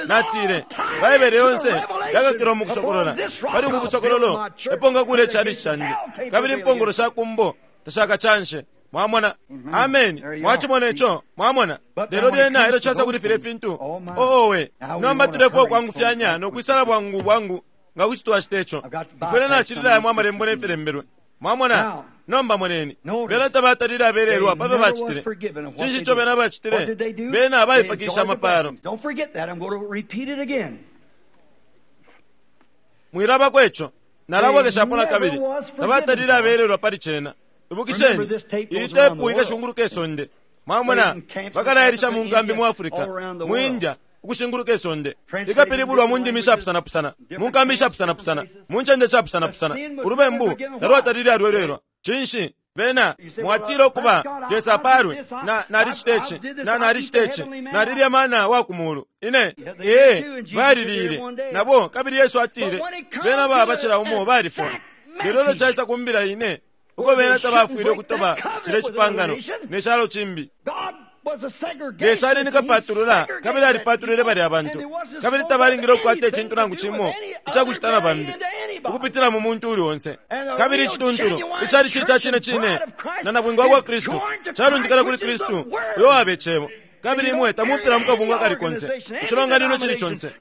Natile, Baibele yonse yakakilwa mu kusokolola. Pali ubu busokololo epo ngakula icalici candi, kabili impongolo sha kumbo tashakacanshe. Mwamona? Ameni. Mwacimona ico? Mwamona? Lelo lyena ilyo casa kuli filya fintu, oh, owe, nomba tulefwaya ukwangufyanya no kwisala bwangu bwangu nga kuti twacita ico. Mfwile nacilila yamo Amalembo ne filembelwe. Mwamona? Nomba moneni. Bena tabatalile abelelwa pa fyo bacitile. Cinshi ico bena bacitile? Bena baipakishe amapalo. Mwilabako ico. Nalabwekeshapo nakabili. Tabatalile abelelwa pali cena. Ibukisheni, iyi tepu ikashunguluka isonde. Mwamona, bakalailisha mu nkambi mu Africa, mu India, ukushinguluka isonde. Ikapilibulwa mu ndimi ishapusanapusana, mu nkambi ishapusanapusana, mu ncende ishapusanapusana. Ulubembu talwatalile alwelelwa. Cinshi? Bena, mwatila ukuba, Lesa apalwe, na, nalicita ici, na nalicita ici, nalilya mana wa ku mulu. Ine, ee, baliliile, nabo, kabili Yesu atile, bena baba cila umo balifwa. Lelo ilyo caisa ku mbila ine, uko bena tabafwile ukutoba cilya cipangano ne calo cimbi. Lesa ali ni kapatulula, kabili alipatulwile balya bantu, kabili tabalingile ukukwata icintu nangu cimo icakucita na bambi, ukupitila mu muntu uuli onse. Kabili icituntulu, icalici ica cine cine na nabwinga wa kwa Kristu, calundikana kuli Kristu, uyo waba Icebo. Kabili imwe tamupila mu kabungwe akali konse, icilonganino icili conse.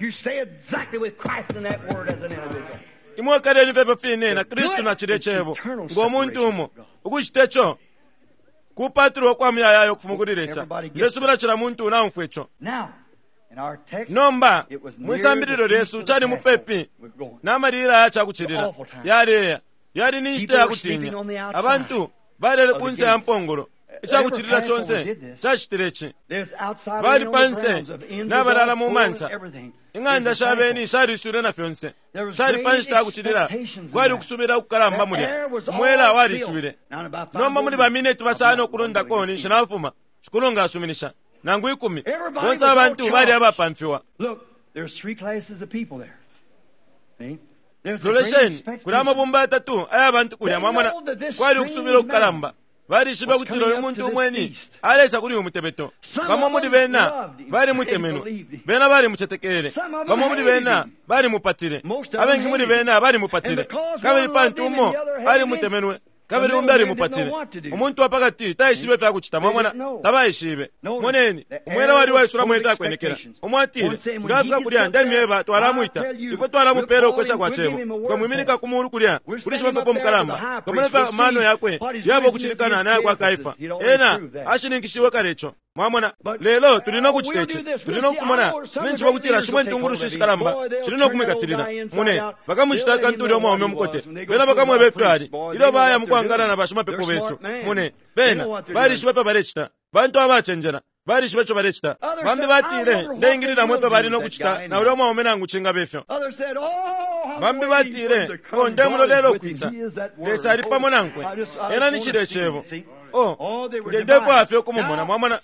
Imwe kaleni fye ifyo fine na Kristu na cilye Cebo, ngo muntu umo. Ukucite co kupatulwa kwa muyayaya ukufuma kuli Lesa. Ndesubila cila muntu naumfwa ico. Nomba, mwi sambililo lyesu cali mupepi na malila ya cakucilila yaleya. Yali ni nshita ya kutinya. Abantu balele ku nse ya mpongolo. Icakucilila conse cacitile ci. Bali pa nse nabalala mu mansa. Ing'anda sha beni shaliswile na fyonse. Cali pa nshita ya kucilila, kwali ukusubila ukukalamba mulya. Umwela waliswile. Nomba muli ba mineti basano ukulundako ninshi nafuma, Shikulu nga asuminisha, nangu ikumi, bonse abantu bali abapamfiwa. Lolesheni, kuli amabumba yatatu aya bantu kulya, mwamona, kwali ukusubila ukukalamba. Balishibe ukutila uyu muntu umweni aleisa kuli uyu mutebeto. Bamo muli bena balimutemenwe, bena balimucetekele. Bamo muli bena balimupatile, abengi muli bena balimupatile. Kabili pantu umo alimutemenwe kabili umbi alimupatile, umuntu wa pakati taishibe ifya kucita. Mwamona, tabaishibe. Moneni, umwela wali waisulamo ifya kwenekela. Umo atile, nga afika kulya, ndemyeba, twalamwita. Ifwe twalamupela ukwesha kwa cebo. Tukamwiminika ku mulu kulya kuli shimapepo mukalamba. Tukamona ifyo amano yakwe yaba ukucilikana na yakwa Kaifa. Ena ashininkishiwe kale ico. Mwamona? Lelo tuli no kucita ici. Tuli no kumona. Ninjishiba ukutila shimo intungulushi ishikalamba shili no kumwikatilila. Mune, bakamucita akantu ulya umwaume umukote. Bena bakamweba ifyo ali ilyo baya mukwangala na bashimapepo besu. Mune, bena balishiba ifyo balecita. Bantu abacenjela. Balishiba ico balecita. Bambi batile, Ndeingililamo ifyo bali no kucita na ulya umwaume nangu cingaba ifyo. Bambi batile, Oh, ndemulolela ukwisa. Lesa ali pamo nankwe. Ena ni cilya Cebo. Oh, nde ndefwaya fye ukumumona. Mwamona?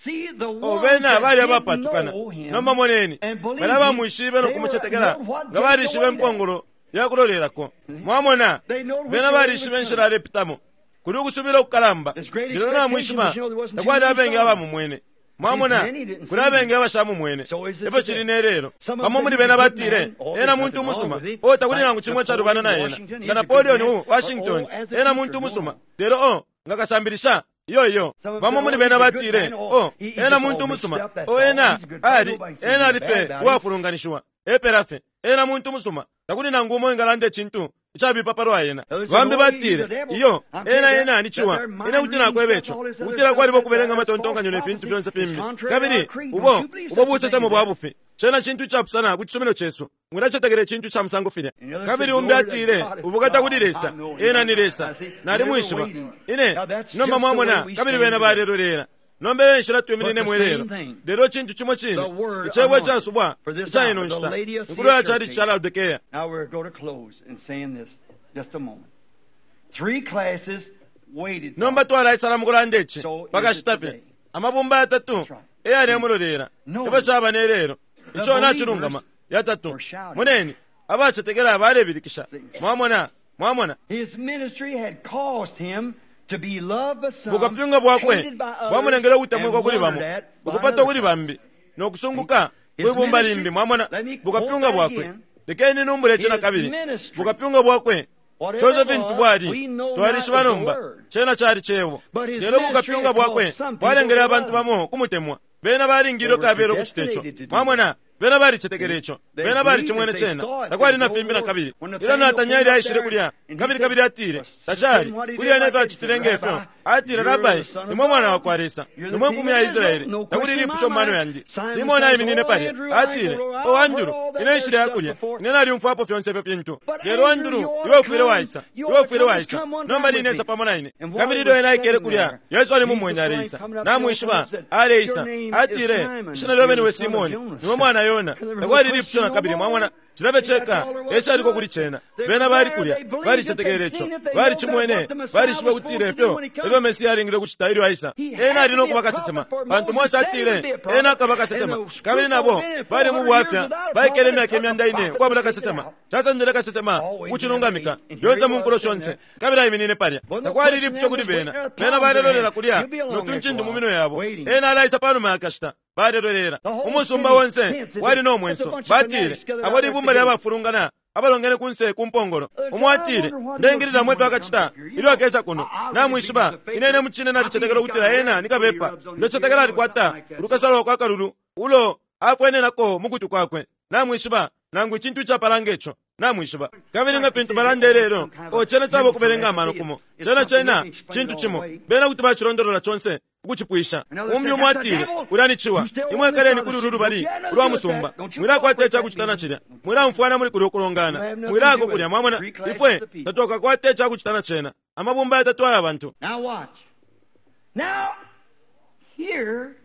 Oh, bena bali abapatukana. Nomba moneni, balya abamwishibe no kumucetekela nga balishibe impongolo ya kulolelako. Mwamona? Bena balishibe inshila alepitamo. Kuli ukusubila ukukalamba, lelo namwishiba takwali abengi abamumwene. Mwamona, kuli abengi abashamumwene. Efyo cili ne lelo. Bamo muli bena batile, Ena muntu umusuma. Oh, takuli nangu cimo icalubana na ena. Nga Napoleon u Washington, ena muntu umusuma. Lelo, oh, nga kasambilisha, iyo, iyo. Bamo muli bena batile, Oh, ena muntu umusuma. Oh, ena ali, ena ali fye uwafulunganishiwa. Epela fye. Ena muntu musuma. Takuli nangu umo uwingalanda icintu icabipa palwa ena. Bambi batile, Iyo, ena, ena ni ciwa. Ine kuti nakweba ico, ukutila kwaliba ukubelenga amatontonkanyo ne fintu fyonse fimbi. Kabili ubo, ubo busesemo bwa bufi. Cena cintu icapusana ku cisumino cesu. Mwilacetekela icintu ica musango filya. Kabili umbi atile, Ubukata kuli Lesa! Ena ni Lesa. Nalimwishiba. Ine, nomba mwamona, kabili bena balelolela. Nomba eyo enshila twimininemo ilelo. Lelo icintu cimo cine, Icebo icasubwa ica ino nshita, inkulo ya chalichi ca Laodikea. Nomba twalaisala mukulanda ici pakashita fye. Amabumba yatatu eyalemulolela, efyo caba ne lelo. Ico nacilungama, yatatu. Moneni, abacetekela balebilikisha. Mwamona? Mwamona? Bukapyunga bwakwe bwamulengele ukutemwikwa kuli bamo, ukupatwa kuli bambi, no kusunguka kwi bumba limbi. Mwamona? Bukapyunga bwakwe. Lekeni numbule ici nakabili. Bukapyunga bwakwe, conse fintu bwali, twalishiba nomba, cena cali Cebo. Lelo bukapyunga bwakwe bwalengele abantu bamo ukumutemwa. Bena balingilwe kabela ukucita ico. Mwamona? Bena balicetekele ico. Bena balicimwene cena. Takwali na fimbi nakabili. Ilyo Natanieli aishile kulya, kabili, kabili atile, Tacali kuli ena ifyo acitile nge fyo. Atile, Rabbi, Nimwe Mwana wakwa Lesa. Nimwe Mfumu ya Israele. Takuli ilipusho mu mano yandi. Simone aiminine palya. Atile, Oh, Andulu, ine nshile ya kulya. Ine nalyumfwapo fyonse ifyo fintu. Lelo, Andulu, iwe ufwile waisa. Iwe ufwile waisa. Nomba line isa pamo na ine. Kabili ilyo ena aikele kulya, Yesu alimumwene aleisa. Namwishiba, aleisa. Atile, Ishina lyobe niwe Simone. Niwe mwana Yona. Takwali ilipusho nakabili, mwamona. Cilya fye ceka e caliko kuli cena. Bena bali kulya. Balicetekele ico. Balicimwene. Balishibe ukutila ifyo efyo Mesia alingile ukucita ilyo aisa. Ena ali no kuba kasesema, pantu Mose atile ena akaba kasesema. Kabili nabo bali mu bwafya, baikele imyaka imyanda ine ukwabula kasesema. Casendele kasesema ukucilungamika, lyonse mu nkulo shonse. Kabili aiminine palya. Takwali ilipusho kuli bena. Bena balelolela kulya no tuncindu mu minwe yabo. Ena alaisa panuma ya kashita. Balelolela. Umusumba onse wali no mwenso. Batile, Abo libumba lya bafulungana abalongene kunse ku mpongolo. Umo atile, Ndeingililamo ifyo akacita ilyo akesa kuno. Namwishiba, ine, ine mucine nalicetekela ukutila ena ni kabepa. Ndecetekela alikwata ulukasa lwakwe akalulu ulo afwenenako mu kutwi kwakwe, namwishiba, nangu icintu icapala nge co, namwishiba. Kabili nga fintu balanda ilelo, Oh, cena caba ukubelenga amano kumo. Cena, cena cintu cimo. Bena kuti bacilondolola conse ukucipwisha. Umbi umo atile, Ulya ni ciwa. Imwe ikaleni kuli ulu lubali ulwa musumba. Mwilakwata icakucita na cilya. Mwilaumfwana muli kulya ukulongana. Mwilako kulya. Mwamona? Ifwe tatwakakwate icakucita na cena. Amabumba yatatu aya bantu. Now watch. Now, here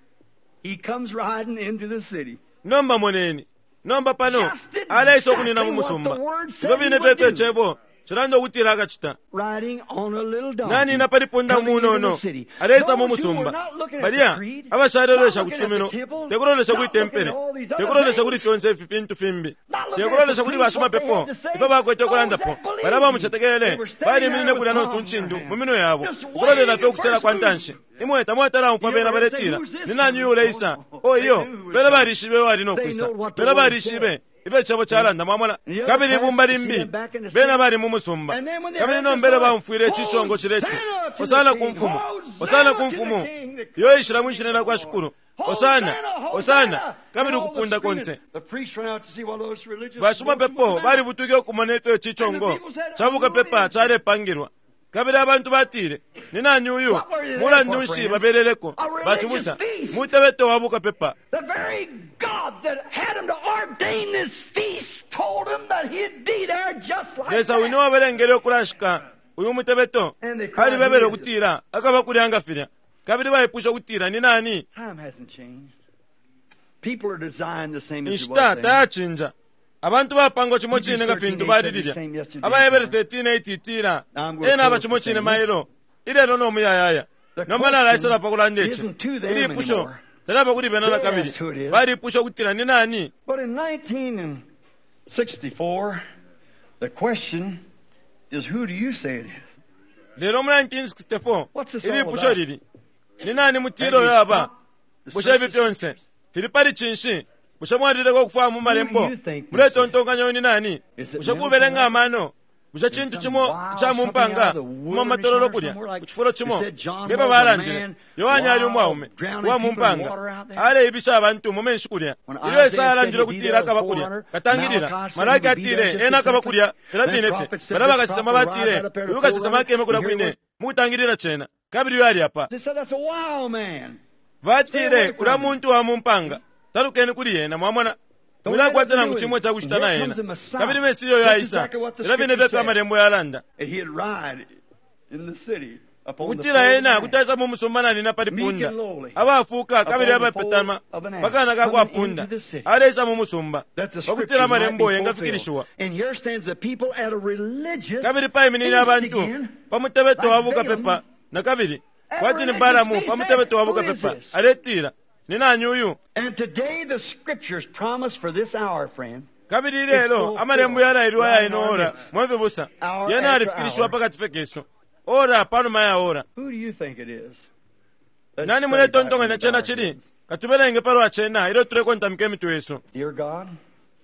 he comes riding into the city. Nomba moneni. Nomba pano aleisa ukunina mu musumba. Ifyo fine fye ifyo Icebo Cilanda ukutila akacita. Riding on a little donkey. Nanina pali punda coming into the umunono city. aleisa mu Those who were musumba. not looking at the Balya creed, abashalelolesha not ku looking at cisumino, the temple, tekulolesha not kwi looking tempele, at all these other tekulolesha things, kuli fyonse ifi fintu fimbi, not looking at tekulolesha the kuli priests, what they bashimapepo had to say, ifyo bakwete those ukulandapo. that believed, Balya bamucetekele they were standing baliminine there kulya with no palms in tuncindu their mu hands, minwe yabo, just ukulolela waiting fye ukusela the kwa first ntanshi. move. Imwe tamwatala umfwa You bena ever heard say, baletila "Who's this ni nani coming?" uleisa? Oh, O they iyo, knew who was bena coming. balishibe wali no They kwisa. know what the Bena word balishibe said. ifyo icebo calanda mwamona. And the other Kabili class, ibumba you see limbi them back in the bena city. bali mu musumba. And then when they Kabili heard this nombele noise, baumfwile ici congo cileti Hosanna to the Osana ku King! mfumu, Osana Hosanna ku to the mfumu, King that iyo ishila mwishina lya kwa Shikulu. Osana, Hosanna, Osana, Hosanna! kabili And all the ukupunda screaming. konse. The priest ran out to see what those religious Bashimapepo folks were about. balibutuke ukumona ifyo ici congo ca bukapepa calepangilwa. Kabili abantu batile, ni nani uyu? What were they there Mulandu for, nshi friends? babeleleko? A religious Bacibusa, feast. mutebeto wa bukapepa. The very God that had him to ordain this feast told him that he'd be there just like Lesa wine that. wabalengele ukulashika uyu mutebeto And they cried, alibebele "Who is it?" ukutila akaba kulya nga filya. Kabili baipusha ukutila ni nani? Time hasn't changed. People are designed the same as it Inshita was then. tayacinja. Abantu bapangwa cimo Hebrews cine nga 13:8 fintu said bali the lilya. same yesterday, Abahebere tomorrow. 13:8 itila Now I'm going to ena aba close cimo the cine same. mailo ilelo no muyayaya. The Nomba nalaisela question pa kulanda ici. isn't to them Ilipusho anymore. talaba kuli bena na They kabili. asked who it is. Balipusha ukutila ni nani? But in 1964, the question is, who do you say it is? Lelo mu 1964 What's this all ilipusho about? lili ni nani mutilo Have you yaba? stopped the Bushe ifi search? fyonse fili pali cinshi? Bushe mwalileka ukufwaya mu malembo? Who do you think this Muletontonkanya ni nani? Is it Bushe kubelenga mental? amano? Bushe cintu Some cimo wild ca mu something out mpanga of the fuma mu wilderness matololo or kulya somewhere like ku cifulo cimo they said John nge was a babalandile man Yohane ali wild, umwaume drowning uwa mu people in mpanga water out there. aleibisha abantu mu menshi kulya. When Ilyo Isaiah Esaya said alandile he'd be ukutila there akaba with kulya 400, katangilila Malachi said Malaki he would be there atile just ena akaba exactly. kulya filya Then fine fye. prophet said Balya this bakasesema prophet will batile rise right up there to uyu kasesema 400, akeme kulya and here he kwine was. mu kutangilila cena kabili uyu ali apa. They said that's a wild man. Batile kulya muntu wa mu mpanga talukeni kuli yena mwamona mwilakwata nangu cimo cakucita na yena kabili mesiya uyo aisa filya fine fyefyo amalembo yalanda And he'd ride in the city upon the ukutila foal of ena an ass. kuti aisa mu musumba nanina pali Meek punda and lowly, abafuuka kabili upon the abapetama foal of an ass, pakana kakwa coming punda into the city. aleisa mu musumba That the pakutila scriptures might be amalembo fulfilled. yengafikilishiwa And here stands the people at a religious kabili paiminine feast abantu again. pa mutebeto wa Like bukapepa Balaam. na kabili At a kwati ni religious Balamu feast, pa mutebeto wa who is bukapepa this? aletila ni nani uyu And today the scriptures promise for this hour, friend. kabili ilelo amalembo yalailwa aya ino ora mwefibusa Hour yena after alifikilishiwa hour. pakati fekeso ora panuma ya ora Who do you think it is? Let's nani study muletontonkanya back cena in our cili heads. katubelenge palwa cena ilyo tulekontamika imitwe yesu Dear God,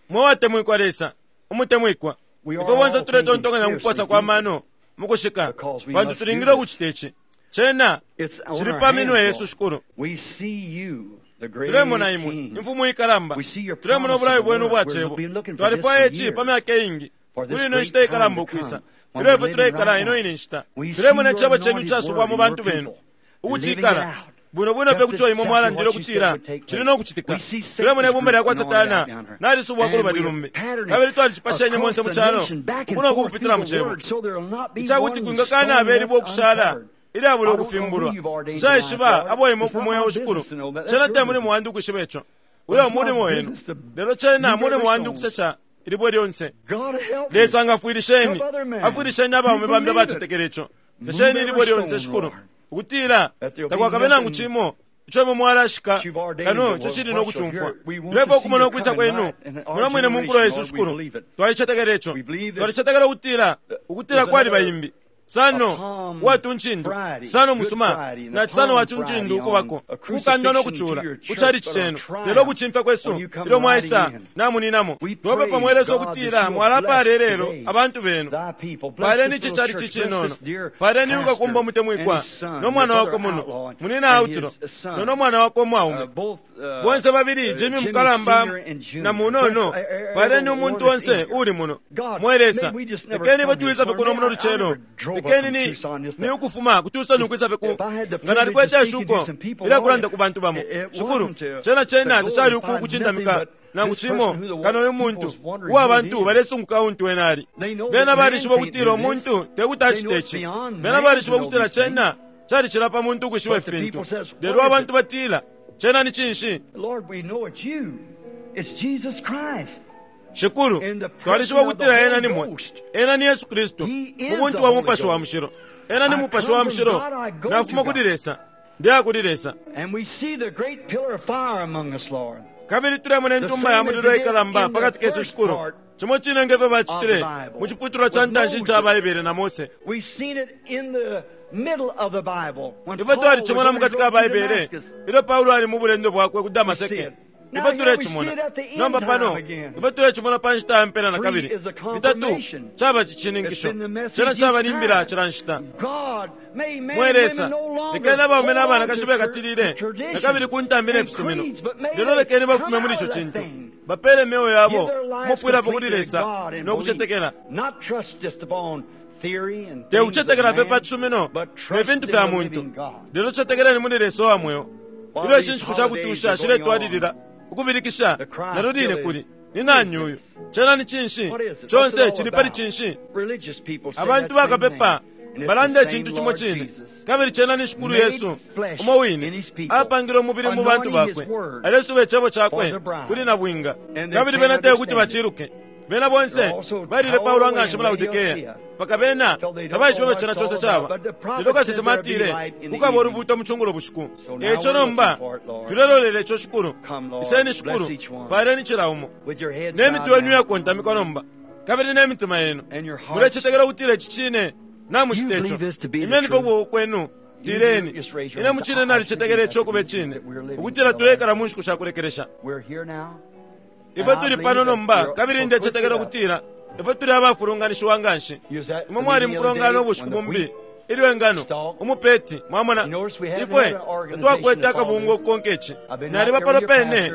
mwe watemwikwa lesa umutemwikwa We are ifwe bonse all tuletontonkanya thinking mukuposa seriously kwa mano mukushika Because we pantu must tulingile do this. ukucita ici cena it's on cili our pa minwe hands, yesu Lord. shikulu We see you, the great tulemona imwe King. imfumu ikalamba We see your tulemona promise obulayo of the bwenu word. ubwa We've cebo been looking for twalifwaya this for ici pa years. myaka iingi For this kuli ino great nshita ikalamba time to ukwisa come, when ilyo we're ifwe living tuleikala right ino now. ine nshita We see tulemona your icebo cenu anointed casubwa word mu in bantu your benu people, ukucikala living it out. bwino bwino fye Just kuco imwe exactly mwalandile what you ukutila said would take cili place. no kucitika We see Satan's tulemona ibumba lya kwa group anointed satana out down here. nalisubwa ku And lubali we lumbi pattern it kabili twalicipashenye across monse mu the calo nation, back and ukuno forth kupitila through mu the cebo word, so there'll not be icakuti one kwingakana stone abelibwa left ukushala uncovered. ilyabula I don't know who ukufimbulwa you've ordained nshayishiba tonight, Lord. abo imwe It's not kumweyo my shikulu business to know that. That's cena your te muli business. muwandi ukwishiba ico uyo It's my mulimo wenu business to lelo cena move mulimo every wandi stone. ukusesha ilibwe lyonse God help me. lesa ngafwilisheni Help other men. afwilisheni abaume You bambi believe it. abacetekela ico Move sesheni every ilibwe lyonse stone, shikulu Lord. ukutila That there'll be takwakabe nangu nothing cimo ico imwe mwalashika you've ordained kano that ico will cili no what shall kucumfwa hear. We want tulepa to see ukumona your ukwisa coming kwenu right in our muno mwine mu nkulo yesu generation, Lord, we shikulu believe it. twalicetekela ico We believe that twalicetekela ukutila ukutila there's kwali another bayimbi sano a Palm watuncindu Friday, sano Good musuma Friday, and na a sano Palm watuncindu Friday ukubako on a ukukandwa no crucifixion kucula to your church, kucali but a cenu triumph lelo ukucimfya kwesu when you come ilyo mwaisa riding in. namuninamo We twopepa pray, mwelesa God, ukutila that you'll mwalapala bless lelo today abantu benu thy people. Bless paleni this ici little cali church. Bless cicinono this dear paleni pastor ukakumba umutemwikwa and his son, no mwana your wako brother muno outlaw, and munina his autulo son. no no mwana wako umwaume Bonse babili Jimmy mukalamba na munono paleni umuntu onse uli muno mwelesa lekeni batuwiza pe kuno muno lucelo lekeni ni ni ukufuma kutusa ukwisa pe ku nga nalikwete eshuko ilakulanda ku bantu bamo shukulu cena cena tacali uku kucindamika nangu cimo kano uyu muntu uwa bantu balesunguka untu ena ali bena balishiba ukutila umuntu tekuti acite ici bena balishiba ukutila cena calicila pa muntu ukwishiba ifintu lelo abantu batila cena ni cinshi Lord, we know it's you. It's Jesus Christ. Shikulu, twalishiba ukutila Ena ni mwe. Ena ni Yesu Kristu, mu buntu wa Mupashi wa Mushilo. Ena ni Mupashi wa Mushilo. Nafuma kuli Lesa, ndeya kuli Lesa. Kabili tulemona intumba ya mulilo ikalamba pakati kesu, Shikulu, cimo cine nge fyo bacitile mu ciputulwa ca ntanshi ica Baibele na Mose. Ifwe twalicimona mukati ka Baibele ilyo Paulo ali mu bulendo bwakwe ku Damaseke. Ifwe tulecimona nomba pano, ifwe tulecimona pa nshita ya mpela na kabili. Fitatu caba cicininkisho, cena caba ni mbila cila nshita. Mwe Lesa, lekeni abaume na banakashi bekatilile na kabili ku ntambi ne fisumino, lelo lekeni bafume muli ico cintu, bapele imyeo yabo umupwilapo kuli Lesa no kucetekela. Te kucetekela fye pa cisumino ne fintu fya muntu, lelo cetekeleni muli Lesa uwa mweo. Ilyo ishi nshiku sha kutusha shiletwalilila ukubilikisha, nalyo line kuli ni nani uyu? Cena ni cinshi? Conse cili pali cinshi? Abantu bakapepa balanda icintu cimo cine, kabili cena ni Shikulu Yesu umo wine apangile umubili mu bantu bakwe, alesuba icebo cakwe kuli nabwinga, kabili bena te kuti baciluke. Bena bonse balile Paulo nganshi mu Laodikea, mpaka bena tabaishibe ifyo cena conse caba. Lelo kasesema atile kukaba ulubuuto mu cungulo bushiku. E ico nomba tulelolela ico, Shikulu. Iseni, Shikulu, paaleni cila umo. Ne mitwe yenu iyakontamikwa nomba, kabili ne mitima yenu, mulecetekela ukutila ici cine? Namucita ico, imyeni fye ukuboko kwenu, tileni, Ine mucine nalicetekela ico ukuba icine, ukutila tuleikala mu nshiku sha kulekelesha. Ifwe tuli pano nomba, kabili ndecetekela ukutila ifwe tuli abafulunganishiwa nganshi. Imwe mwali mukulongana ubushiku bumbi ilyo ingano, umupeti, mwamona, ifwe tatwakwete akabungwe ukukonka ici. Naliba pano pene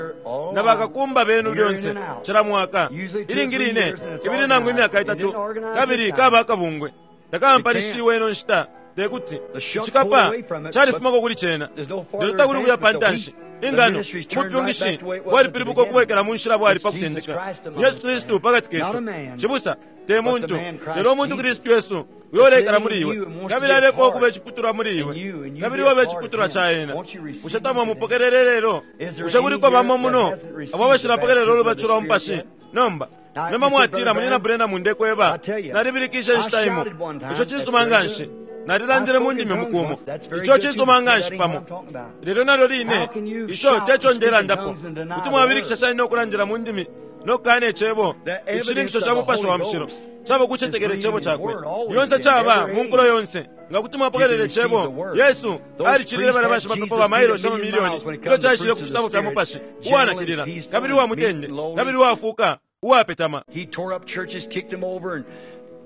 na bakakumba benu lyonse, cila mwaka, ilingi line ibili nangu imyaka itatu, kabili kaba akabungwe. Takampanishiwe ino nshita, te kuti. Icikapa califumako kuli cena, lelo takuli ukuya pa ntanshi. Ingano, ubupyungishi bwalipilibuka ukubwekela mu nshila bwali pa kutendeka. Ni Yesu Kristu pakati kesu, cibusa, te muntu, lelo umuntu Kristu Yesu uyo uleikala muli iwe, kabili alefwaya ukuba iciputulwa muli iwe, kabili iwe ube iciputulwa ca ena. Bushe tamwamupokelele lelo? Bushe kuliko bamo muno abo abashilapokelela ulubatisho lwa Mupashi nomba? Nomba mwatila, Munyina Branham, ndekweba, nalibilikishe inshita imo. Ico cisuma nganshi. Nalilandile mu ndimi umuku umo. Ico cisuma nganshi pamo. Lelo nalyo line, ico te co ndelandapo. Kuti mwabilikisha shani no kulandila mu ndimi no kukana Icebo? Icishininkisho ca Mupashi wa Mushilo caba kucetekela Icebo Cakwe. Lyonse caba, mu nkulo yonse. Nga kuti mwapokelela Icebo, Yesu alicilile balya bashimapepo ba mailoshi amamilioni ilyo caishile ku fisabo fya Mupashi, uwanakilila, kabili uwa mutende, kabili uwafuuka, uwapetama.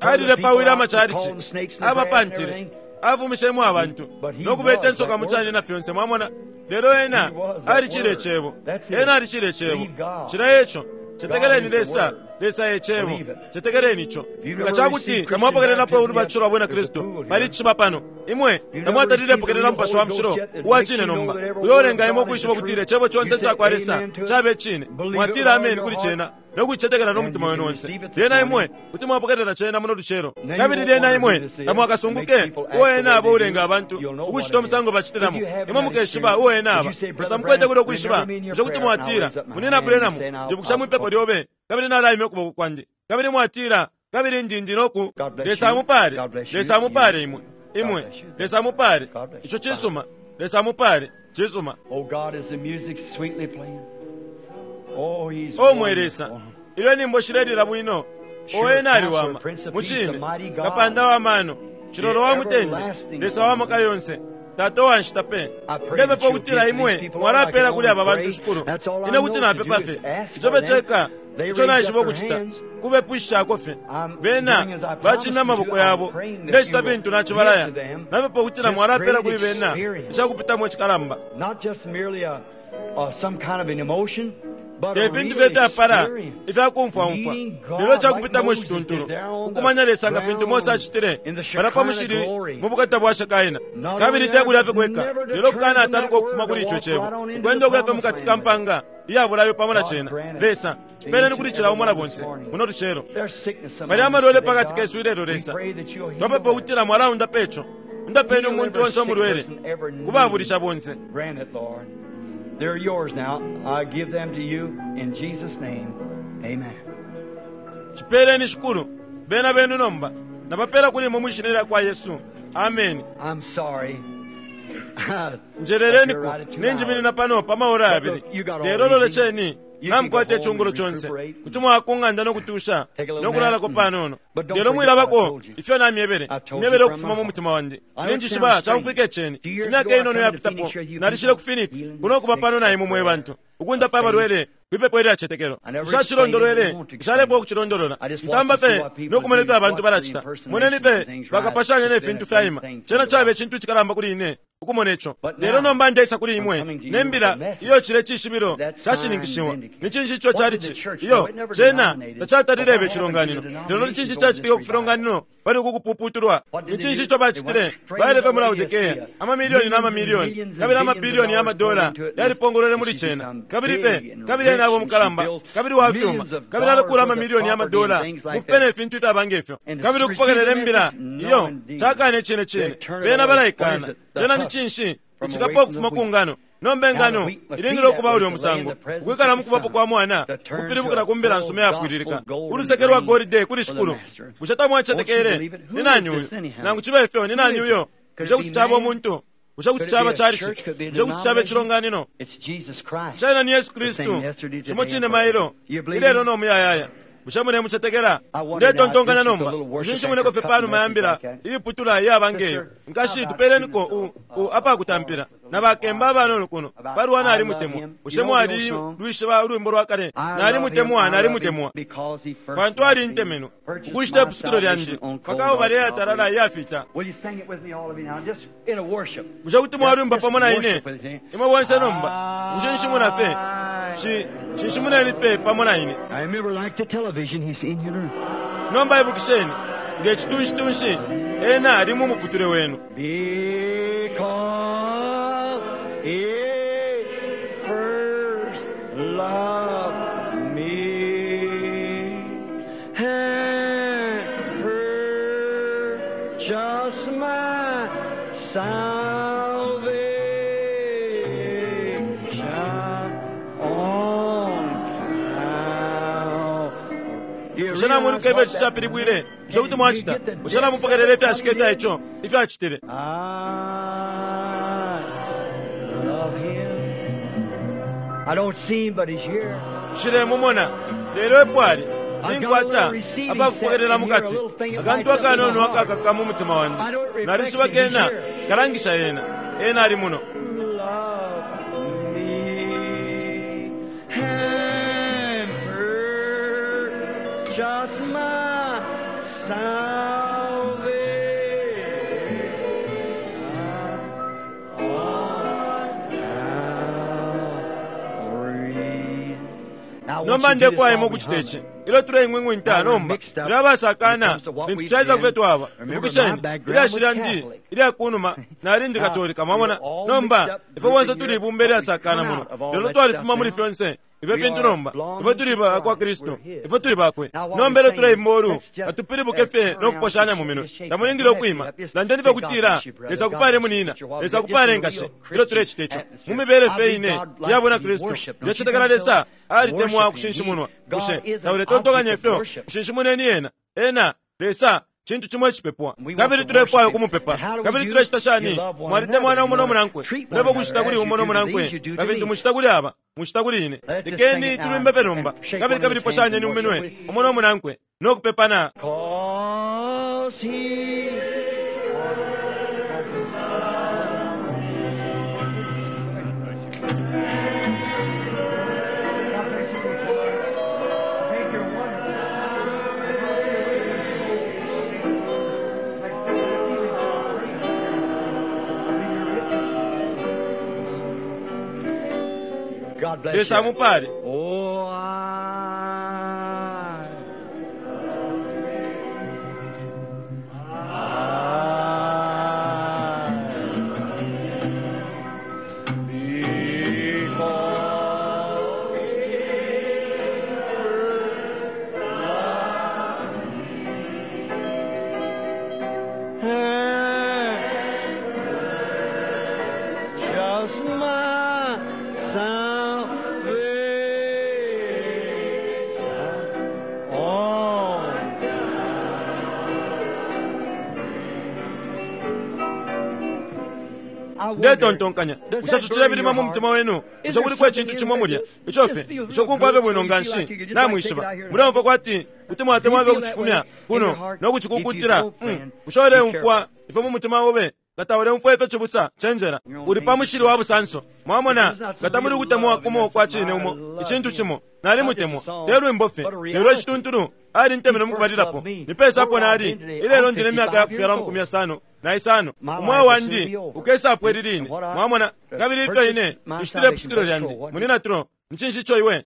Alilepawile amacalici, abapantile, afumishemo abantu, no kubeta insoka mu cani na fyonse, mwamona. Lelo ena alicile Icebo. Ena alicile Icebo. Cilya eco. Cetekeleni Lesa. Lesa e Cebo. Cetekeleni ico. Nga ca kuti tamwapokelelapo ulubatisho lwa Bwina Kristu, pali icishiba pano. Imwe tamwatalile pokelela Mupashi wa Mushilo uwa cine nomba, uyo ulenga imwe ukwishiba ukutila Icebo conse icakwa Lesa caba icine. Mwatila ameni kuli Cena no kucicetekela no mutima wenu onse. Lyena imwe kuti mwapokelela Cena muno lucelo. Kabili lyena imwe tamwakasunguke uo Ena aba ulenga abantu ukucita umusango bacitilamo. Imwe mukeshiba uo Ena aba. Nga tamukwete kulyo kwishiba, bushe kuti mwatila, Munyina Branham, njibukisha mwipepo lyobe, kabili nalaimya ukuboko kwandi. Kabili mwatila, Kabili ndi, ndi noku. Lesa amupale. Lesa amupale imwe. Imwe. Lesa amupale. Ico cisuma. Lesa amupale. Cisuma. O mwe Lesa, ilyo inyimbo shilelila bwino, o Ena aliwama, mucine, Kapanda wa mano, Cilolo wa mutende, Lesa wa maka yonse, Tata uwa nshita pe. Ndepepa ukutila Imwe mwalapela kuli aba bantu, Shikulu. Ine kuti napepa fye. Ico fye ceka ico naishiba ukucita, kubepwishishako fye. Bena bacimya amaboko yabo. Ndecita fintu nacibalaya. Napepa ukutila Mwalapela kuli bena icakupitamo icikalamba. Te fintu fye ifyapala ifya kumfwaumfwa, lelo icakupitamo icituntulu, kukumanya Lesa nga fintu Mose acitile palya pa mushili mu bukata bwa Shekaina. Kabili te kulya fye kweka, lelo kukanataluka ukufuma kuli ico Cebo, ukwenda ukuya fye mukati ka mpanga iya bulayo pamo na Cena. Lesa, cipeleni kuli cila umo na bonse muno lucelo. Pali amalwele pakati kesu ilelo, Lesa. Twapepa ukutila Mwalaundapa ico. Undapeni umuntu onse umulwele, ku babulisha bonse. They're yours now. I give them to you in Jesus' name. Amen. Cipeleni, Shikulu. Bena benu nomba. Nabapela kuli imwe mwi Shina lyakwa Yesu. Ameni. I'm sorry. Njeleleniko, ninjiminina pano pa maora yabili. Lelo lolesheni, namukwata icungulo conse. Kuti mwaya ku ng'anda no kutusha no kulalako panono. Lelo mwilabako ifyo namyebele. Myebele ukufuma mu mutima wandi. Ninjishiba caumfwika iceni. Imyaka inono yapitapo, nalishile ku Phoenix, kuno kuba pano na imwe mwe bantu, ukundapa abalwele kwipepo ilyacetekelo. Nshacilondolwele, nshalepwa ukucilondolola. Ntamba fye no kumona ifyo abantu balacita. Moneni fye bakapashanya ne fintu fyaima. Cena caba icintu icikalamba kuli ine ukumona ico. Lelo nomba ndeisa kuli imwe ne mbila iyo cile cishibilo cashininkishiwa. Ni cinshi ico cali ci? Iyo, cena tacatalile ibe icilonganino. Lelo ni cinshi icacitike ku filonganino pali uku kupuputulwa? Ni cinshi ico bacitile? Baile fye mu Laodikea, amamilioni na mamilioni, kabili amabilioni ya madola yalipongolwele muli cena. Kabili fye, kabili ena abo mukalamba, kabili wa fyuma, kabili alekula amamilioni ya madola mu fipe ne fintu ifyaba nge fyo. Kabili ukupokelela imbila iyo cakana icine cine, bena balaikana. Cena ni cinshi? Icikapo ukufuma ku ngano. Nomba ingano ilingile ukuba ulyo musango, ukwikala mu kubapo kwa Mwana, ukupilibukila ku mbila nsuma iyapwililika, uluseke lwa golide kuli Shikulu. Bushe tamwacetekele? Ni nani uyu? Nangu cibe ifyo, ni nani uyo? Bushe kuti caba umuntu? Bushe kuti caba chalichi? Bushe kuti caba icilonganino? It's Jesus Christ. Cena ni Yesu Kristu, cimo cine mailo, ilelo no muyayaya. Bushe mulemucetekela? Ndetontonkanya nomba, ushinshimuneko fye panuma ya mbila iiputula iyaba ngeyo. Nkashi, tupeleniko u, u apakutampila na bakemba abanono kuno palwa Nalimutemwa. Bushe mwalilwishiba ulwimbo lwa kale? Nalimutemwa, nalimutemwa, Because he first pantu alintemenwe, ukushita ipusukilo lyandi pa Kalbale iyatalala iyafita. Will you sing it with me, all of you now? Just in a worship. Bushe kuti mwalwimba pamo na ine imwe bonse nomba? Ukushinshimuna fye, shi shinshimuneni fye pamo na ine. I remember like the television, he's in your room. Nomba ibukisheni, nge citunshi-tunshi, ena ali mu muputule wenu. Because he first loved me and purchased my salvation on Calvary. Bushe namwiluka ifyo ici capilibwile? Bushe kuti mwacita? Bushe namupokelela ifyashika ifya ico ifyo acitile? I love him. I don't see him, but he's here. Nshilemumona, lelo epo ali. Ninkwata apakupokelela mukati akantu akanono akakaka mu mutima wandi. Nalishiba kena kalangisha ena. Ena ali muno. Love me and purchase my salvation on Calvary. Now, I want Nomba you to do this ndefwaya imwe while we ukucita hum. ici. Ilyo tuleing'wing'winta nomba, tuli abasakana lintu caisa kufyo twaba. Ibukisheni, ilyashi lyandi ilya kunuma nali ndi Katolika, mwamona. Nomba ifwe bonse tuli ibumba ilyasakana muno, lelo twalifuma muli fyonse ifyo fintu nomba. Ifwe tuli ba kwa Kristu, ifwe tuli bakwe. Nomba ilyo tuleimba ulu, atupilibuke fye no kuposhanya mu minwe. Tamulingile ukwima. Landeni fye kutila, Lesa akupale munina, Lesa akupale nkashi. Ilyo tulecita ico, mu mibele fye ine iya bwina Kristu, ndecetekela Lesa alitemwa kushinshimunwa. Bushe tauletontonkanya ifyo? Kushinshimuneni ena. Ena, Lesa, cintu cimo icipepwa. Kabili tulefwaya ukumupepa. Kabili tulecita shani? Mwalitemwana umo no munankwe. Mulefwaya ukucita kuli umo no munankwe nga fintu mucita kuli aba, mucita kuli ine. Lekeni tulwimbe fye nomba. Kabili kabili poshanyeni mu minwe umo no munankwe no kupepana. Cause he God bless Lesa you. amupale. Oh, I because just my salvation on Ndetontonkanya, bushe ico cilebilima mu mutima wenu? Bushe kuliko icintu cimo mulya ico fye ico kumfwa fye bwino nga nshi? Namwishiba, muleumfwa kwati kuti mwatemwa fye ukucifumya kuno no kucikunkutila. Bushe uleumfwa ifyo mu mutima obe? Nga tauleumfwa ifyo, cibusa, cenjela. Uli pa mushili wa busanso. Mwamona, nga tamuli ukutemwa kumo kwa cine umo, icintu cimo. Nalimutemwa, te lwimbo fye, lelo icituntulu. Alintemenwe mukubalilapo. Ni pesa apo nali ilelo? Ndi ne myaka ya kufyalwa 55. Umweo wandi ukesapwa ili line. Mwamona? Kabili ifyo ine nshitile ipusukilo lyandi, Munyina Tro, ni cinshi ico iwe?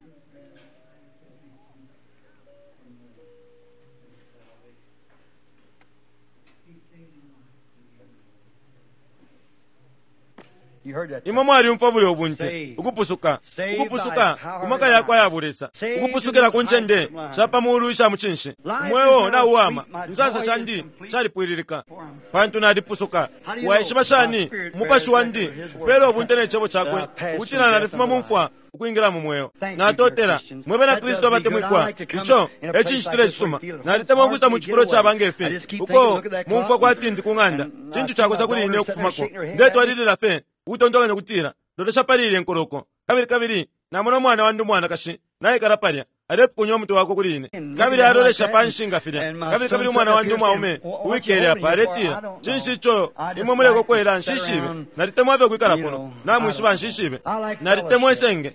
Imwe mwalyumfwa bulyo bunte, ukupusuka, ukupusuka ku maka yakwe aya bulesa, ukupusukila ku ncende sha pa muulu isha mucinshi. Umweo nauwama, insansa shandi shalipwililika, pantu nalipusuka. Waishiba shani? Umupashi wandi upeela ubunte ne Cebo cakwe ukutila nalifuma mu mfwa ukwingila mu mweo. Natotela, mwe Bena Kristu abatemwikwa. Ico e cinshitila icisuma. Nalitemwa ukwisa mu cifulo caba nge fi, uko mumfwa kwati ndi ku ng'anda. Cintu cakosa kuli ine ukufumako. Ndetwalilila fye ukutontonkanya ukutila, Lolesha pali ilye nkoloko. Kabili, kabili namona umwana wandi umwanakashi naikala palya, alepukunya umutwe wakwe kuli ine, kabili alolesha panshi nga filya. Kabili, kabili umwana wandi umwaume uwikele apa, aletila, Cinshi ico imwe mulekokwela? Nshishibe. Nalitemwa fye ukwikala kuno. Namwishiba, nshishibe. Nalitemwa isenge.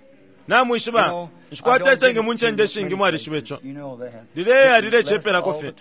Namwishiba, nshikwata isenge mu ncende ishingi, mwalishiba ico. Lileya lilecepelako fye.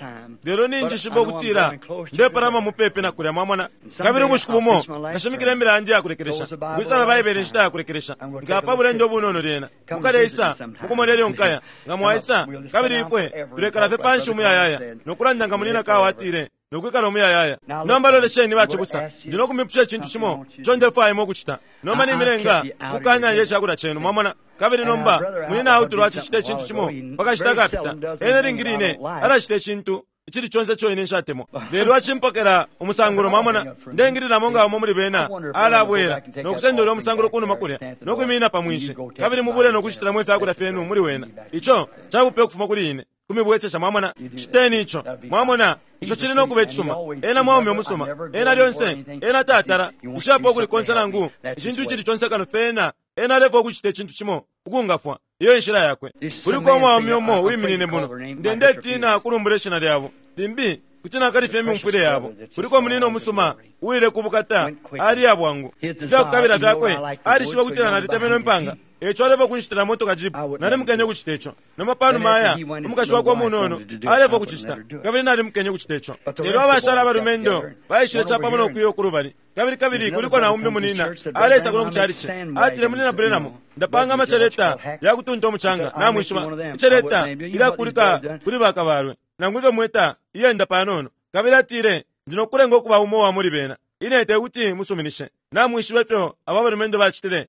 Lelo ninjishiba ukutila ndepalama mupepi na kulya, mwamona. Kabili ubushiku bumo nkashimikila imbila yandi ya kulekelesha, ukwisala Baibele inshita ya kulekelesha. Nkaya pa bulendo ubunono lyena. Mukaleisa mukumona ilyo nkaya, nga mwaisa. Kabili ifwe tulekala fye panshi umuyayaya, no kulanda nga Munyina Carr atile, no kwikala umuyayaya. Nomba lolesheni, bacibusa, ndi no kumipusha icintu cimo ico ndefwaya imwe ukucita. Nomba nimilenga ukukanalya icakulya cenu, mwamona. Kabili nomba Munyina Outlaw acicita icintu cimo pa kashita akapita. Ena ilingi line alacita icintu icili conse ico ine nshatemwa, lelo acimpokela umusangulo, mwamona. Ndeingililamo nga umo muli bena alabwela no kusenda ulya umusangulo kunuma kulya no kwiminina pa mwinshi, kabili mubule no kushitilamo ifyakulya fyenu muli wena. Ico cabupe ukufuma kuli ine kumibwesesha, mwamona. Citeni ico, mwamona, ico cili no kuba icisuma. Ena mwaume umusuma. Ena lyonse, ena tatala nshapo ukuli konse nangu icintu icili conse kano fye ena, ena alefwaya ukucita icintu cimo ukungafwa. Iyo enshila yakwe. Kuliko umwaume umo uwiminine muno. Nde, ndetina ukulumbula ishina lyabo. Limbi kuti nakalifya imyumfwile yabo. Kuliko munina umusuma uwile ku bukata, aliya bwangu. Ifyakukabila fyakwe, alishiba ukutila nalitemenwe impanga. Eico alefwaya ukunshitila motoka jeep. Nalimukenye ukucita ico. Nomba panuma aya, umukashi wakwe umunono alefwaya ukucicita, kabili nalimukenye ukucita ico. Lelo abashala abalumendo baishile capamo no kuya uku lubali. Kabili, kabili kuliko na umbi munina aleisa kuno ku chalichi. Atile, Munina Branham, ndapanga amaceleta ya kutunta umucanga, namwishiba, iceleta ilyakulika kuli bakabalwe, nangu ifyo mwita, iyenda panono. Kabili atile, Ndi no kukulenga ukuba umo wa muli bena. Ine tekuti musuminishe. Namwishiba ifyo aba balumendo bacitile?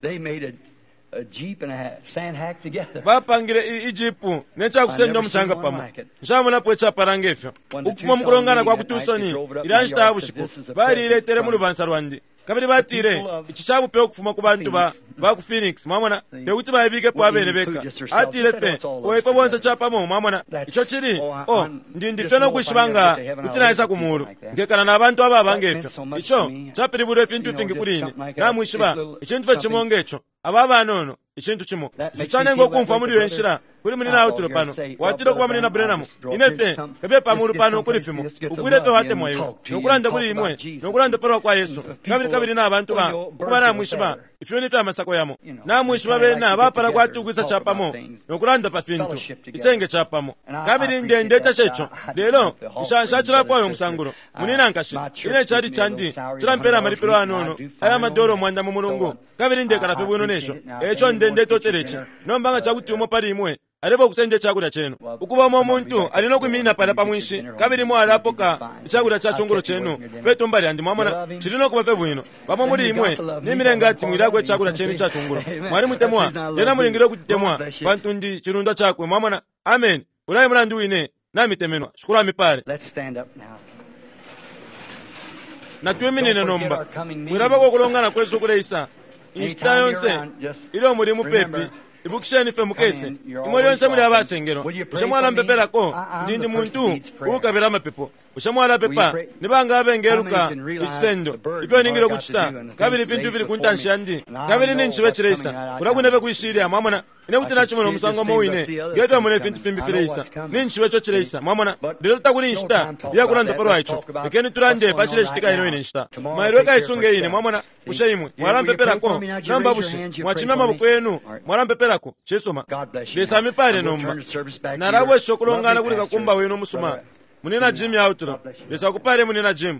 Bapangile i, ijipu ne ca kusenda umucanga pamo. Nshamonapo icapala nge fyo. Ukufuma mu kulongana kwa ku Tucson ilya nshita ya bushiku, baliiletele mu lubansa lwandi. Kabili batile, Ici ca bupe ukufuma ku bantu ba, ba ku Phoenix. Mwamona, te kuti baibikepo abene beka. Atile fye, Oh, ifwe bonse capamo, mwamona. Ico cili, oh, ndi, ndi fye no kwishiba nga kuti naisa ku Mulu, nkekala na bantu ababa nge fyo. Ico capilibwile ifintu ifingi kuli ine, namwishiba, icintu fye cimo nge co. Aba abanono, icintu cimo. Ico canenga ukumfwa muli iyo nshila kuli Munyina Outlaw pano. Watile ukuba Munyina Branham, ine fye kabiye pa mulu pano kuli fimo. Ufwile fye watemwa iwe, no kulanda kuli imwe, no kulanda palwa kwa Yesu, kabili, kabili na bantu ba, ukuba namwishiba, ifyuni fya masako yamo. Namwishiba bena bapala kwati ukwisa capamo no kulanda pa fintu, isenge capamo. Kabili nde, ndetasha ico. Lelo, nsha, nshacilafwaya umusangulo, munina, nkashi. Ine icalici candi cilampela amalipilo ayanono aya madola 100 mu mulungu. Kabili ndekala fye bwino ne sho. E ico nde, ndetotela ici. Nomba nga ca kuti umo pali imwe alefwaya ukusenda icakulya cenu, ukuba umo muntu ali no kwiminina palya pa mwinshi, kabili imwe alapoka icakulya ca cungulo cenu pe tumba lyandi. Mwamona, cili no kuba fye bwino. Bamo muli imwe nimilenga ati mwilyako icakulya cenu ica cungulo. Mwalimutemwa, lyena mulingile ukutemwa, pantu ndi cilundwa cakwe. Mwamona? Ameni. Ulya e mulandu wine namitemenwa. Shikulu amipale. Natwiminine nomba. Mwilabako ukulongana kwesu ukuleisa. Inshita yonse ilyo muli mupepi, ibukisheni fye mukese. Imwe lyonse muli abasengelwa. Bushe mwalampepelako? Ndi, ndi muntu uukabila amapepo. Bushe mwalapepa? Ni banga abengeluka icisendo, ifyo ningile ukucita, kabili ifintu ifili ku ntanshi yandi, kabili ninjishiba cileisa kulya kwine fye kwishilya? Mwamona? Ine kuti nacimona umusango umo wine nge fyo mona ifintu fimbi fileisa. Ninjishiba ico cileisa. Mwamona? Lelo takuli inshita iya kulanda palwa ico. Lekeni tulande pa cilecitika ino ine nshita. Mailo ekaisunge ine. Mwamona? Bushe imwe mwalampepelako? Nomba bushe mwacimya amaboko yenu mwalampepelako? Cisuma. Lesa amipale nomba. Nalabwesha ukulongana kuli kakumba wenu umusuma, Munina Jim Outlaw. Lesa akupale, Munina Jim.